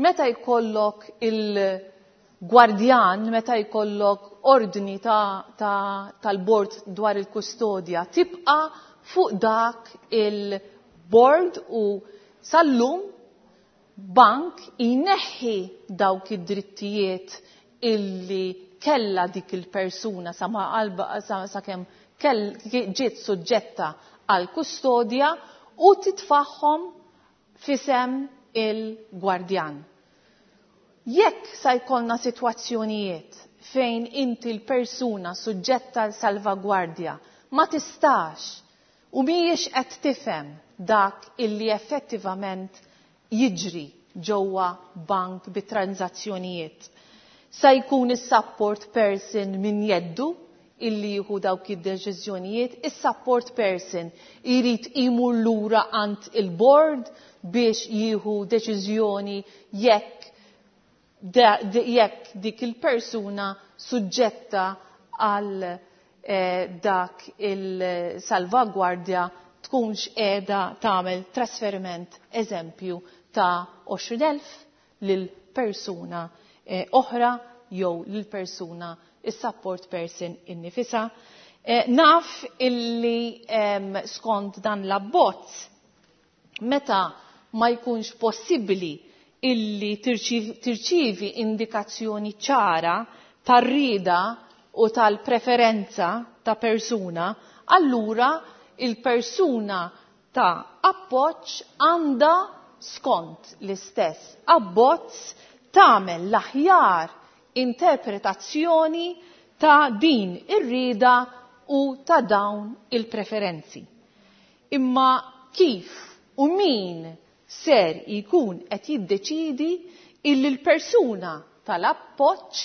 meta jkollok il-gwardjan, meta jkollok ordni tal-bord dwar il-kustodja, tibqa fuq dak il-bord u sal-lum bank jneħħi dawk id-drittijiet illi kella dik il-persuna sa ma qalba sakemm ġiet suġġetta għal kustodja u titfaħħom fisem il-gwardjan. Jekk sa jkollna sitwazzjonijiet fejn inti l-persuna suġġetta l salvagwardja ma tistax u mhijiex qed tifhem dak illi effettivament jiġri ġewwa bank bi tranzazzjonijiet. Sa jkun is-support person min jeddu illi jieħu dawk id-deċiżjonijiet, is-support person irid imur lura għand il-board biex jieħu deċiżjoni jekk jekk dik il-persuna suġġetta għal eh, dak il-salvagwardja tkunx qiegħda tagħmel trasferiment eżempju ta' għoxrin elf lil persuna eh, oħra jew lil persuna is-support person innifisha. Eh, naf illi eh, skont dan l-abbozz meta ma jkunx possibbli illi tirċivi indikazzjoni ċara tar-rieda u tal-preferenza ta' persuna, allura il-persuna ta' appoġġ għandha skont l-istess abbozz tagħmel l-aħjar interpretazzjoni ta' din ir-rieda u ta' dawn il-preferenzi. Imma kif u min ser jkun qed jiddeċidi illi l-persuna tal-appoġġ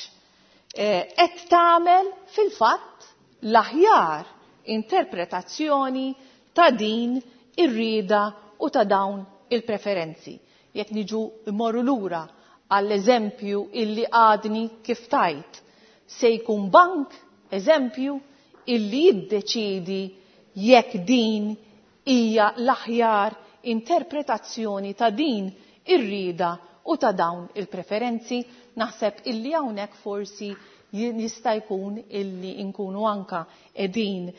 qed tagħmel fil-fatt l-aħjar interpretazzjoni ta' din ir-rieda u ta' dawn il-preferenzi. Jekk niġu mmorru lura għall-eżempju illi għadni kif tajt, se jkun bank eżempju illi jiddeċidi jekk din hija l-aħjar interpretazzjoni ta' din ir-rieda u ta' dawn il-preferenzi. Naħseb illi hawnhekk forsi jista' jkun illi nkunu anka qegħdin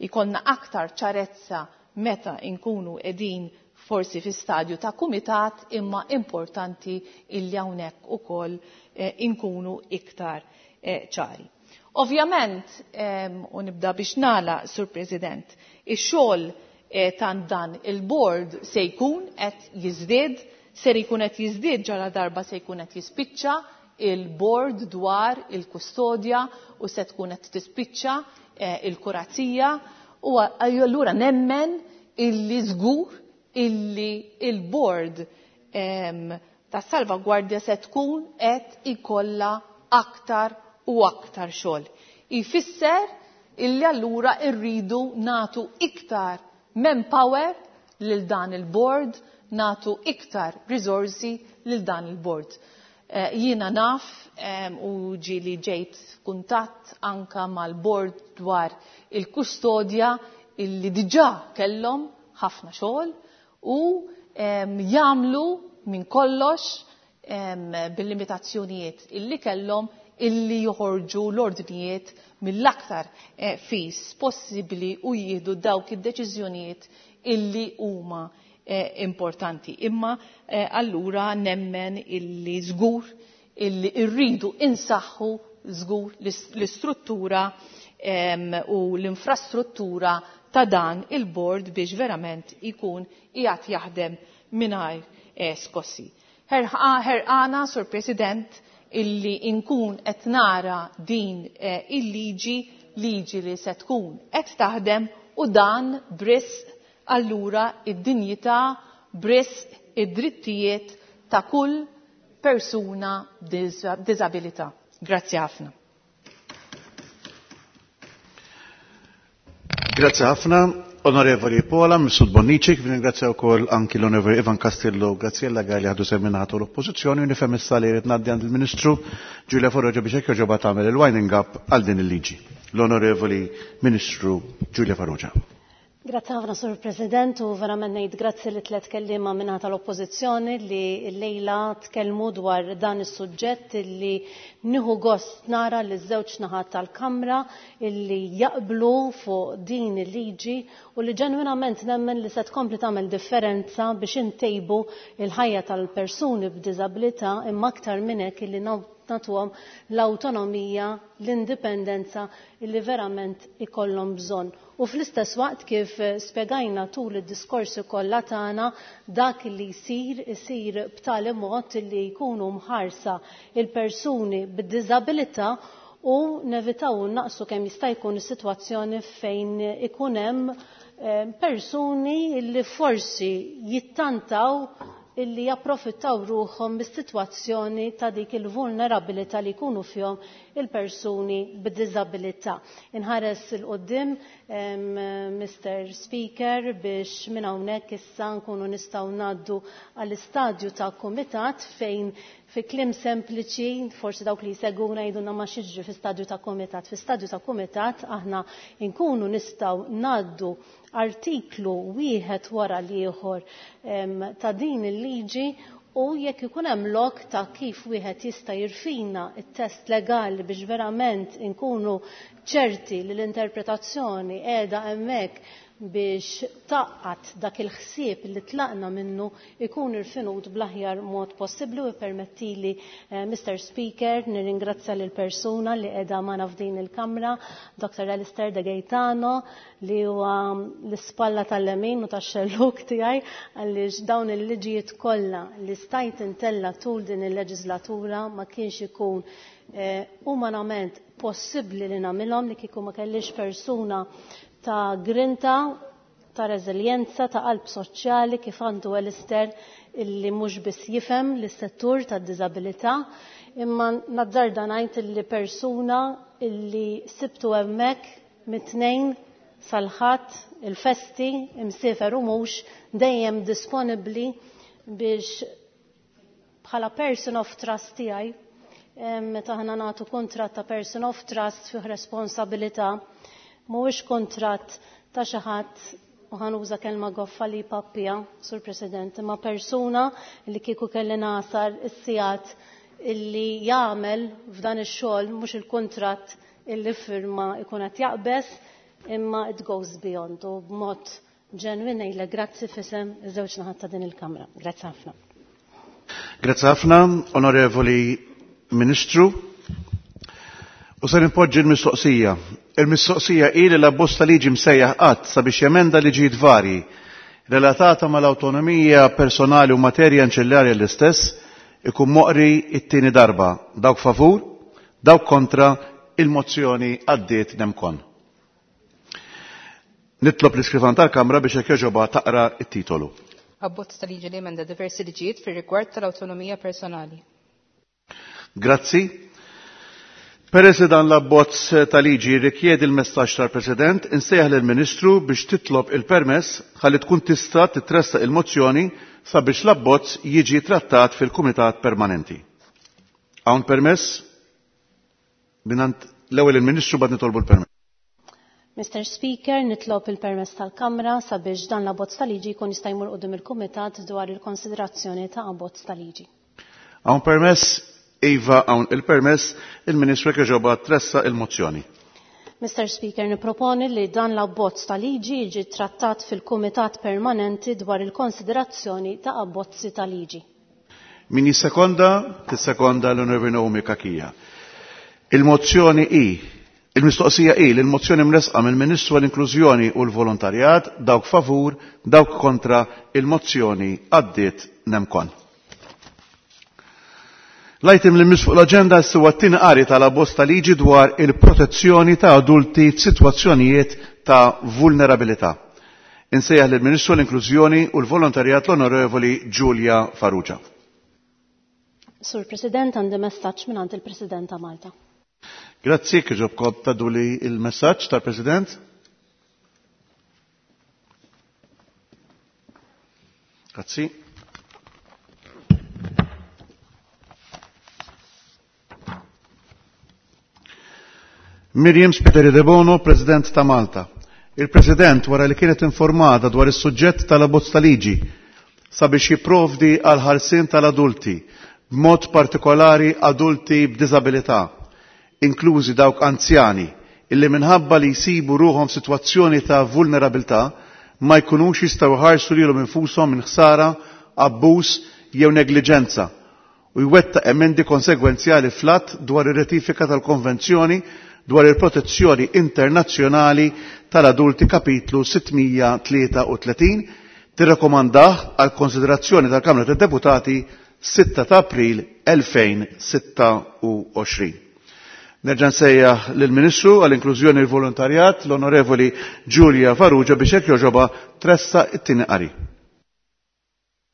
ikollna aktar ċarezza meta nkunu qegħdin forsi fi stadju ta' kumitat, imma importanti illi hawnhekk ukoll inkunu iktar ċari. Ovvjament, u nibda biex nagħlaq, Sur President, ix-xogħol ta' dan il-board se jkun qed jiżdied, ser jkun qed jiżdied ġara darba se jkun qed jispiċċa il-board dwar il-kustodja u se tkun qed tispiċċa il-kurazija, u allura nemmen illi żgur illi il-board ta' salvagwardja se tkun qed ikollha aktar u aktar xogħol. Ifisser illi allura rridu nagħtu iktar manpower lil dan il-board, nagħtu iktar risorsi lil dan il-board. Jiena naf u ġieli ġejt kuntatt anka mal-board dwar il-kustodja illi diġà kellhom ħafna xogħol u jagħmlu minn kollox bil-limitazzjonijiet illi kellhom illi joħorġu l-ordnijiet mill-aktar fis possibbli u jieħdu dawk id-deċiżjonijiet illi huma importanti. Imma allura nemmen illi żgur illi rridu insaħħu żgur l-istruttura u l-infrastruttura ta' dan il-board biex verament ikun qiegħed jaħdem mingħajr skossi. Ħerqana, Sur President, illi inkun qed nara din il-liġi, liġi li se tkun qed taħdem, u dan brisq allura id-dinjità, brisq id-drittijiet ta' kull persuna b'diżabilità. Grazzi ħafna. Grazzi ħafna, Onorevoli Pola, Mifsud Bonnici, kif ringrazzja wkoll anki l-Onorevoli Ivan Castillo, Graziella Galli ħadu seminatu l-Oppożizzjoni, u nifhem issa li jrid ngħaddi għand il-Ministru Giulia Farrugia biex hekk joġobha tagħmel il-winding up għal din il-liġi. L-Onorevoli Ministru Giulia Farrugia. Grazzi ħafna, Sur President, u verament ngħid grazzi li tliet kelliema minna tal-Oppożizzjoni li llejla tkellmu dwar dan is-suġġett illi nieħu gost nara li żewġ naħat tal-Kamra illi jaqblu fuq din il-liġi u li ġenwinament nemmen li se tkompli tagħmel differenza biex intejbu il-ħajja tal-persuni b'diżabilità, imma aktar minn hekk illi nagħtuhom l-awtonomija, l-indipendenza li verament ikollhom bżonn. U fl-istess waqt kif spjegajna tul id-diskorsi kollha tagħna dak li jsir isir b'tali mod li jkunu mħarsa il-persuni b'diżabilità u nevitaw naqsu kemm jista' jkun is-sitwazzjoni fejn ikun hemm persuni li forsi jittantaw illi japprofittaw ruħhom mis-sitwazzjoni ta' dik il-vulnerabilità li jkunu fihom il-persuni b'diżabilità. Inħares il quddiem Mister Speaker, biex minn hawnhekk issa nkunu nistgħu ngħaddu għall-istadju ta' kumitat fejn fi kliem sempliċi, forsi dawk li jseguna jgħidulna ma xiġri fi stadju ta' kumitat. Fi stadju ta' kumitat aħna nkunu nistgħu ngħaddu artiklu wieħed wara l-ieħor ta' din il-liġi u jekk ikun hemm lok ta' kif wieħed jista' jirfina t-test legali biex verament inkunu ċerti li l-interpretazzjoni qiegħda hemmhekk biex taqqat dak il-ħsieb li tlaqna minnu ikun irfinut bl-aħjar mod possibbli. U permettili, Mister Speaker, nirringrazzja lil persuna li qiegħda magħna f'din il-Kamra, Doctor Alistair De Gaetano, li huwa l-ispalla tal-lemin u tax-xelluk tiegħi, għaliex dawn il-liġijiet kollha li stajt intella tul din il-leġislatura ma kienx ikun umanament possibbli li nagħmilhom li kieku ma kellix persuna ta' grinta, ta' reżiljenza, ta' qalb soċjali kif għandu Alistair, illi mhux biss jifhem l-settur tad-diżabilità, imma nazzarda ngħid illi persuna illi sibtu hemmhekk mit-tnejn sal-ħadd il-festi imsiefer u mhux dejjem disponibbli biex bħala person of trust tiegħi, meta aħna nagħtu kuntratt ta' person of trust fih responsabilità, mhuwiex kuntratt ta' xi ħadd, u ħanuża kelma goffa li pappija, Sur President, imma persuna li kieku kelli nasar is-sigħat illi jagħmel f'dan ix-xogħol mhux il-kuntratt illi firma ikun qed jaqbeż, imma it goes beyond, u b'mod ġenwin ngħidlek grazzi f'isem iż-żewġ naħat ta' din il-Kamra. Grazzi ħafna. Grazzi ħafna, Onorevoli Ministru. U se nipoġġi l-mistoqsija. Il-mistoqsija hi li l-abbozz ta' liġi msejjaħ qatt sabiex jemenda liġijiet varji relatata mal-awtonomija personali u materja anċillarja l-istess ikun moqri it-tieni darba. Dawk favur, dawk kontra, il-mozzjoni għaddiet nemkon. Nitlob l-iskrivan tal-Kamra biex hekk jogħġobha taqra t-titolu. Abbozz ta' liġi li emenda diversi liġijiet fir-rigward tal-awtonomija personali. Grazzi. Peress li dan l-abbozz ta' liġi rikjedi l-messaġġ tal-President, insejjaħ lill-Ministru biex titlob il-permess ħalli tkun tista' titressaq il-mozzjoni sabiex l-abbozz jiġi trattat fil-Kumitat Permanenti. Hawn permess? Minant l-ewwel il-Ministru bad nitolbu l-permess. Mister Speaker, nitlob il-permess tal-Kamra sabiex dan l-abbozz ta' liġi jkun jista' jmur quddiem il-Kumitat dwar il-konsiderazzjoni ta' abbozz ta' liġi. Hawn permess? Iva, hawn il-permess, il-Ministru jekk tressa il-mozzjoni. Mister Speaker, niproponi li dan l-abbozz ta' liġi jiġi trattat fil-Kumitat Permanenti dwar il-konsiderazzjoni ta' abbozzi ta' liġi. Min jissekonda, tissekonda l-Onorevoli Naomi Cachia. Il-mozzjoni hi, il-mistoqsija hi li l-mozzjoni mresqa mill-Ministru għall-Inklużjoni u l-Volontarjat, dawk favur, dawk kontra, il-mozzjoni għaddiet nemkon. L-item li mis fuq l-aġenda huwa t-tieni qari tal-abbozz ta' liġi dwar il-protezzjoni ta' adulti f'sitwazzjonijiet ta' vulnerabilità. Insejjaħ lill-Ministru l-Inklużjoni u l-Volontarjat l-Onorevoli Julia Farrugia. Sur President, għandi messaġġ mingħand il-President ta' Malta. Grazzi, kieġobkom taduli il-messaġġ tal-President. Grazzi. Myriam Spiteri Debono, President ta' Malta. Il-President, wara li kienet informata dwar is-suġġett tal-abbozz ta' liġi sabiex jipprovdi għal ħarsien tal-adulti, b'mod partikolari adulti b'diżabilità, inklużi dawk anzjani, illi minħabba li jsibu ruħhom f'sitwazzjoni ta' vulnerabilità ma jkunux jistgħu jħarsu lilhom infushom minn ħsara, abbuż jew negliġenza u jwettaq emendi konsegwenzjali fl-att dwar ir-ratifika tal-Konvenzjoni dwar il-protezzjoni internazzjonali tal-adulti kapitlu sitt mija tlieta u tletin, tirrakkomandah għal konsiderazzjoni tal-Kamra tad-Deputati sitta ta' April elfejn u sitta u għoxrin. Nerġa' nsejjaħ lill-Ministru għall-Inklużjoni u l-Volontarjat, l-Onorevoli Julia Farrugia, biex hekk jogħġobha tressaq it-tieni qari.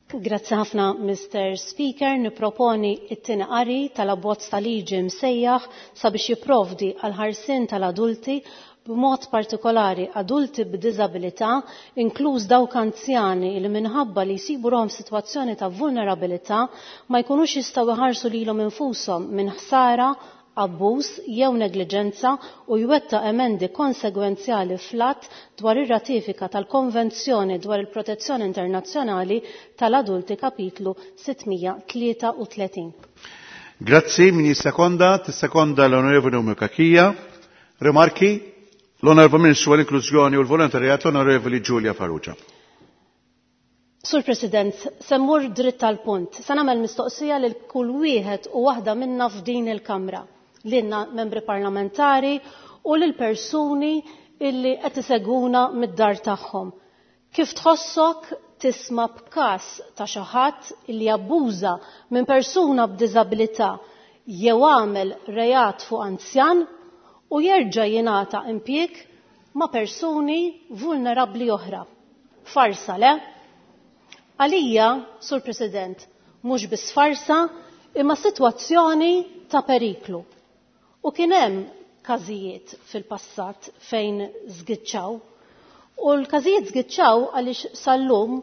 Grazzi ħafna, Mister Speaker. Niproponi it-tieni qari tal-abbozz ta' liġi msejjaħ sabiex jipprovdi għal ħarsien tal-adulti, b'mod partikolari adulti b'diżabilità, inkluż dawk anzjani li minħabba li jsibu ruħhom f'sitwazzjoni ta' vulnerabilità ma jkunux jistgħu jħarsu lilhom infushom minn ħsara, abbuż jew negliġenza, u jwettaq emendi konsegwenzjali fl-att dwar ir-ratifika tal-Konvenzjoni dwar il-Protezzjoni Internazzjonali tal-Adulti kapitlu sitt mija tlieta u tletin. Grazzi, min jissekonda? Tissekonda l-Onorevoli Cachia. Rimarki? L-Onorevoli Ministru għall-Inklużjoni u l-Volontarjat, l-Onorevoli Julia Farrugia. Sur President, se mmur dritt tal-punt. Se nagħmel mistoqsija lil kull wieħed u waħda minna f'din il-Kamra, lilna membri parlamentari u lil persuni illi qed isegwuna mid-dar tagħhom. Kif tħossok tisma' b'każ ta' xi ħadd illi abbuża minn persuna b'diżabilità jew għamel reat fuq anzjan u jerġa' jingħata impjieg ma' persuni vulnerabbli oħra? Farsa, le? Għalija, Sur President, mhux biss farsa, imma sitwazzjoni ta' periklu. U kien hemm każijiet fil-passat fejn żgiċċaw. U l-każijiet żgiċċaw għaliex sal-lum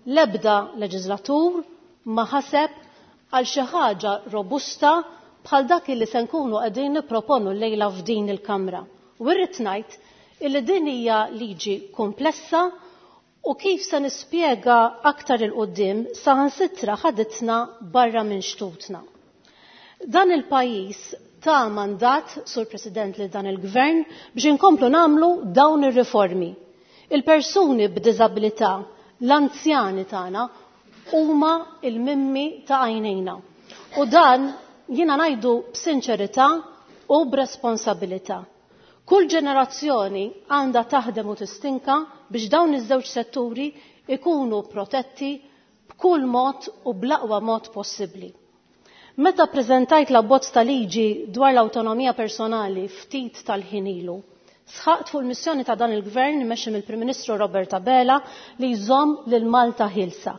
l-ebda leġislatur ma ħaseb għal xi ħaġa robusta bħal dak li se nkunu qegħdin nipproponu llejla f'din il-Kamra. U rrid ngħid illi din hija liġi komplessa u, kif se nispjega aktar 'il quddiem, saħansitra ħaditna barra minn xtutna. Dan il-pajjiż ta' mandat, Sur President, li dan il-Gvern biex inkomplu nagħmlu dawn ir-riformi. Il-persuni b'diżabilità, l-anzjani tagħna, huma il-mimmi ta' għajnejna. U dan jiena ngħidu b'sinċerità u b'responsabilità. Kull ġenerazzjoni għandha taħdem u tistinka biex dawn iż-żewġ setturi ikunu protetti b'kull mod u bl-aqwa mod possibbli. Meta preżentajt l-abbozz ta' liġi dwar l-awtonomija personali ftit tal-ħin ilu, sħaqt fuq il-missjoni ta' dan il-Gvern mexxi mill-Prim Ministru Robert Abela li jżomm lil Malta ħielsa.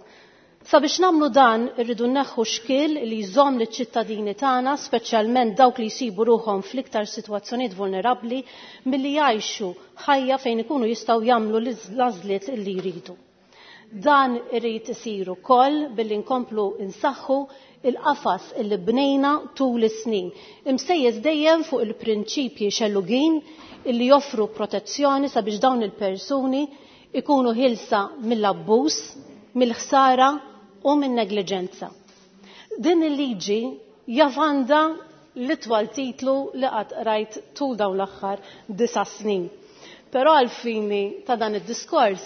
Sabiex nagħmlu dan, irridu neħħu xkiel li jżomm liċ-ċittadini tagħna, speċjalment dawk li jsibu ruħhom fl-iktar sitwazzjonijiet vulnerabbli, milli jgħixu ħajja fejn ikunu jistgħu jagħmlu l-għażliet li jridu. Dan irid isir ukoll billi nkomplu insaħħu il-qafas illi bnejna tul is-snin, imsejjes dejjem fuq il-prinċipji xellugin illi joffru protezzjoni sabiex dawn il-persuni ikunu ħielsa mill-abbuż, mill-ħsara u minn negliġenza. Din il-liġi jaf għandha l-itwal titlu li qatt rajt tul dawn l-aħħar disa' snin. Però għal-fini ta' dan id-diskors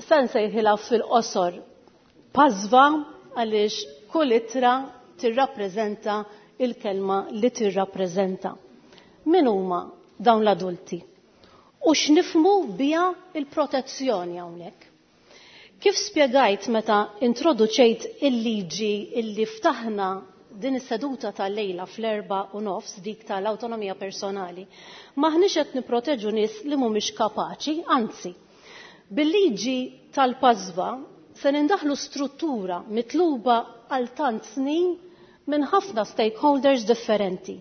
se nsejħilha fil-qosor PASVA, għaliex kull ittra tirrappreżenta il-kelma li tirrappreżenta. Min huma dawn l-adulti? U x'nifhmu biha il-protezzjoni hawnhekk? Kif spjegajt meta introduċejt il-liġi illi ftaħna din is-seduta tal-lejla fl-erba u nofs, dik tal-awtonomija personali, maħniex qed niproteġu nies li mhumiex kapaċi, anzi, bil-liġi tal-PASVA se nindaħlu struttura mitluba għal tant snin minn ħafna stakeholders differenti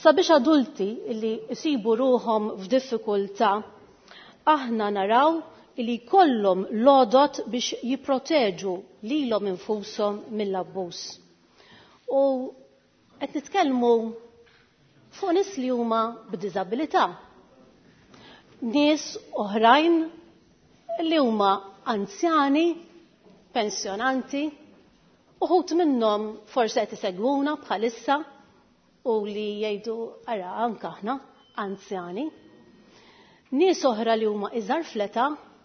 sabiex adulti li jsibu ruħhom f'diffikultà, aħna naraw li jkollhom l-għodod biex jipproteġu lilhom infushom mill-abbuż. U qed nitkellmu fuq nies li huma b'diżabilità, nies oħrajn li huma anzjani, pensjonanti, uħud minnhom forsi qed isegwuna bħalissa u li jgħidu, "Ara, anke aħna anzjani." Nies oħra li huma iżgħar fl-età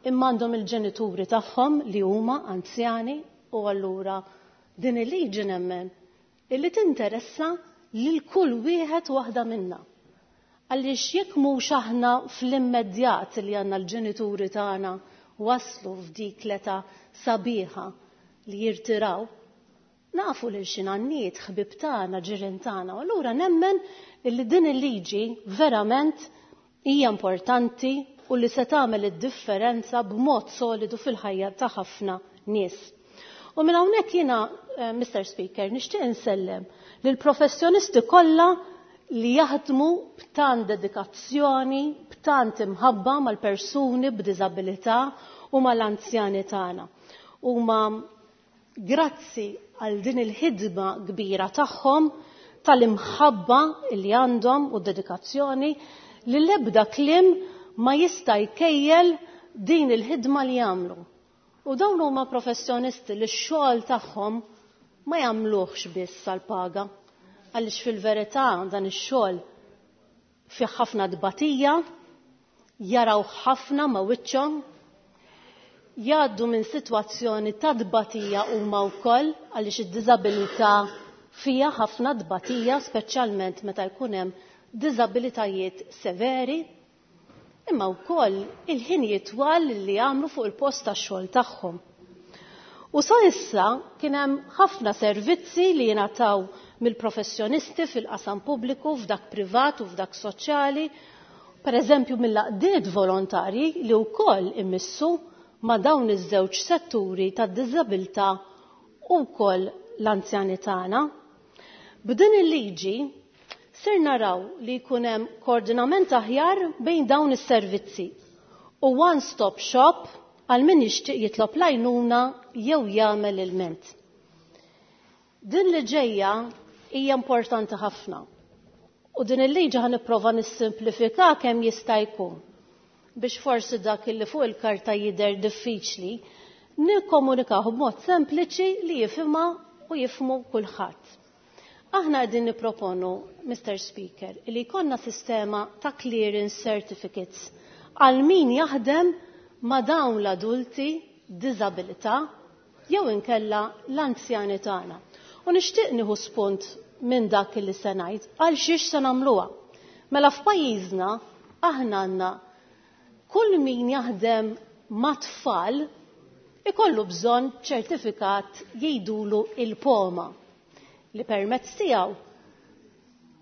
imma għandhom il-ġenituri tagħhom li huma anzjani, u allura din il-liġi nemmen illi tinteressa lil kull wieħed waħda minna. Għaliex jekk mhux aħna fl-immedjat li għandna l-ġenituri tagħna waslu f'dik l-età sabiħa li jirtiraw, nafu lil xi nanniet, ħbib tagħna, ġirien tagħna, u allura nemmen illi din il-liġi verament hija importanti u li se tagħmel id-differenza b'mod solidu fil-ħajja ta' ħafna nies. U minn hawnhekk jiena, eh, Mister Speaker, nixtieq insellem lill professjonisti kollha li jaħdmu b'tant dedikazzjoni, b'tant imħabba mal-persuni b'diżabilità u mal-anzjani tagħna. Huma grazzi għal din il-ħidma kbira tagħhom, tal-imħabba li għandhom u dedikazzjoni li l-ebda kliem ma jista' jkejjel din il-ħidma li jagħmlu. U dawn huma professjonisti li x-xogħol tagħhom ma jagħmluhx biss għall-paga, għaliex fil-verità dan ix-xogħol fih ħafna tbatija, jaraw ħafna ma' wiċċhom, jgħaddu minn sitwazzjoni ta' tbatija huma wkoll għaliex id-diżabilità fiha ħafna tbatija, speċjalment meta jkun hemm diżabilitajiet severi, imma wkoll il-ħin jitwal li jagħmlu fuq il-post tax-xogħol tagħhom. U sa issa kien hemm ħafna servizzi li jingħataw mill-professjonisti fil-qasam pubbliku, f'dak privat u f'dak soċjali, per eżempju mill-għaqdiet volontarji li wkoll immissu ma' dawn iż-żewġ setturi tad-diżabilità u wkoll l-anzjani tagħna. B'din il-liġi ser naraw li jkun hemm koordinament aħjar bejn dawn is-servizzi u one-stop shop għal min jixtieq jitlob l-għajnuna jew jagħmel ilment. Din li ġejja hija importanti ħafna. U din il-liġi ħa nipprova nissimplifika kemm jista' jkun biex forsi dak li fuq il-karta jidher diffiċli nikkomunikaw b'mod sempliċi li jifhimha u jifhmu kulħadd. Aħna qegħdin nipproponu, Mister Speaker, li jkollna sistema ta' clearance certificates għal min jaħdem ma' dawn l-adulti b'diżabilità jew inkella l-anzjani tagħna. U nixtieq nieħu spunt minn dak li se ngħid għal xiex se nagħmluha. Mela f'pajjiżna aħna għandna kull min jaħdem ma' tfal ikollu bżonn ċertifikat jgħidulu il-POMA li permezz tiegħu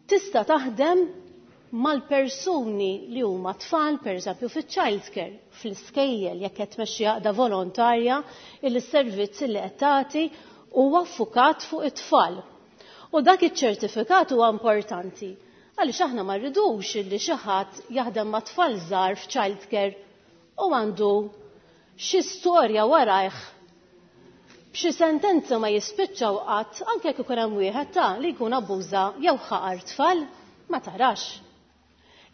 tista' taħdem mal-persuni li huma tfal, pereżempju fiċ-child care, fl-iskejjel, jekk qed tmexxi għaqda volontarja illi s-servizz li qed tagħti huwa ffukat fuq it-tfal. U dak iċ-ċertifikat huwa importanti għaliex aħna ma rridux illi xi ħadd jaħdem ma' tfal żgħar f'child care u għandu xi storja warajh b'xi sentenza ma jispiċċaw qatt, anke jekk ikun hemm wieħed ta' li jkun abbuża jew ħaqar tfal, ma tarax.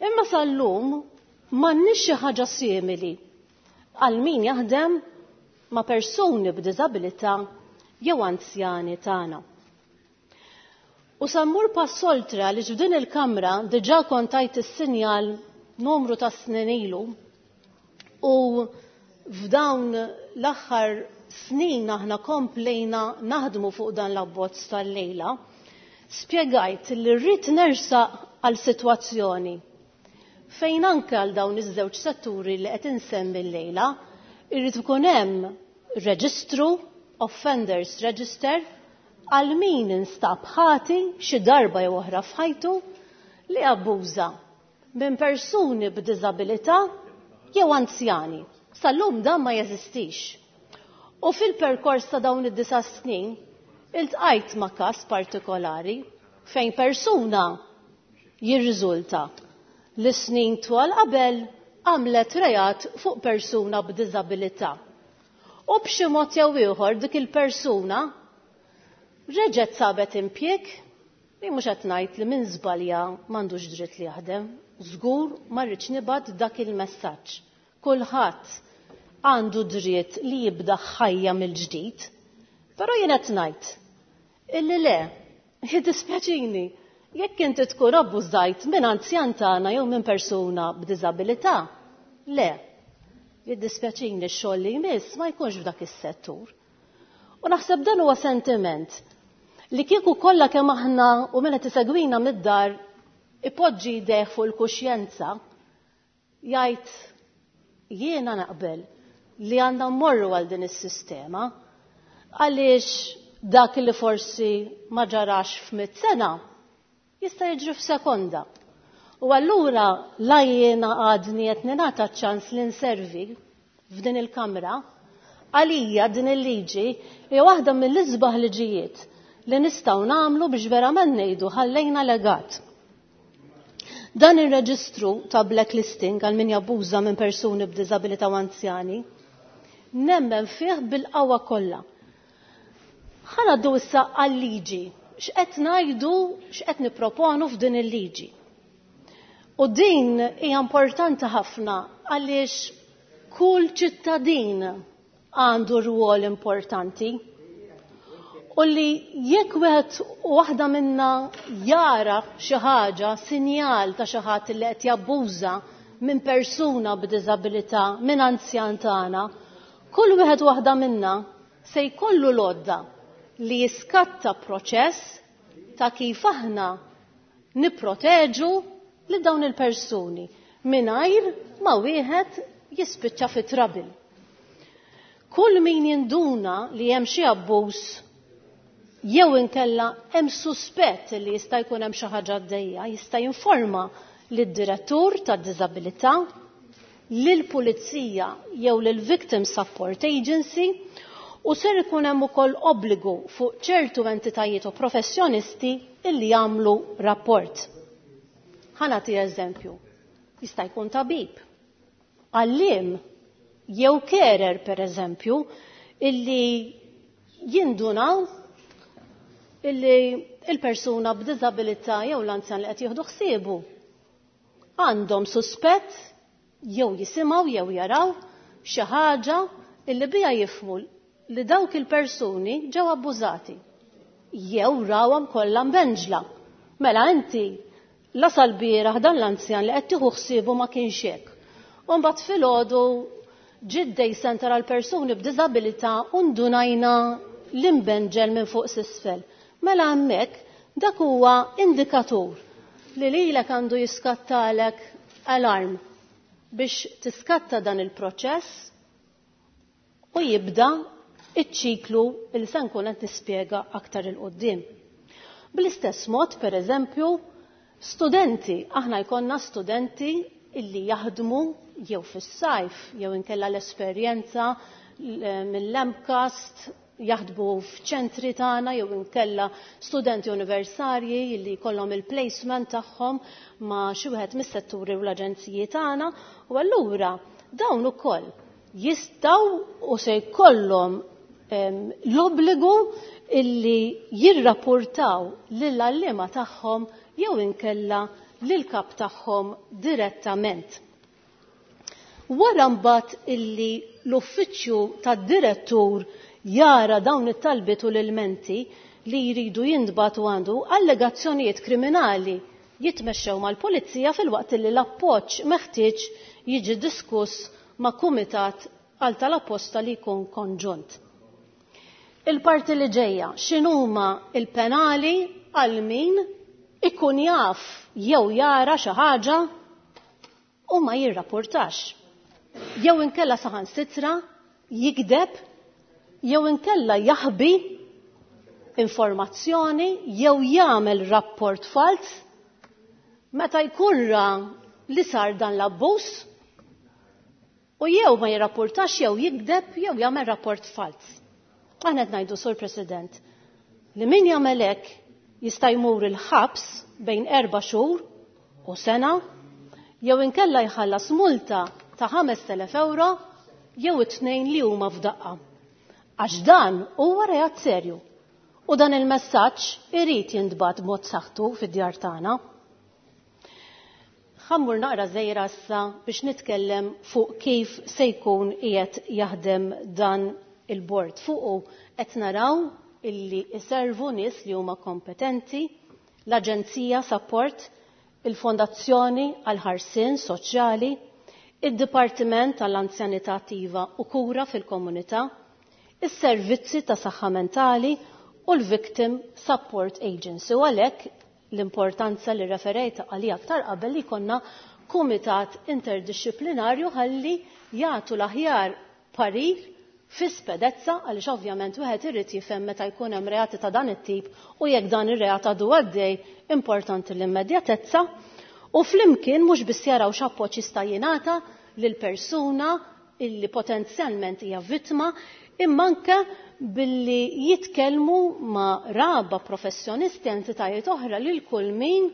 Imma sal-lum m'għandniex xi ħaġa simili għal min jaħdem ma' persuni b'diżabilità jew anzjani tagħna. U sammur pass oltre li f'din il-kamra diġà kont tajt is-sinjal numru ta' snin ilu u f'dawn l-aħħar snin aħna komplejna naħdmu fuq dan l-abbozz tal-lejla, spjegajt li rrid nersaq għal sitwazzjoni fejn anke għal dawn iż-żewġ setturi li qed insemmi llejla irrid ikun hemm reġistru, offenders register, għal min instab ħati xi darba jew oħra f'ħajtu li abbuża minn persuni b'diżabilità jew anzjani. Sal-lum dan ma jeżistix. U fil-perkors ta' dawn id-disa' snin iltqajt ma' każ partikolari fejn persuna jirriżulta li snin twal qabel għamlet reat fuq persuna b'diżabilità. U b'xi mod jew ieħor dik il-persuna reġgħet sabet impjieg, li mhux qed ngħid li min żbalja m'għandux dritt li jaħdem, żgur ma rridx nibgħat dak il-messaġġ. Kulħadd għandu dritt li jibda ħajja mill-ġdid, però jien qed ngħid illi le, jiddispjaċini, jekk inti tkun abbużajt minn anzjan tagħna jew minn persuna b'diżabilità, le, jiddispjaċini x-xogħol li jmiss ma jkunx f'dak is-settur. U naħseb dan huwa sentiment Li kieku kollha kemm aħna u min qed isegwina mid-dar ipoġġi jdejh fuq il-kuxjenza, jgħid jiena naqbel li għandna mmorru għal din is-sistema għaliex dak li forsi ma ġarax f'mitt sena jista' jiġri f'sekonda. U allura la jiena għadni qed ningħata ċans li nservi f'din il-kamra, għalija din il-liġi hija waħda mill-isbaħ liġijiet li nistgħu nagħmlu biex verament ngħidu ħallejna legat. Dan ir-reġistru ta' blacklisting għal min jabbuża minn persuni b'diżabilità u anzjani, nemmen fih bil-qawwa kollha. Ħa ngħaddu issa għal-liġi. X'qed ngħidu, x'qed nipproponu f'din il-liġi. U din hija importanti ħafna għaliex kull ċittadin għandu rwol importanti. U li jekk wieħed u waħda minna jara xi ħaġa, sinjal ta' xi ħadd li qed jabbuża minn persuna b'diżabilità, minn anzjan tagħna, kull wieħed waħda minna se jkollu l-għodda li jiskatta proċess ta' kif aħna nipproteġu lil dawn il-persuni mingħajr ma wieħed jispiċċa fi trouble. Kull min jinduna li hemm xi abbuż jew inkella hemm suspett li jista' jkun hemm xi ħaġa għaddejja, jista' jinforma lid-direttur tad-diżabilità, lill-pulizija jew lill-Victim Support Agency, u ser ikun hemm ukoll obbligu fuq ċertu entitajiet u professjonisti illi jagħmlu rapport. Ħa nagħti eżempju. Jista' jkun tabib, għalliem jew carer per eżempju illi jindunaw illi il-persuna b'diżabilità jew l-anzjan li qed jieħdu ħsiebu għandhom suspett jew jisimgħu jew jaraw xi ħaġa illi biha jifhmu li dawk il-persuni ġew abbużati jew rawhom kollha mbenġla. Mela inti la sal-bieraħ dan l-anzjan li qed tieħu ħsiebu ma kienx hekk. U mbagħad filgħodu ġie day center għal persuni b'diżabilità u ndunajna l-imbenġel minn fuq s'isfel. Mela hemmhekk dak huwa indikatur li lilek għandu jiskattalek alarm biex tiskatta dan il-proċess u jibda iċ-ċiklu li se nkun qed nispjega aktar 'il quddiem. Bl-istess mod, per eżempju, studenti, aħna jkollna studenti illi jaħdmu jew fis-sajf jew inkella l-esperjenza mill-M CAST jaħdmu f'ċentri tagħna jew inkella studenti universitarji li jkollhom il-placement tagħhom ma' xi wieħed mis-setturi u l-aġenziji tagħna, u allura dawn ukoll jistgħu u se jkollhom l-obbligu illi jirrapportaw lill-għalliema tagħhom jew inkella lil-kap tagħhom direttament. Wara mbagħad illi l-uffiċċju tad-direttur jara dawn it-talbiet u l-ilmenti li jridu jintbagħtu għandu, allegazzjonijiet kriminali jitmexxew mal-pulizija filwaqt li l-appoġġ meħtieġ jiġi diskuss ma' kumitat għal tal-apposta li jkun konġunt. Il-parti li ġejja, x'inhuma il-penali għal min ikun jaf jew jara xi ħaġa u ma jirrapportax. Jew inkella saħansitra jikdeb, jew inkella jaħbi informazzjoni, jew jagħmel rapport fals meta jkun ra li sar dan l-abbuż u jew ma jirrapportax jew jikdeb jew jagħmel rapport fals. Aħna qed ngħidu, Sur President, li min jagħmel hekk jista' jmur il-ħabs bejn erba' xhur u sena jew inkella jħallas multa ta' ħamest elef euro jew it-tnejn li huma f'daqqa. Għax dan huwa reat serju. U dan il-messaġġ irid jintbagħat b'mod saħħtu fid-djar tagħna. Ħa mmur naqra żgħira issa biex nitkellem fuq kif se jkun qiegħed jaħdem dan il-bord. Fuqu qed naraw illi iservu nies li huma kompetenti, l-Aġenzija Support, il-Fondazzjoni għal-Ħarsien Soċjali, id-Dipartiment tal-Anzjanità Attiva u Kura fil-Komunità, is-Servizzi ta' Saħħa Mentali u l-Victim Support Agency. U għalhekk l-importanza li referejt għalija aktar qabel li konna kumitat interdisciplinarju ħalli jagħtu l-aħjar parir fi spedezza, għaliex ovvjament wieħed irid jifhem meta jkun hemm reati ta' dan it-tip u jekk dan ir-reat għadu għaddej, importanti l-immedjatezza. U flimkien mhux biss jaraw x'appoġġ jista' jingħata lil persuna illi potenzjalment hija vittma, imma anke billi jitkellmu ma' raba professjonisti, entitajiet oħra, lil kull min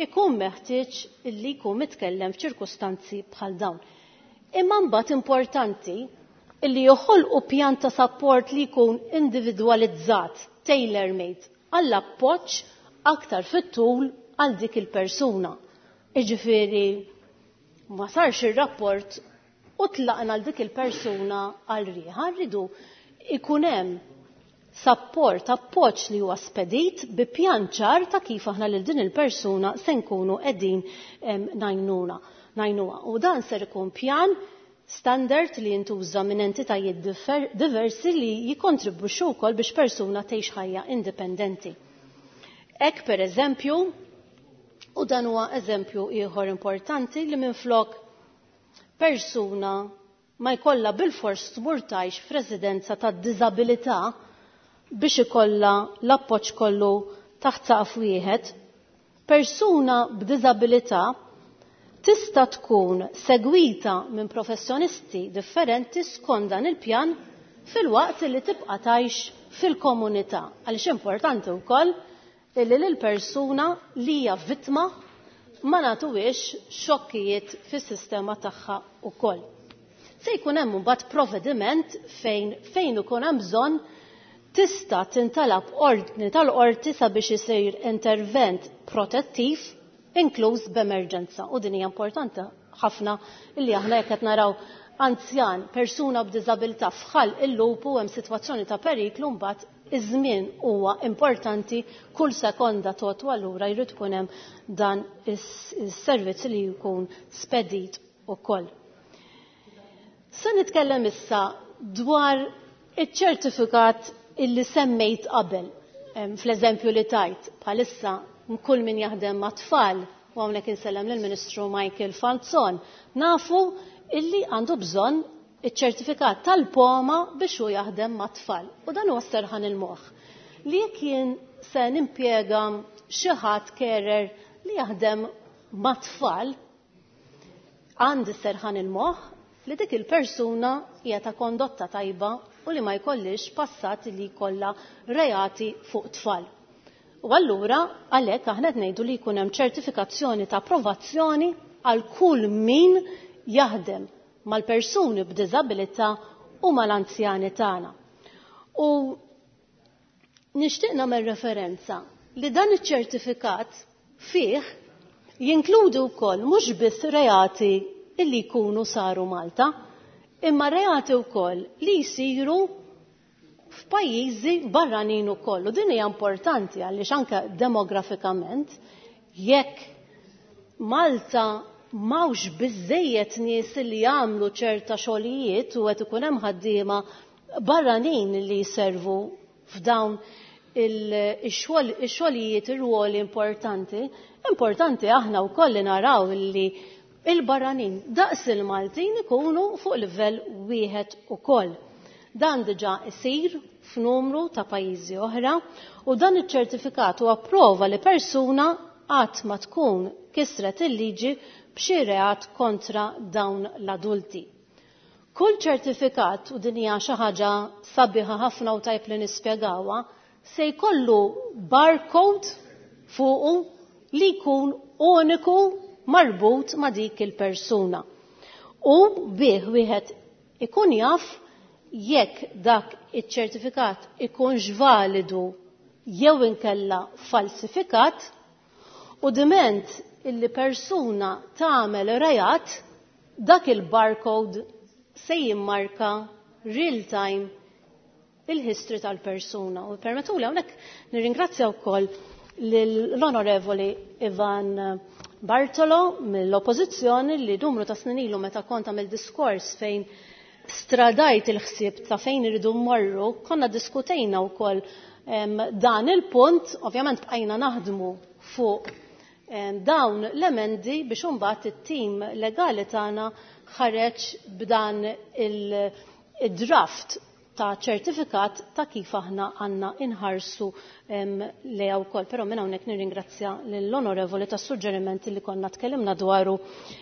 ikun meħtieġ illi jkun mitkellem f'ċirkustanzi bħal dawn. Imma mbagħad importanti illi joħolqu pjan ta' support li jkun individwalizzat, tailor-made, għall-appoġġ aktar fit-tul għal dik il-persuna. Iġifieri ma sarx ir-rapport u tlaqna għal dik il-persuna għal rieħa, rridu ikun hemm support, appoġġ li huwa spedit bi pjan ċar ta' kif aħna lil din il-persuna se nkunu qegħdin ngħinuna, ngħinuha. U dan ser ikun pjan standard li jintuża minn entitajiet diversi li jikontribwixxu wkoll biex persuna tgħix ħajja indipendenti. Hekk per eżempju, u dan huwa eżempju ieħor importanti, li minflok persuna ma jkollha bilfors tmur tgħix f'residenza ta' diżabilità biex ikollha l-appoġġ kollu taħt saqaf wieħed, persuna b'diżabilità tista' tkun segwita minn professjonisti differenti skont dan il-pjan filwaqt li tibqa' tgħix fil-komunità. Għaliex importanti wkoll illi lill-persuna li hija vittma ma nagħtuhiex xokkijiet fis-sistema tagħha wkoll. Se jkun hemm imbagħad provvediment fejn fejn ikun hemm bżonn tista' tintalab ordni tal-qorti sabiex isir intervent protettiv inkluż b'emerġenza. U din hija importanti ħafna illi aħna jekk qed naraw anzjan, persuna b'diżabilità f'ħalq il-lupu hemm sitwazzjoni ta' periklu, mbagħad iż-żmien huwa importanti, kull sekonda tgħod, u allura jrid ikun hemm dan is-servizz li jkun spedit ukoll. Se nitkellem issa dwar iċ-ċertifikat illi semmejt qabel. Fl-eżempju li tajt, bħalissa kull min jaħdem ma' tfal, u hawnhekk insellem lill-Ministru Michael Falzon, nafu illi għandu bżonn iċ-ċertifikat tal-poma biex hu jaħdem ma' tfal. U dan huwa serħan il-moħħ. Li jekk jien se nimpjega xi ħadd carer li jaħdem ma' tfal, għandi serħan il-moħħ li dik il-persuna hija ta' kondotta tajba u li ma jkollix passat li jkollha reati fuq tfal. U allura għalhekk aħna qed ngħidu li jkun hemm ċertifikazzjoni ta' approvazzjoni għal kull min jaħdem mal-persuni b'diżabilità u mal-anzjani tagħna. U nixtieq nagħmel referenza li dan iċ-ċertifikat fih jinkludi wkoll mhux biss reati illi jkunu saru Malta, imma reati wkoll li jsiru f'pajjiżi barranin ukoll. U din hija importanti għaliex anke demografikament jekk Malta m'hawnx biżejjed nies li jagħmlu ċerta xogħlijiet u qed ikun hemm ħaddiema barranin li jservu f'dawn il-xogħlijiet, ir-ruoli importanti, importanti aħna wkoll li naraw li il-barranin daqs il-Maltin ikunu fuq livell wieħed ukoll. Dan diġà isir f'numru ta' pajjiżi oħra u dan iċ-ċertifikat huwa prova li persuna qatt ma tkun kisret il-liġi b'xi reat kontra dawn l-adulti. Kull ċertifikat, u din hija xi ħaġa sabiħa ħafna u tajb li nispjegawha, se jkollu barcode fuqu li jkun uniku marbut ma' dik il-persuna. U bih wieħed ikun jaf jekk dak iċ-ċertifikat ikunx validu jew inkella falsifikat, u diment illi persuna tagħmel reat, dak il-barcode se jimmarka real time il-history tal-persuna. U permettuli hawnhekk nirringrazzja wkoll l-Onorevoli Ivan Bartolo mill-Oppożizzjoni li numru ta' snin ilu meta kont għamil diskors fejn stradajt il-ħsieb ta' fejn irridu mmorru, konna diskutejna wkoll dan il-punt, ovvjament bqajna naħdmu fuq dawn l-emendi biex imbagħad it-tim legali tagħna ħareġ b'dan il-draft ta' ċertifikat ta' kif aħna għandna inħarsu lejha wkoll. Però minn hawnhekk nirringrazzja lill-onorevoli tas-suġġerimenti li konna tkellimna dwaru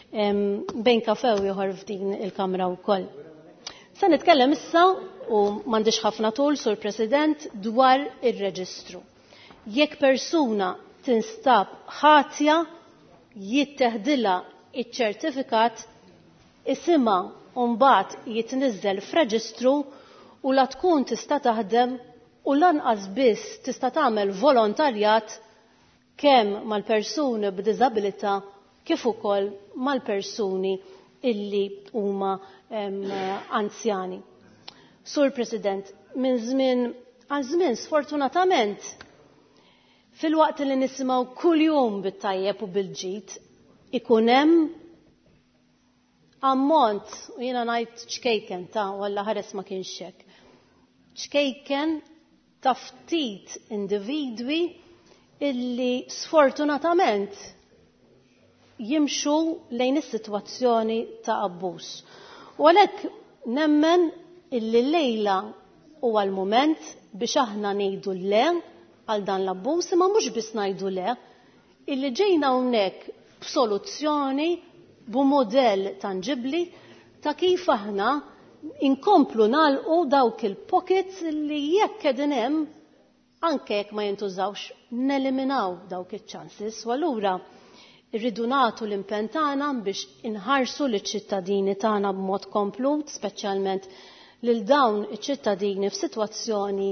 bejn kafe u ieħor f'din il-Kamra wkoll. Se nitkellem issa, u m'għandix ħafna tul, Sur President, dwar ir-reġistru. Jekk persuna tinstab ħatja, jitteħdilha iċ-ċertifikat, isimha mbagħad jitniżżel f'reġistru u la tkun tista' taħdem u lanqas biss tista' tagħmel volontarjat kemm mal-persuni b'diżabilità kif ukoll mal-persuni illi huma anzjani. Sur President, minn żmien għal żmien sfortunatament fil-waqt li nisimgħu kuljum bit-tajjeb u bil-ġid ikun hemm ammont, u jiena ngħid ċkejken ta' walla ħares ma kienx hekk, ċkejken ta' ftit individwi illi sfortunatament jimxu lejn is-sitwazzjoni ta' abbuż. U għalhekk nemmen illi lejla huwa l-mument biex aħna ngħidu le għal dan l-abbuż, imma mhux biss ngħidu le, illi ġejna hawnhekk b'soluzzjoni, b'mudell tanġibbli ta' kif aħna inkomplu nagħlqu dawk il-pockets li jekk qegħdin hemm, anke jekk ma jintużawx, neliminaw dawk iċ-chances. U allura irridu nagħtu l-impenn tagħna biex inħarsu liċ-ċittadini tagħna b'mod komplut, speċjalment lil dawn iċ-ċittadini f'sitwazzjoni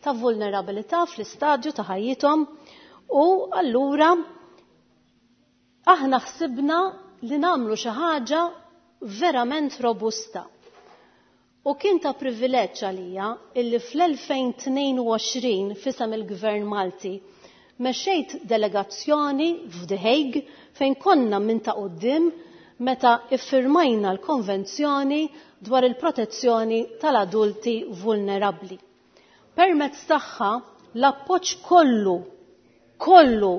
ta' vulnerabilità fl-istadju ta' ħajjithom. U allura aħna ħsibna li nagħmlu xi ħaġa verament robusta. U kien ta' privileġġ għalija illi fl-elfejn tnejn u għoxrin fisem il-Gvern Malti mexxejt delegazzjoni f'The Hague fejn konna minn ta' quddiem meta iffirmajna l-konvenzjoni dwar il-protezzjoni tal-adulti vulnerabbli. Permezz tagħha l-appoġġ kollu, kollu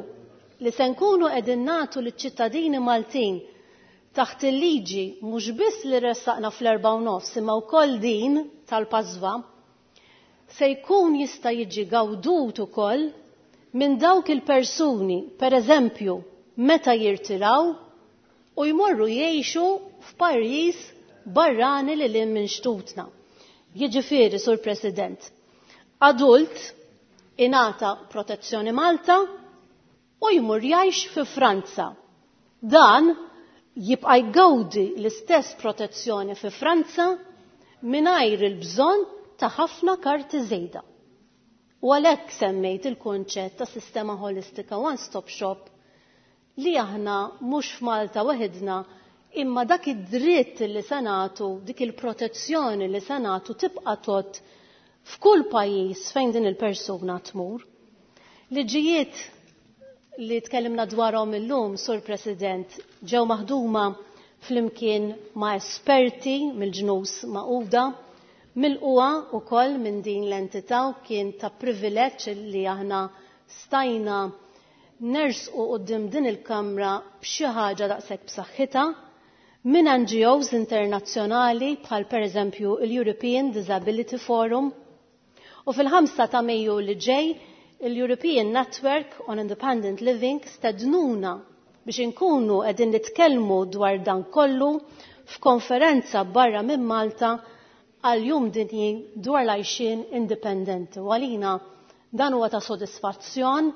li se nkunu qegħdin nagħtu liċ-ċittadini Maltin taħt il-liġi mhux biss li ressaqna fl-erba' u nofs imma wkoll din tal-PASVA, se jkun jista' jiġi gawdut ukoll minn dawk il-persuni, per eżempju, meta jirtiraw u jmorru jgħixu f'pajjiż barrani li lil minn xtutna. Jiġifieri, Sur President, adult ingħata protezzjoni Malta u jmur jgħix fi Franza. Dan jibqa' jgawdi l-istess protezzjoni fi Franza mingħajr il-bżonn ta' ħafna karti żejda. U għalhekk semmejt il-konċett ta' sistema holistika one-stop shop li aħna mhux f'Malta waħedna imma dak id-dritt li se nagħtu, dik il-protezzjoni li se nagħtu tibqa' tot f'kull pajjiż fejn din il-persuna tmur. Liġijiet li tkellimna dwarhom illum, Sur President, ġew maħduma flimkien ma' esperti mill-ġnus Magħquda, milquha wkoll minn din l-entità, u kien ta' privileġġ li aħna stajna nersqu quddiem din il-Kamra b'xi ħaġa daqshekk b'saħħitha minn N G Os internazzjonali bħal pereżempju l-European Disability Forum. U fil-ħamsa ta' Mejju li ġej il-European Network on Independent Living stednuna biex inkunu qegħdin nitkellmu dwar dan kollu f'konferenza barra minn Malta għal jum dinji dwar l-għajxien indipendenti. U għalina dan huwa ta' sodisfazzjon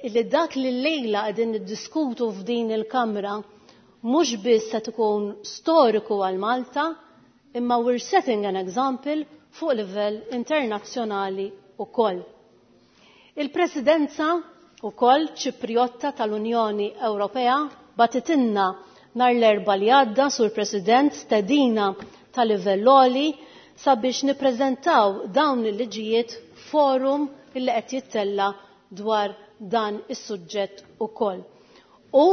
illi dak li llejla qegħdin niddiskutu f'din il-Kamra mhux biss se tkun storiku għal Malta, imma we're setting an example fuq livell internazzjonali ukoll. Il-Presidenza ukoll Ċipriotta tal-Unjoni Ewropea batitinna nar l-Erbgħa li għadda, Sur President, stedina ta' livell għoli sabiex nippreżentaw dawn il-liġijiet forum illi qed jittella dwar dan is-suġġett ukoll. U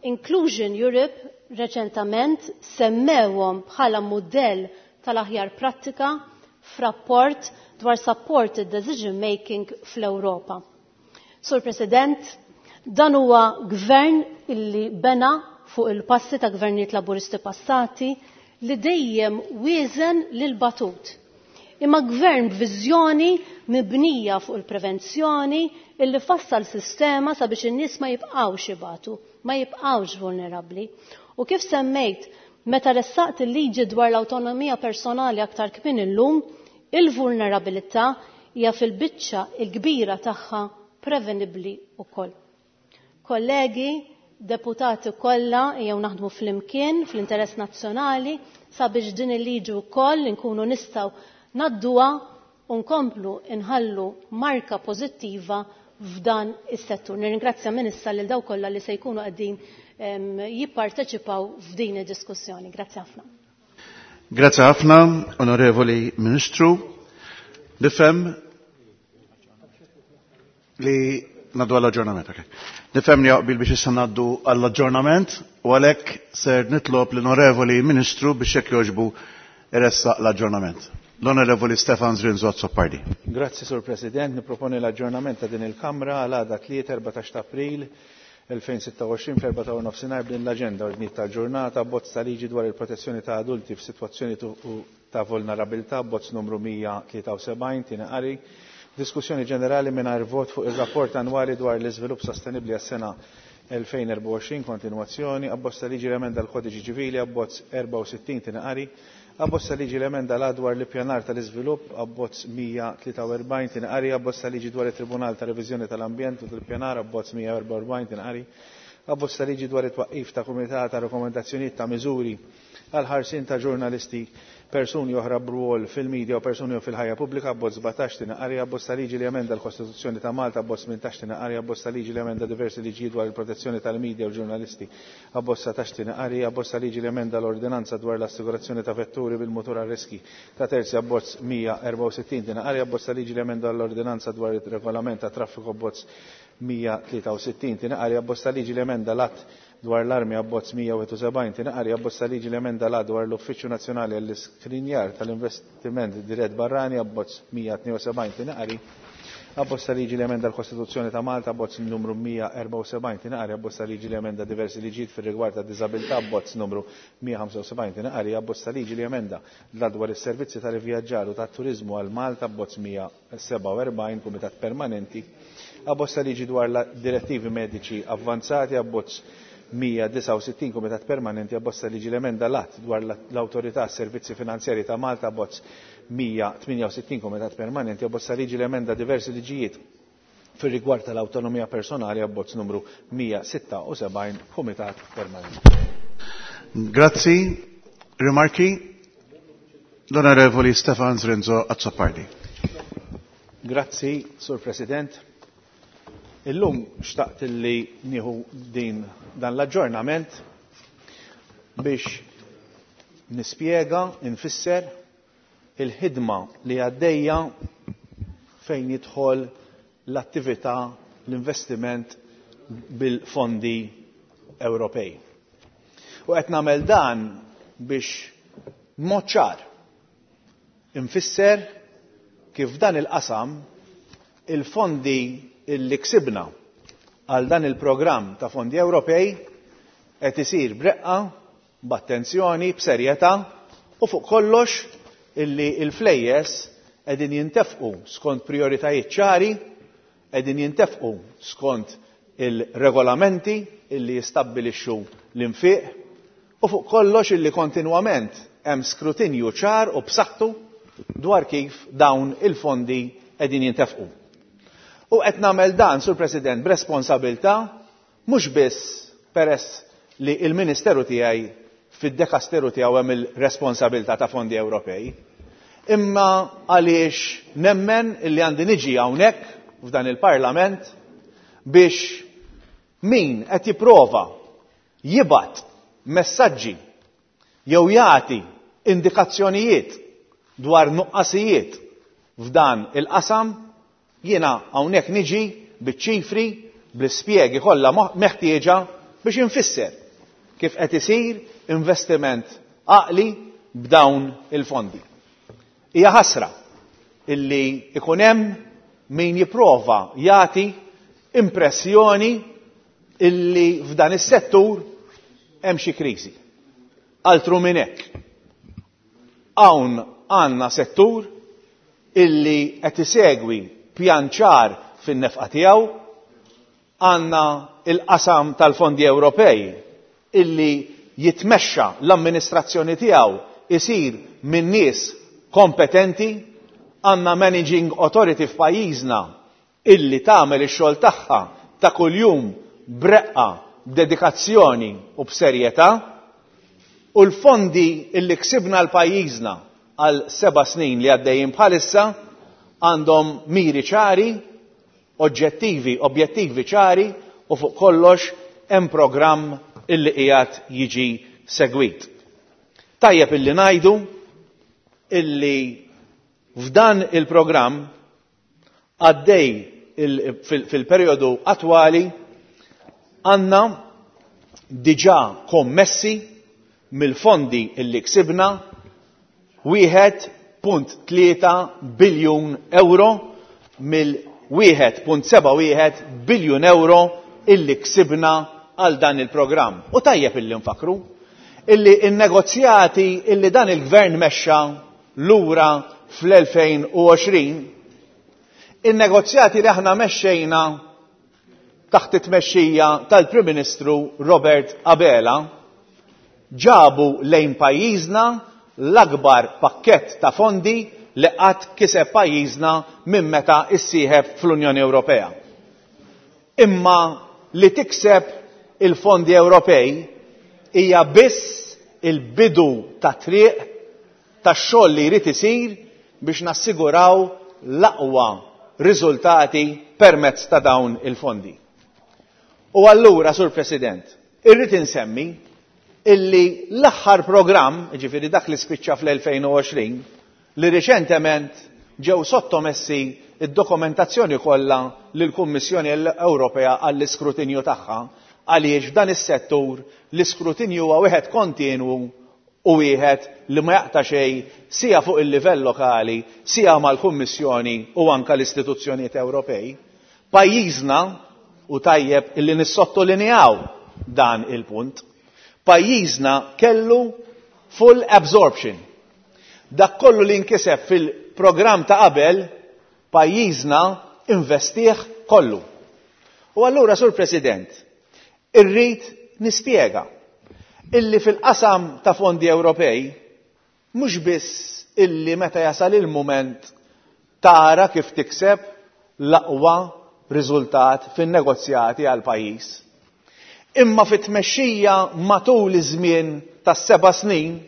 Inclusion Europe reċentament semmewhom bħala mudell tal-aħjar prattika f'rapport dwar supported decision making fl-Ewropa. Sur President, dan huwa gvern illi bena fuq il-passi ta' gvernijiet laburisti passati li dejjem wieżen lil batut. Imma gvern b'viżjoni mibnija fuq il-prevenzjoni illi fassal sistema sabiex in-nies ma jibqgħux ibatu, ma jibqgħux vulnerabbli. U kif semmejt, meta ressaqt il-liġi dwar l-awtonomija personali aktar kmin illum, il-vulnerabilità hija fil-biċċa il-kbira tagħha prevenibbli wkoll. Kollegi, deputati kollha jew naħdmu flimkien fl-interess nazzjonali sabiex din il-liġi wkoll inkunu nistgħu nadduha u nkomplu inħallu marka pożittiva f'dan is-settur. Nirringrazzja minn issa lil dawk kollha li se jkunu qegħdin jipparteċipaw f'din id-diskussjoni. Grazzi ħafna. Grazzi ħafna, Onorevoli Ministru. Nifhem li naddu għall-aġġornament. Okay. Nifhem li jaqbil biex issa naddu għall-aġġornament u għalhekk ser nitlob l-Onorevoli Ministru biex hekk jogħġbu iressaq l-aġġornament. L-Onorevoli Stefan Zrinzo Azzopardi. Grazzi, Sur President. Niproponi l-aġġornament ta' din il-Kamra għal għada tlieta erbatax ta' April elfejn sitta u għoxrin fl-erbgħa ta' nofsinhar b'din l-aġenda ordnijiet tal-ġurnata, bozz ta' liġi dwar il-protezzjoni ta' adulti f'sitwazzjoni ta' vulnerabilità, bozz numru mija tlieta u sebgħin, tieni qari, diskussjoni ġenerali mingħajr vot fuq ir-rapport annwali dwar l-iżvilupp sostenibbli għas-sena elfejn erbgħa u għoxrin, kontinwazzjoni, abbozz ta' liġi l-emenda l-kodiċi ċivili, abbozz erbgħa u sittin, tieni qari, abbozz ta' liġi l-emenda l dwar l-ippjanar tal-iżvilupp, abbozz mija tlieta u erbgħin, tieni qari, abbozz ta' liġi dwar it-Tribunal ta' Reviżjoni tal-Ambjent u tal-Ippjanar, abbozz mija erbgħa u erbgħin, tieni qari, abbozz ta' liġi dwar it-twaqqif ta' Kumitat ta' Rekomendazzjonijiet ta' Miżuri għal ħarsien ta' ġurnalisti, persuni oħra b'rwol fil-medja u persuni fil-ħajja pubblika, abbozz sbatax, tieni qari, abbozz ta' liġi li emenda l-Kostituzzjoni ta' Malta, abbozz tmintax, tieni qari, abbozz ta' liġi li emenda diversi liġijiet dwar il-protezzjoni tal-medja u l-ġurnalisti, abbozz satax, tieni qari, abbozz ta' liġi li emenda l-ordinanza dwar l-assigurazzjoni ta' vetturi bil-mutur għal riski ta' terzi, abbozz mija erbgħa u sittin, tieni qari, abbozz ta' liġi li emenda l-ordinanza dwar il-regolament ta' traffiku, abbozz mija tlieta u sittin, tieni qari, abbozz ta' liġi li emenda l-att dwar l-armi, abbozz mija wieħed u sebgħin, tieni qari, abbozz ta' liġi li emenda l-att dwar l-Uffiċċju Nazzjonali għall-Iskrinjar tal-Investiment Dirett Barrani, abbozz mija tnejn u sebgħin, tieni qari, abbozz ta' liġi li emenda l-Kostituzzjoni ta' Malta, abbozz numru mija erbgħa u sebgħin, tieni qari, abbozz ta' liġi li emenda diversi liġijiet fir-rigward ta' diżabilità, abbozz numru mija ħamsa u sebgħin, tieni qari, abbozz ta' liġi li emenda l-att dwar is-servizzi tal-ivvjaġġar u tat-turiżmu għal Malta, abbozz mija sebgħa u erbgħin, Kumitat Permanenti, abbozz ta' liġi dwar la direttivi mediċi avvanzati, abbozz mija disgħa u sittin, Kumitat Permanenti, abbozz ta' liġi l-emenda l-att dwar l-Awtorità Servizzi Finanzjari ta' Malta, abbozz mija tminja u sittin, Kumitat Permanenti, abbozz ta' liġi l-emenda diversi liġijiet fir-rigward tal-awtonomija personali, abbozz numru mija sitta u sebgħin, Kumitat Permanenti. Grazzi. Rimarki? L-Onorevoli Stefan Zrinzo Azzopardi. Grazzi, Sur President. Illum xtaqt li nieħu din dan l-aġġornament biex nispjega, infisser il-ħidma li għaddejja fejn jidħol l-attività, l-investiment bil-fondi Ewropej. U qed nagħmel dan biex b'mod ċar infisser kif dan il-qasam il-fondi illi ksibna għal dan il-programm ta' fondi Ewropej qed isir b'reqqa, b'attenzjoni, b'serjetà u fuq kollox illi l-flejjes qegħdin jintefqu skont prioritajiet ċari, qegħdin jintefqu skont il-regolamenti illi jistabbilixxu l-infiq u fuq kollox illi kontinwament hemm skrutinju ċar u b'saħħtu dwar kif dawn il-fondi qegħdin jintefqu. U qed nagħmel dan, Sur President, b'responsabilità, mhux biss peress li il-Ministeru tiegħi fid-dekasteru tiegħu hemm il-responsabilità ta' fondi Ewropej, imma għaliex nemmen illi għandi niġi hawnhekk f'dan il-Parlament biex min qed jipprova jibgħat messaġġi jew jagħti indikazzjonijiet dwar nuqqasijiet f'dan il-qasam, jiena hawnhekk niġi biċ-ċifri, bl-ispjegi kollha meħtieġa biex infisser kif qed isir investiment għaqli b'dawn il-fondi. Hija ħasra illi ikun hemm min jipprova jagħti impressjoni illi f'dan is-settur hemm xi kriżi. Altru minn hekk. Hawn għandna settur illi qed isegwi pjan ċar fin-nefqa tiegħu, għandna il-qasam tal-fondi Ewropej illi jitmexxa l-amministrazzjoni tiegħu isir minn nies kompetenti, għandna managing authority f'pajjiżna illi tagħmel ix-xogħol tagħha ta' kuljum b'reqqa, b'dedikazzjoni u b'serjetà, u l-fondi illi ksibna l-pajjiżna għal seba' snin li għaddejjin bħalissa għandhom miri ċari, oġġettivi, objettivi ċari, u fuq kollox hemm programm illi qiegħed jiġi segwit. Tajjeb illi ngħidu illi f'dan il-programm għaddej fil-perjodu attwali għandna diġà kommessi mill-fondi illi ksibna wieħed punt tlieta biljun euro mill wieħed punt seba' wieħed biljun euro illi ksibna għal dan il-programm. U tajjeb illi nfakru illi n-negozjati illi dan il-gvern mexxa lura fl-elfejn u għoxrin, in-negozjati li aħna mexxejna taħt it-tmexxija tal-Prim Ministru Robert Abela ġabu lejn pajjiżna l-akbar pakkett ta' fondi li qatt kiseb pajjiżna minn meta issieħeb fl-Unjoni Ewropea. Imma li tikseb il-fondi Ewropej hija biss il-bidu ta' triq tax-xogħol li jrid isir biex nassiguraw l-aqwa riżultati permezz ta' dawn il-fondi. U allura, Sur President, irrid insemmi illi l-aħħar programm, jiġifieri dak li spiċċa fl-elfejn u għoxrin, li riċentement ġew sottomessi id-dokumentazzjoni kollha lill-Kummissjoni Ewropea għall-iskrutinju tagħha, għaliex f'dan is-settur l-iskrutinju huwa wieħed kontinwu u wieħed li ma jaqta' xejn sija fuq il-livell lokali, sija mal-Kummissjoni u anka l-istituzzjonijiet Ewropej. Pajjiżna, u tajjeb illi nissottolinjaw dan il-punt, pajjiżna kellu full absorption. Dak kollu li nkiseb fil-programm ta' qabel, pajjiżna investieh kollu. U allura, Sur President, irrid nispjega illi fil-qasam ta' fondi Ewropej mhux biss illi meta jasal il-mument tara kif tikseb l-aqwa riżultat fin-negozjati għal pajjiż. Imma fit-tmexxija matul iż-żmien tas-seba' snin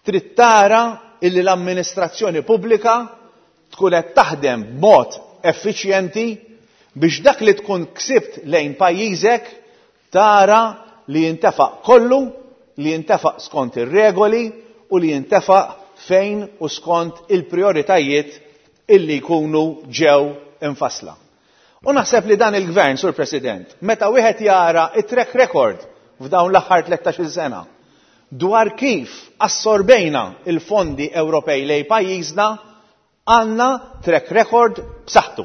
trid tara illi l-amministrazzjoni pubblika tkun qed taħdem b'mod effiċjenti biex dak li tkun ksibt lejn pajjiżek tara li jintefaq kollu, li jintefaq skont ir-regoli u li jintefaq fejn u skont il-prioritajiet illi jkunu ġew infassla. U naħseb li dan il-gvern, Sur President, meta wieħed jara it-track record f'dawn l-aħħar tlettax-il sena dwar kif assorbejna il-fondi Ewropej lej pajjiżna, għandna track record b'saħħtu.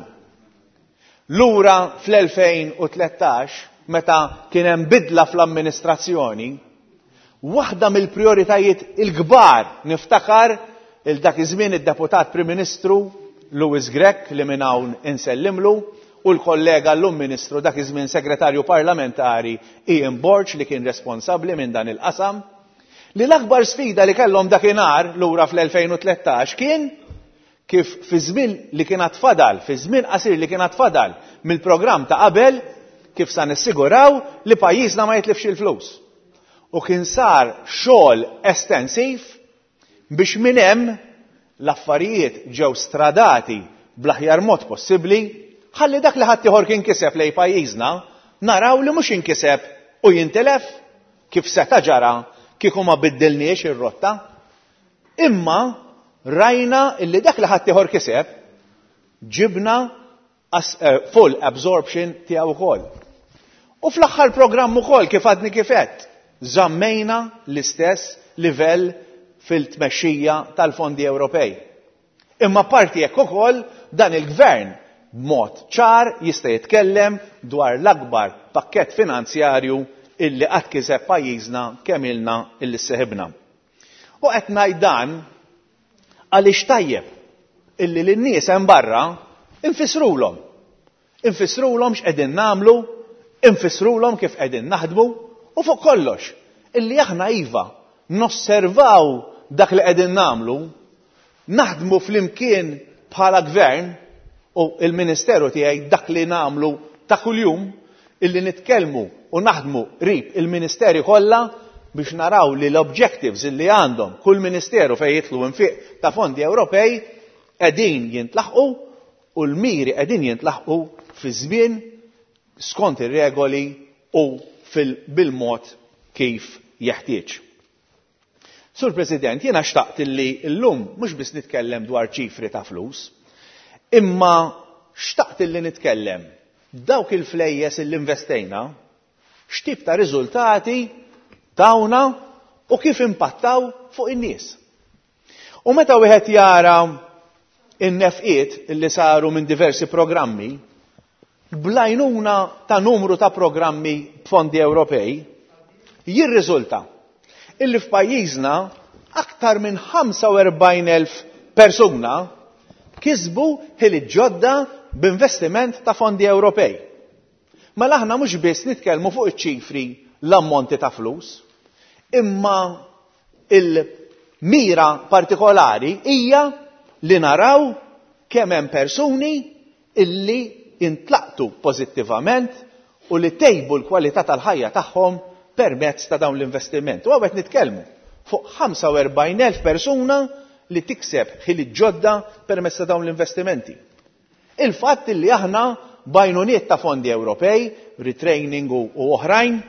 Lura fl-elfejn u tlettax, meta kien hemm bidla fl-amministrazzjoni, waħda mill-prioritajiet il-kbar niftakar il dak iż-żmien id-deputat Prim Ministru Louis Grech li minn hawn insellimlu u l-kollega llum Ministru dak iż-żmien Segretarju Parlamentari Ian Borg li kien responsabbli minn dan il-qasam, li l-akbar sfida li kellhom dakinhar lura fl-elfejn u tlettax kien kif fi żmien li kien għad fadal, fi żmien qasir li kien għad fadal mill-programm ta' qabel, kif sa nissiguraw li pajjiżna ma jitlifx il-flus. U kien sar xogħol estensiv biex minn hemm l-affarijiet ġew stradati bl-aħjar mod possibbli, ħalli dak li ħaddieħor kien kiseb lej pajjiżna naraw li mhux inkiseb u jintilef kif seta' ġara kieku ma biddilniex ir-rotta. Imma rajna illi dak li ħaddieħor kiseb ġibna as-, eh, full absorption tiegħu wkoll. U fl-aħħar programm ukoll kif għadni kif għedt, żammejna l-istess livell fil-tmexxija tal-fondi Ewropej. Imma parti hekk ukoll dan il-gvern b'mod ċar jista' jitkellem dwar l-akbar pakkett finanzjarju illi qatt kiseb pajjiżna kemm ilna illi seħibna. U qed ngħid dan għaliex tajjeb illi lin-nies hemm barra infissrulhom. Infissrulhom x'qegħdin nagħmlu, infissrulhom kif qegħdin naħdmu u fuq kollox illi aħna iva nosservaw dak li qegħdin nagħmlu, naħdmu flimkien bħala gvern u il-ministeru tiegħi dak li nagħmlu ta' kuljum illi nitkellmu u naħdmu qrib il-ministeri kollha biex naraw li l-objectives illi għandhom kull ministeru fejn jidħlu infiq ta' fondi Ewropej qegħdin jintlaħqu u l-miri qegħdin jintlaħqu fi żmien skont ir-regoli u bil-mod kif jeħtieġ. Sur President, jiena xtaqt illi llum mhux biss nitkellem dwar ċifri ta' flus, imma xtaqt illi nitkellem dawk il-flejjes illi investejna, x'tip ta' riżultati tawna u kif impattaw fuq in-nies. U meta wieħed jara in-nefqiet illi saru minn diversi programmi, bl-għajnuna ta' numru ta' programmi b'fondi Ewropej, jirriżulta illi f'pajjiżna aktar minn ħamsa u erbgħin elf persuna kisbu ħiliet ġodda b'investiment ta' fondi Ewropej. Mela aħna mhux biss nitkellmu fuq iċ-ċifri l-ammonti ta' flus, imma il-mira partikolari hija li naraw kemm hemm persuni illi intlaqtu pożittivament u li tejbu l-kwalità tal-ħajja tagħhom permezz ta' dawn l-investiment. U hawnhekk nitkellmu fuq ħamsa u erbgħin elf persuna li tikseb ħiliet ġodda permezz ta' dawn l-investimenti. Il-fatt li aħna b'għajnuniet ta' fondi Ewropej, retraining u, u oħrajn,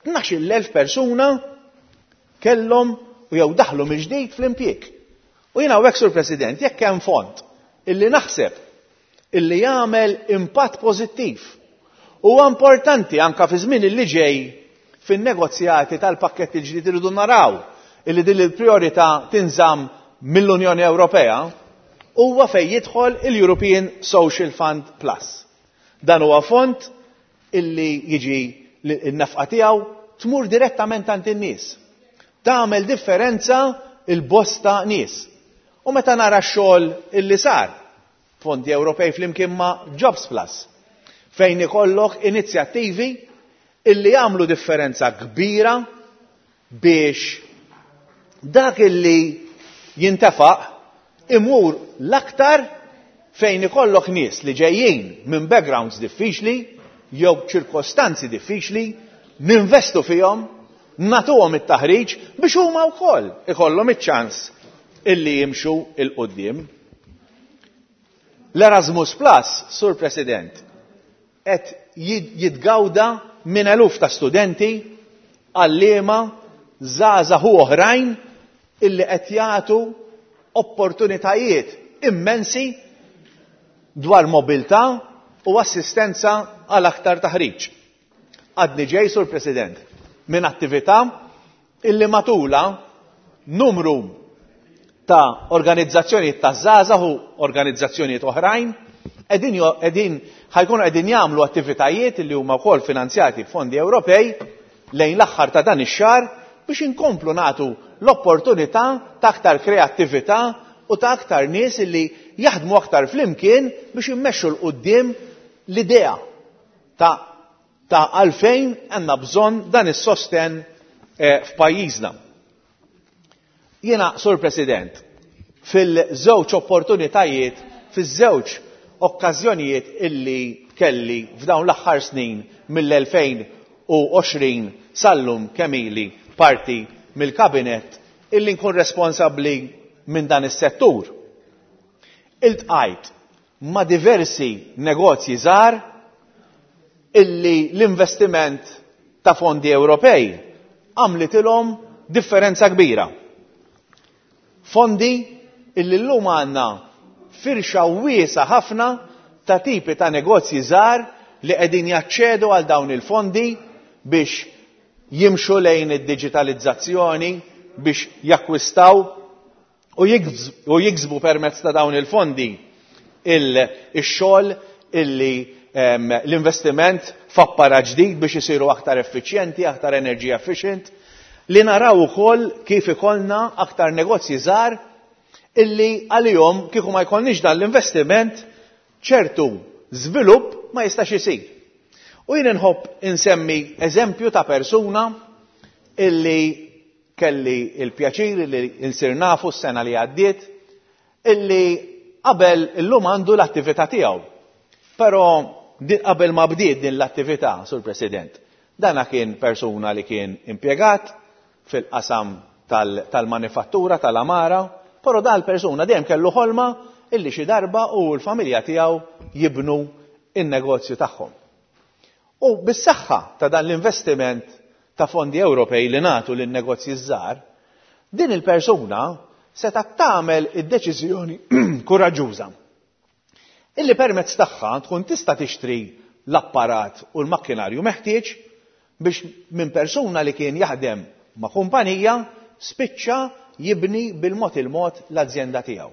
tnax-il elf persuna kellhom u jew daħlu mill-ġdid fl-impjieg. U jiena hawnhekk, Sur President, jekk hemm fond illi naħseb illi jagħmel impatt pożittiv huwa importanti anka fi żmien illi ġej fin-negozjati tal-pakkett il-ġdid irridu naraw illi din il-priorità tinżamm mill-Unjoni Ewropea, huwa fejn jidħol il-European Social Fund Plus. Dan huwa fond illi jiġi n-nefqa tiegħu tmur direttament għand in-nies. Tagħmel differenza il-bosta nies. U meta nara x-xogħol illi sar, fondi Ewropej flimkien ma' Jobs Plus, fejn ikollok inizjattivi illi jagħmlu differenza kbira biex dak illi jintefaq imur l-aktar fejn ikollok nies li ġejjin minn backgrounds diffiċli jew ċirkostanzi diffiċli, ninvestu fihom, nagħtuhom it-taħriġ biex huma wkoll ikollhom iċ-ċans illi jimxu il quddiem. L-Erasmus Plus, Sur President, qed jitgawda minn eluf ta' studenti, għalliema, żgħażagħ u oħrajn illi qed jagħtu opportunitajiet immensi dwar mobilità u assistenza għal aktar taħriġ. Għadni ġej, Sur President, minn attività illi matula numru ta' organizzazzjonijiet ta' żgħażagħ u organizzazzjonijiet oħrajn qegħdin jo-, qegħdin, ħajkunu qegħdin jagħmlu attivitajiet li huma wkoll finanzjati b'fondi Ewropej lejn l-aħħar ta' dan ix-xahar biex inkomplu nagħtu l-opportunità ta' aktar kreattività u ta' aktar nies illi jaħdmu aktar flimkien biex immexxu 'l quddiem l-idea ta', ta' għalfejn għandna bżonn dan is-sosten, eh, f'pajjiżna. Jiena, Sur President, fil-żewġ opportunitajiet, fiż-żewġ okkażjonijiet illi kelli f'dawn l-aħħar snin mill-elfejn u għoxrin sal-lum kemm ili parti mill-kabinet illi nkun responsabbli minn dan is-settur. Iltqajt ma' diversi negozji żgħar illi l-investiment ta' fondi Ewropej għamlitilhom differenza kbira. Fondi illi llum għandna firxa wiesa ħafna ta' tipi ta' negozji żgħar li qegħdin jaċċedu għal dawn il-fondi biex jimxu lejn id-digitalizzazzjoni, biex jakkwistaw u jiksbu permezz ta' dawn il-fondi ix-xogħol illi l-investiment f'apparat ġdid biex isiru aktar effiċjenti, aktar energy efficient, li naraw ukoll kif ikollna aktar negozji żgħar illi għalihom kieku ma jkollniex dan l-investiment ċertu żvilupp ma jistax isir. U jien inħobb insemmi eżempju ta' persuna illi kelli il-pjaċir li insir nafu s-sena li għaddiet, illi qabel illum għandu l-attività tiegħu. Però qabel ma bdiet din l-attività, Sur President, dana kien persuna li kien impjegat fil-qasam tal-manifattura tal-amara, però dal persuna dejjem kellu ħolma illi xi darba u l-familja tiegħu jibnu in-negozju tagħhom. U bis-saħħa ta' dan l-investiment ta' fondi Ewropej li nagħtu lin-negozji żgħar, din il-persuna setgħet tagħmel id-deċiżjoni kuraġġuża illi permezz tagħha tkun tista' tixtri l-apparat u l-makkinarju meħtieġ biex minn persuna li kien jaħdem ma' kumpanija spiċċa jibni bil-mod il-mod l-azjenda tiegħu.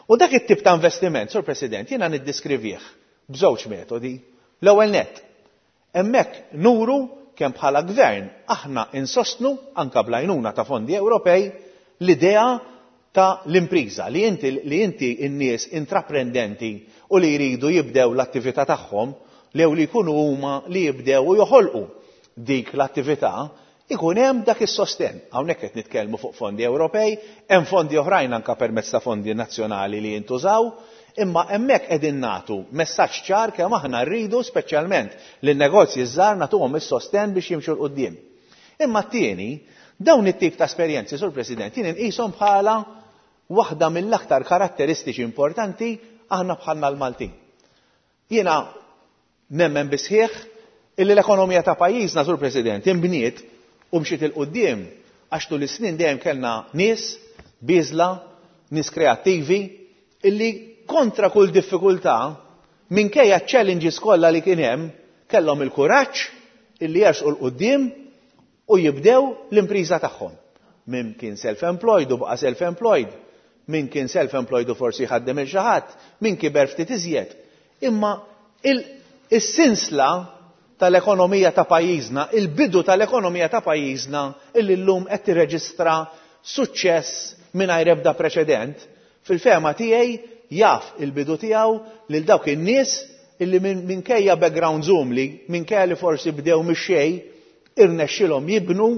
U dak it-tip ta' investiment, Sur President, jiena niddiskrivih b'żewġ metodi. L-ewwel nett, hemmhekk nuru kemm bħala gvern aħna insostnu anka bl-għajnuna ta' fondi Ewropej l-idea ta' l-impriża li inti li inti n-nies intraprendenti u li jridu jibdew l-attività tagħhom lew li jkunu huma li jibdew u joħolqu dik l-attività, ikun hemm dak is-sostenn. Hawnhekk qed nitkellmu fuq fondi Ewropej, hemm fondi oħrajn anke permezz ta' fondi nazzjonali li jintużaw, imma hemmhekk qegħdin nagħtu messaġġ ċar kemm aħna rridu speċjalment lin-negozji żgħar nagħtuhom is-sostenn biex jimxu 'l quddiem. Imma t-tieni, dawn it-tip ta' esperjenzi, Sur President, jien inqishom bħala waħda mill-aktar karatteristiċi importanti aħna bħalna l-Maltin. Jiena nemmen bisħieħ illi l-ekonomija ta' pajjiżna, Sur President, inbniet u mxiet 'il quddiem għax tul is-snin dejjem kellna nies bieżla, nies kreattivi illi kontra kull diffikultà minkejja challenges kollha li kien hemm kellhom il-kuraġġ illi jersqu 'l quddiem u jibdew l-impriża tagħhom. Min kien self-employed u baqa' self-employed, min kien self-employed u forsi ħaddem il xi ħadd, min kiber ftit iżjed. Imma is-sinsla tal-ekonomija ta' pajjiżna, il-bidu tal-ekonomija ta' pajjiżna illi llum qed tirreġistra suċċess mingħajr ebda preċedent, fil-fehma tiegħi jaf il-bidu tiegħu lil dawk in-nies illi minkejja background umli, minkejja li forsi bdew mix-xejn, irnexxilhom jibnu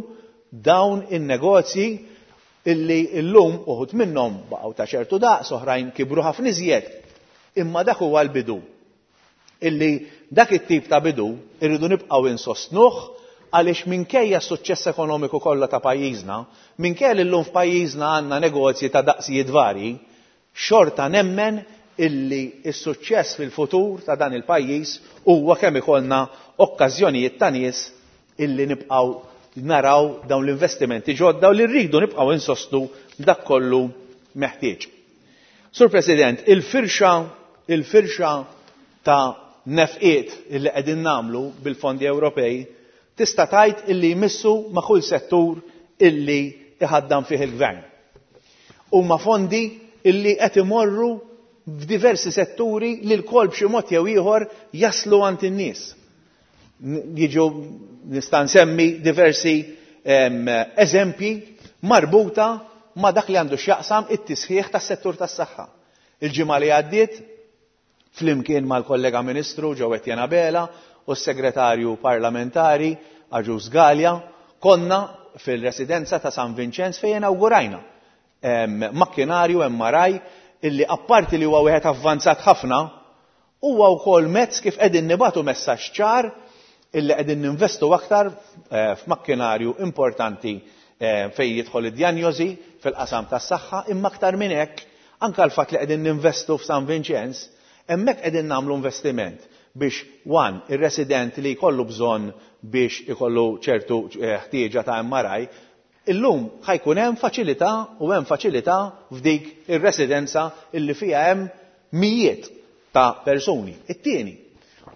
dawn in-negozji illi llum uħud minnhom baqgħu ta' ċertu daqs, oħrajn kibru ħafna iżjed. Imma dak huwa l-bidu. Illi dak it-tip ta' bidu irridu nibqgħu insostnuh għaliex minkejja s-suċċess ekonomiku kollha ta' pajjiżna, minkejja li llum f'pajjiżna għandna negozji ta' daqsijiet varji, xorta nemmen illi s-suċċess fil-futur ta' dan il-pajjiż huwa kemm ikollna okkażjonijiet ta' nies illi nibqgħu naraw dawn l-investimenti ġodda u li rridu nibqgħu insostnu dak kollu meħtieġ. Sur President, il-firxa il-firxa ta' nefqiet illi qegħdin nagħmlu bil-fondi Ewropej tista' tgħid illi jmissu ma' kull settur illi iħaddam fih il-gvern. Huma fondi illi qed imorru f'diversi setturi li l-kol b'xi mod jew ieħor jaslu għand in-nies. Jiġu nista' nsemmi diversi eżempji marbuta ma' dak li għandu x'jaqsam it-tisħiħ tas-settur tas-saħħa. Il-ġimgħa li għaddiet flimkien mal-kollega Ministru Joe Etienne Abela u s-Segretarju Parlamentari Agius Galea konna fil-residenza ta' San Vincenz fejn inaugurajna makkinarju M R I illi apparti li huwa wieħed avvanzat ħafna huwa wkoll mezz kif qegħdin nibatu messaġġ ċar illi qegħdin ninvestu aktar f'makkinarju importanti fejn jidħol id-dijanjosi fil-qasam tas-saħħa, imma aktar minn hekk anke l-fatt li qegħdin ninvestu f'San Vincenz, hemmhekk qegħdin nagħmlu investiment biex one, ir-resident li jkollu bżonn biex ikollu ċertu ħtieġa ta' M R I, illum ħajkun hemm faċilità u hemm faċilità f'dik ir-residenza illi fiha hemm mijiet ta' persuni. It-tieni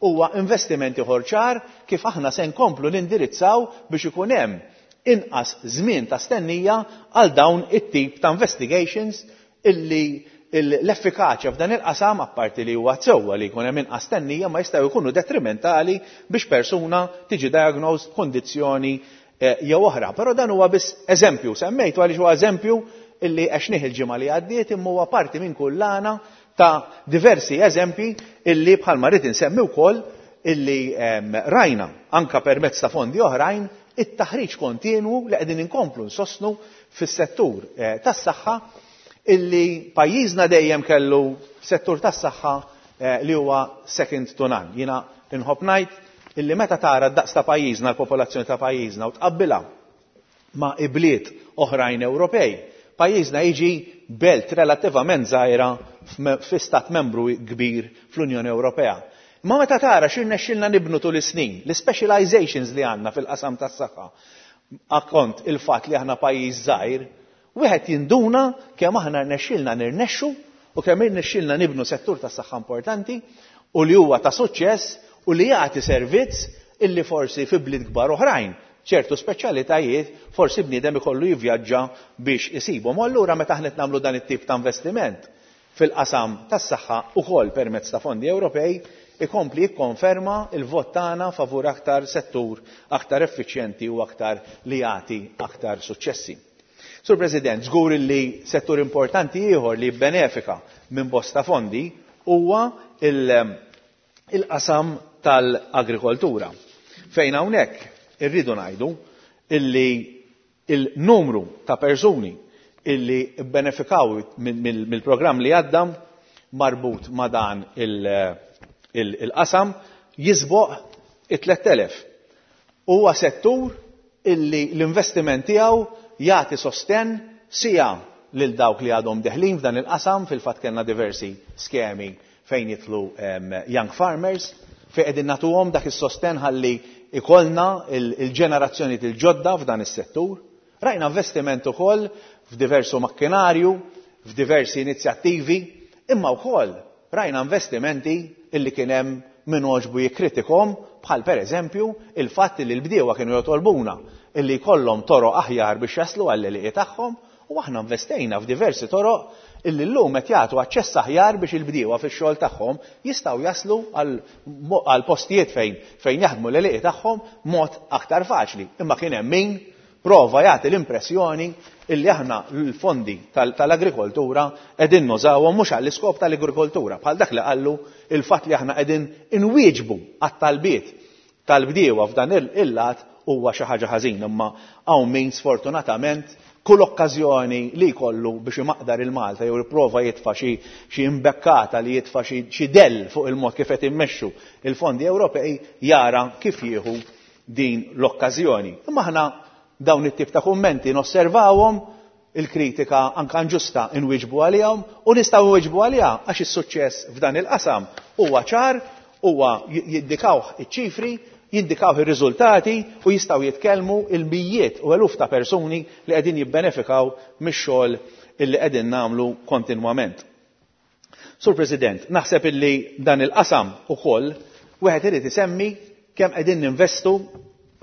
huwa investiment ieħor ċar kif aħna se nkomplu nindirizzaw biex ikun hemm inqas żmien ta' stennija għal dawn it-tip ta' investigations illi l-effikaċja f'dan il-qasam, apparti li huwa sewwa li jkun hemm inqas stennija, ma jistgħu jkunu detrimentali biex persuna tiġi diagnosed b'kundizzjoni jew oħra. Però dan huwa biss eżempju, semmejtu għaliex huwa eżempju illi għexnih il-ġimgħa li għaddiet, imma huwa parti minn kullana ta' diversi eżempji illi bħalma rrid insemmi wkoll illi rajna anka permezz ta' fondi oħrajn it-taħriġ kontinwu li qegħdin inkomplu nsostnu fis-settur tas-saħħa illi pajjiżna dejjem kellu settur tas-saħħa li huwa second to none. Jiena inħobb ngħid illi meta tara d-daqs ta' pajjiżna, l-popolazzjoni ta' pajjiżna u tqabbilha ma' ibliet oħrajn Ewropej, pajjiżna jiġi belt relattivament żgħira fi stat membru kbir fl-Unjoni Ewropea. Ma meta tara x'irnexxilna nibnu tul is-snin, l-specializations li għandna fil-qasam tas-saħħa, akkont il-fatt li aħna pajjiż żgħir, wieħed jinduna kemm aħna rnexxilna nirnexxu u kemm irnexxilna nibnu settur tas-saħħa importanti u li huwa ta' suċċess u li jagħti servizz illi forsi fi bliet kbar oħrajn, ċertu speċjalitajiet forsi bniedem ikollu jivvjaġġa biex isibhom. U allura meta aħna qed nagħmlu dan it-tip ta' investiment fil-qasam tas-saħħa ukoll permezz ta' fondi Ewropej, ikompli jikkonferma il-vot tagħna favur aktar settur aktar effiċjenti u aktar li jagħti aktar suċċessi. Sur President, żgur li settur importanti ieħor li jibbenefika minn bosta fondi huwa il-qasam tal-agrikoltura. Fejn hawnhekk irridu ngħidu illi il-numru ta' persuni illi bbenefikaw mill-programm li għadda marbut ma' dan il-qasam jisboq it-tliet elef. Huwa settur illi l-investiment tiegħu jagħti sostenn sija lil dawk li għadhom deħlin f'dan il-qasam. Fil-fatt kellna diversi skemi fejn jitlu young farmers, fejn qegħdin nagħtuhom dak is-sostenn ħalli ikollna il-ġenerazzjoni il-ġodda f'dan is-settur. Rajna investiment ukoll f'diversu makkinarju, f'diversi inizjattivi, imma wkoll rajna investimenti illi kien hemm min għoġbu jikkritikhom, bħal pereżempju il-fatt li l-bdiewa kienu jotolbuna illi jkollhom toroq aħjar biex jaslu għall-għelieqi tagħhom, u aħna investejna f'diversi toroq illi llum qed jagħtu aċċess aħjar biex il-bdiewa fix-xogħol tagħhom jistgħu jaslu għal postijiet fejn fejn jaħdmu l-għelieqi tagħhom mod aktar faċli. Imma kien hemm min prova jagħti l-impressjoni illi aħna l-fondi tal-agrikoltura qegħdin nużawhom mhux għall-iskop tal-agrikoltura, bħal dak li qallu il-fatt li aħna qegħdin inwieġbu għat-talbiet tal-bdiewa f'dan il-lat huwa xi ħaġa ħażin. Imma hawn min sfortunatament kull okkażjoni li jkollu biex imaqdar il-Malta jew jipprova jitfa' xi imbekkata li jitfa' xi dell fuq il-mod kif qed immexxu il-fondi Ewropej jara kif jieħu din l-okkażjoni. Imma aħna dawn it-tip ta' kummenti nosservawhom, il-kritika anka inġusta inwiġbu għalihom, u nistgħu nwiġbu għaliha għax is-suċċess f'dan il-qasam huwa ċar, huwa jindikawh iċ-ċifri, jindikawh ir-riżultati u jistgħu jitkellmu il-mijiet u eluf ta' persuni li qegħdin jibbenefikaw mix-xogħol illi qegħdin nagħmlu kontinwament. Sur President, naħseb illi dan il-qasam ukoll wieħed irid isemmi kemm qegħdin ninvestu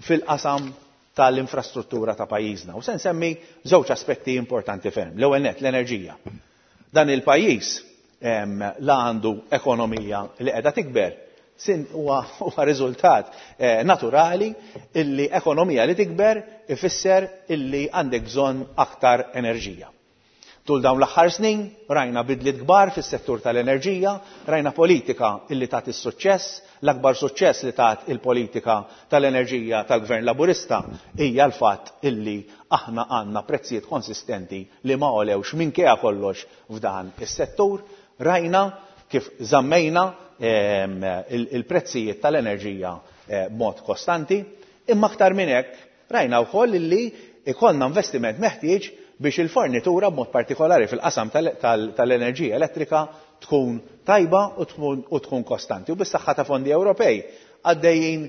fil-qasam tal-infrastruttura ta' pajjiżna. U se nsemmi żewġ aspetti importanti ferm. L-ewwel nett l-enerġija. Dan il-pajjiż la għandu ekonomija li qiegħda tikber, sin huwa riżultat naturali illi ekonomija li tikber ifisser illi għandek bżonn aktar enerġija. Tul dawn l-aħħar snin rajna bidliet kbar fis-settur tal-enerġija, rajna politika illi tat is-suċċess, l-akbar suċċess li tat il-politika tal-enerġija tal-Gvern Laburista hija l-fatt illi aħna għandna prezzijiet konsistenti li ma għolewx minkejja kollox f'dan is-settur. Rajna kif żammejna il-prezzijiet tal-enerġija b'mod kostanti, imma aktar minn hekk rajna wkoll illi ikollna investiment meħtieġ biex il-fornitura b'mod partikolari fil-qasam tal-enerġija elettrika tkun tajba u tkun kostanti. U bis-saħħa ta' fondi Ewropej għaddejjin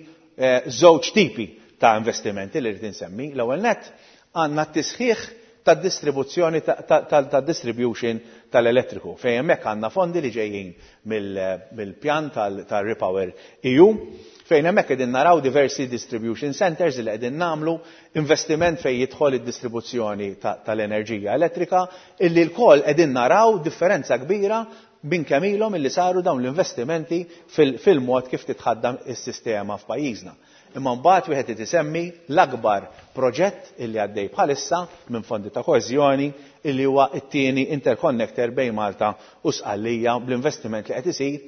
żewġ tipi ta' investimenti li rrid insemmi. L-ewwel nett għandna t-tisħiħ tad-distribuzzjoni tad-distribution tal-elettriku, fejn hemmhekk għandna fondi li ġejjin mill-pjan tal-Repower E U, fejn hemmhekk qegħdin naraw diversi distribution centers li qegħdin nagħmlu investiment fejn jidħol id-distribuzzjoni tal-enerġija elettrika, illi lkoll qegħdin naraw differenza kbira minn kemm ilhom illi saru dawn l-investimenti fil-mod kif titħaddam is-sistema f'pajjiżna. Imma mbagħad wieħed irid isemmi l-akbar proġett illi għaddej bħalissa minn fondi ta' koeżjoni, illi huwa t-tieni interconnector bejn Malta u Sqallija bl-investiment li qed isir,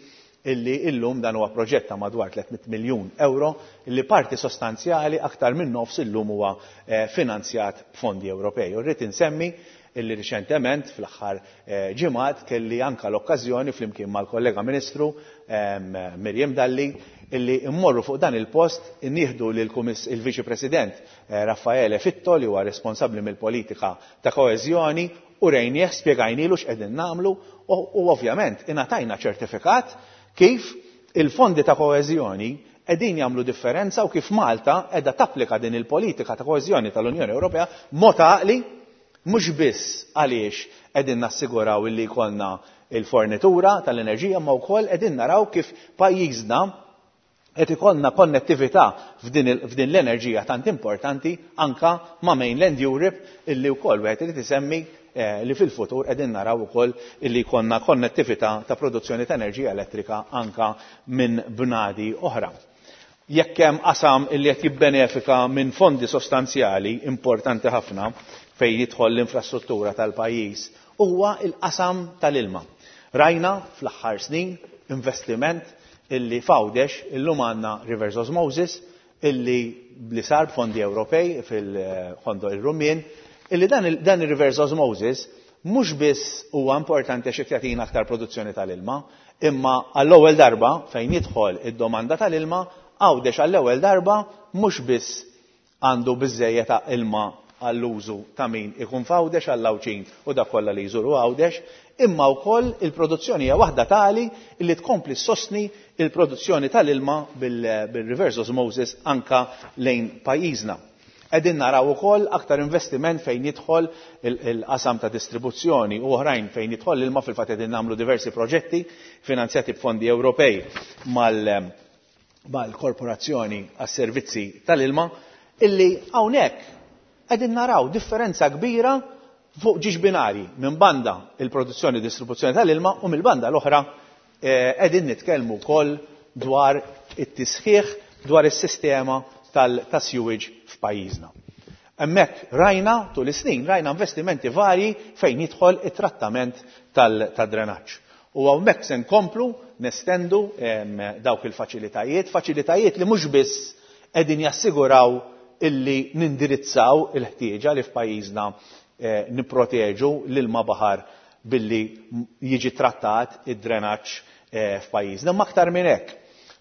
illi illum dan huwa proġett ta' madwar tliet mitt miljun euro, illi parti sostanzjali aktar minn nofs illum huwa, eh, finanzjat b'fondi Ewropej. U rrid insemmi illi riċentement fl-aħħar, eh, ġimgħat kelli anka l-okkażjoni flimkien mal-kollega Ministru, ehm, Miriam Dalli illi immorru fuq dan il-post nieħdu lil kumiss il-Viċi President, eh, Raffaele Fitto, li huwa responsabbli mill-politika ta' koeżjoni, u rejnieh spjegajnilu x'qegħdin nagħmlu u, u ovvjament ingħatajna ċertifikat kif il-fondi ta' koeżjoni qegħdin jagħmlu differenza u kif Malta qiegħda tapplika din il-politika ta' koeżjoni tal-Unjoni Ewropea mod għaqli, mhux biss għaliex qegħdin nassiguraw illi jkollna il-fornitura tal-enerġija, ma wkoll qegħdin naraw kif pajjiżna qed ikollna konnettività f'din il-, f'din l-enerġija tant importanti anka ma' Mainland Europe, illi wkoll wieħed irid isemmi, eh, li fil-futur qegħdin naraw ukoll illi jkollna konnettività ta' produzzjoni ta' enerġija elettrika anka minn bnadi oħra. Jekk hemm qasam illi qed jibbenefika minn fondi sostanzjali importanti ħafna fejn jidħol l-infrastruttura tal-pajjiż, huwa l-qasam tal-ilma. Rajna fl-aħħar snin investiment illi f'Għawdex illum għandna reverse osmosis illi li sar b'fondi Ewropej fil-Ħondoq ir-Rummien, illi dan il-, dan il-reverse osmosis mhux biss huwa importanti għax qed jagħtina aktar produzzjoni tal-ilma, imma għall-ewwel darba fejn jidħol id-domanda tal-ilma, Għawdex għall-ewwel darba mhux biss għandu biżżejjed ta' ilma għall-użu ta' min ikun f'Għawdex, għall-Għawdxin u dak kollha li jżuru Għawdex, imma wkoll il-produzzjoni hija waħda tali li tkompli ssostni il-produzzjoni tal-ilma bil-, bil-reverse osmosis anka lejn pajjiżna. Qegħdin naraw ukoll aktar investiment fejn jidħol il-, il-qasam ta' distribuzzjoni u oħrajn fejn jidħol l-ilma. Fil-fatt qegħdin nagħmlu diversi proġetti finanzjati b'fondi Ewropej mal-, mal-Korporazzjoni għas-Servizzi tal-Ilma, illi hawnhekk qegħdin naraw differenza kbira fuq ġiex binari, minn banda il-produzzjoni u distribuzzjoni tal-ilma u mill-banda l-oħra, eh, qegħdin nitkellmu wkoll dwar it-tisħiħ dwar is-sistema tal-, ta' sewage f'pajjiżna. Hemmhekk rajna tul is-snin rajna investimenti varji fejn jidħol it-trattament tal-, tad-drenaġġ. U hawnhekk se nkomplu nestendu, em, dawk il-faċilitajiet, faċilitajiet li mhux biss qegħdin jassiguraw illi nindirizzaw il-ħtieġa li f'pajjiżna, eh, nipproteġu l-ilma baħar billi jiġi trattat id-drenaġġ, eh, f'pajjiżna. Ma aktar minn hekk,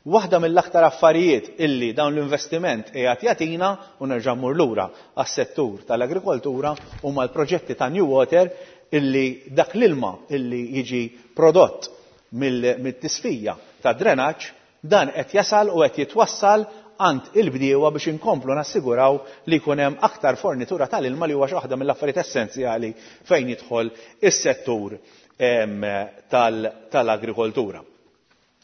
waħda mill-aktar affarijiet illi dawn l-investiment qiegħed jagħtina, u nerġa' mmur lura għas-settur tal-agrikoltura, huma l-proġetti ta' New Water, illi dak l-ilma illi jiġi prodott mill-, mit-tisfija ta' drenaġġ, dan qed jasal u qed jitwassal għand il-bdiewa biex inkomplu nassiguraw li jkun hemm aktar fornitura tal-ilma, li huwa xi waħda mill-affarijiet essenzjali fejn jidħol is-settur, em, tal-, tal-agrikoltura.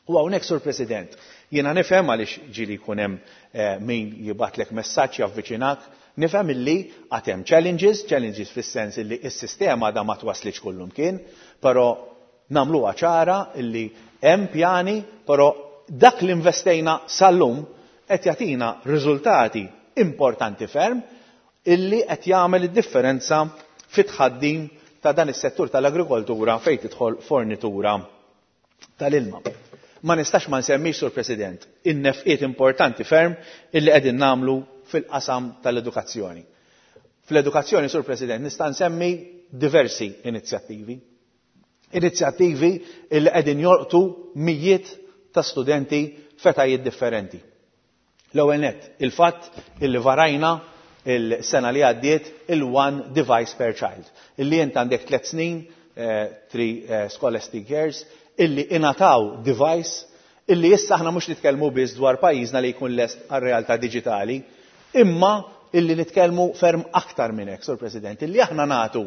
U hawnhekk, Sur President, jiena nifhem għaliex ġieli jkun hemm, eh, min jibatlek messaġġ javviċinak, nifhem illi għad hemm challenges, challenges fis-sens illi s-sistema da ma twaslitx kullumkien, però nagħmluha ċara illi hemm pjani, però dak li investejna sal-lum qed jagħtina riżultati importanti ferm illi qed jagħmel id-differenza fit-tħaddim ta' dan is-settur tal-agrikoltura fejn tidħol fornitura tal-ilma. Ma nistax ma nsemmix, Sur President, in-nefqiet importanti ferm illi qegħdin nagħmlu fil-qasam tal-edukazzjoni. Fl-edukazzjoni, Sur President, nista' nsemmi diversi inizjattivi. Inizjattivi illi qegħdin jolqtu mijiet ta' studenti f'etajiet differenti. L-ewwel nett, il-fatt illi varajna il-sena li għaddiet il-one device per child. Illi int għandek tliet snin, eh, three, eh, scholastic years, illi ingħataw device illi issa aħna mhux nitkellmu biss dwar pajjiżna li jkun lest għar-realtà diġitali, imma illi nitkellmu ferm aktar minn hekk, Sur President, illi aħna nagħtu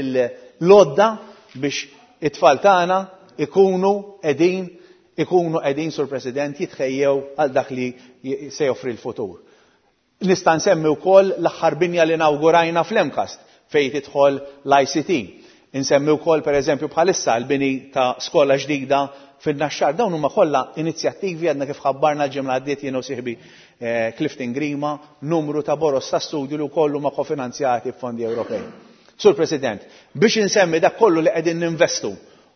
l-għodda biex it-tfal tagħna ikunu qegħdin ikunu qegħdin, Sur President, jitħejjew għal dak li se joffri l-futur. Nista' nsemmi wkoll l-aħħar binja li nawgurajna fl-MCAST fejn tidħol l-I C T. Insemmi wkoll, pereżempju, bħalissa l-bini ta' skola ġdida fin-Naxxar. Dawn huma kollha inizjattivi. Għadna kif ħabbarna l-ġimgħa għaddiet, jien u sieħbi eh, Clifton Grima, numru ta' boros ta' studju li wkoll huma kofinanzjati b'fondi Ewropej. Sur President, biex insemmi dak kollu li qegħdin ninvestu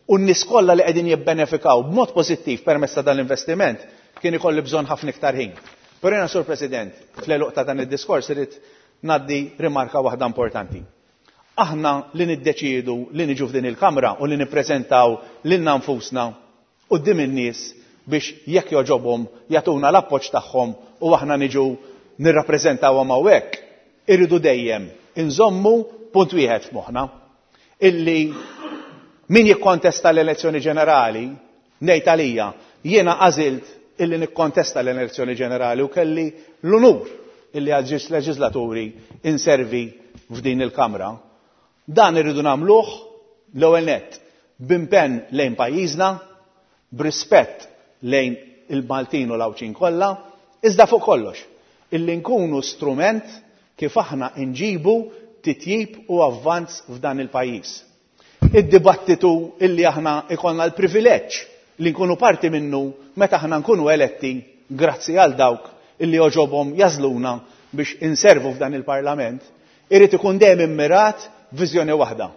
u n-nies kollha li qegħdin jibbenefikaw b'mod pożittiv permezz ta' dan l-investiment, kien ikolli bżonn ħafna iktar ħin. Però jiena, Sur President, fl-għeluq ta' dan id-diskors irid ngħaddi rimarka waħda importanti. Aħna li niddeċiedu li niġu f'din il-Kamra u li nippreżentaw lilna nfusna quddiem in-nies biex jekk jogħġobhom jagħtuna l-appoġġ tagħhom u aħna niġu nirrappreżentawhom hawnhekk, irridu dejjem inżommu punt wieħed f'moħħna, illi min jikkontesta l-elezzjoni ġenerali, ngħid għalija, jiena għażilt illi nikkontesta l-elezzjoni ġenerali u kelli l-unur illi għal leġislaturi inservi f'din il-Kamra. Dan irridu nagħmluh l-ewwel nett b'impenn lejn pajjiżna, b'rispett lejn il-Maltin u l-Għawdxin kollha, iżda fuq kollox illi nkunu strument kif aħna nġibu titjib u avvanz f'dan il-pajjiż. Id-dibattitu illi aħna ikollna l-privileġġ li nkunu parti minnu meta aħna nkunu eletti grazzi għal dawk illi jogħġobhom jagħżluna biex inservu f'dan il-Parlament, irid ikun dejjem immirat viżjoni waħda.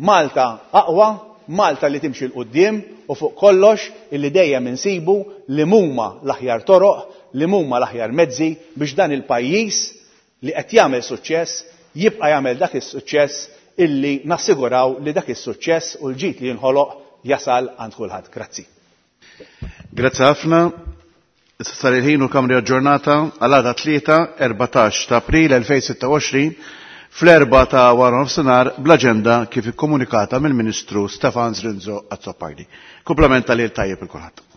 Malta aqwa, Malta li timxi 'l quddiem u fuq kollox illi dejjem insibu li huma l-aħjar toroq, li huma l-aħjar mezzi biex dan il-pajjiż li qed jagħmel suċċess jibqa' jagħmel dak is-suċċess, illi nassiguraw li dak is-suċċess u l-ġid li jinħoloq jasal għand kulħadd. Grazzi. Grazzi ħafna. Issa sar il-ħin u l-Kamra aġġornata għal għada Tlieta, erbatax ta' April elfejn u sitta u għoxrin, fl-erbgħa ta' wara nofsinhar, bl-aġenda kif ikkomunikata mill-Ministru Stefan Zrinzo Azzopardi. Kumplament tal-lejl tajjeb lil kulħadd.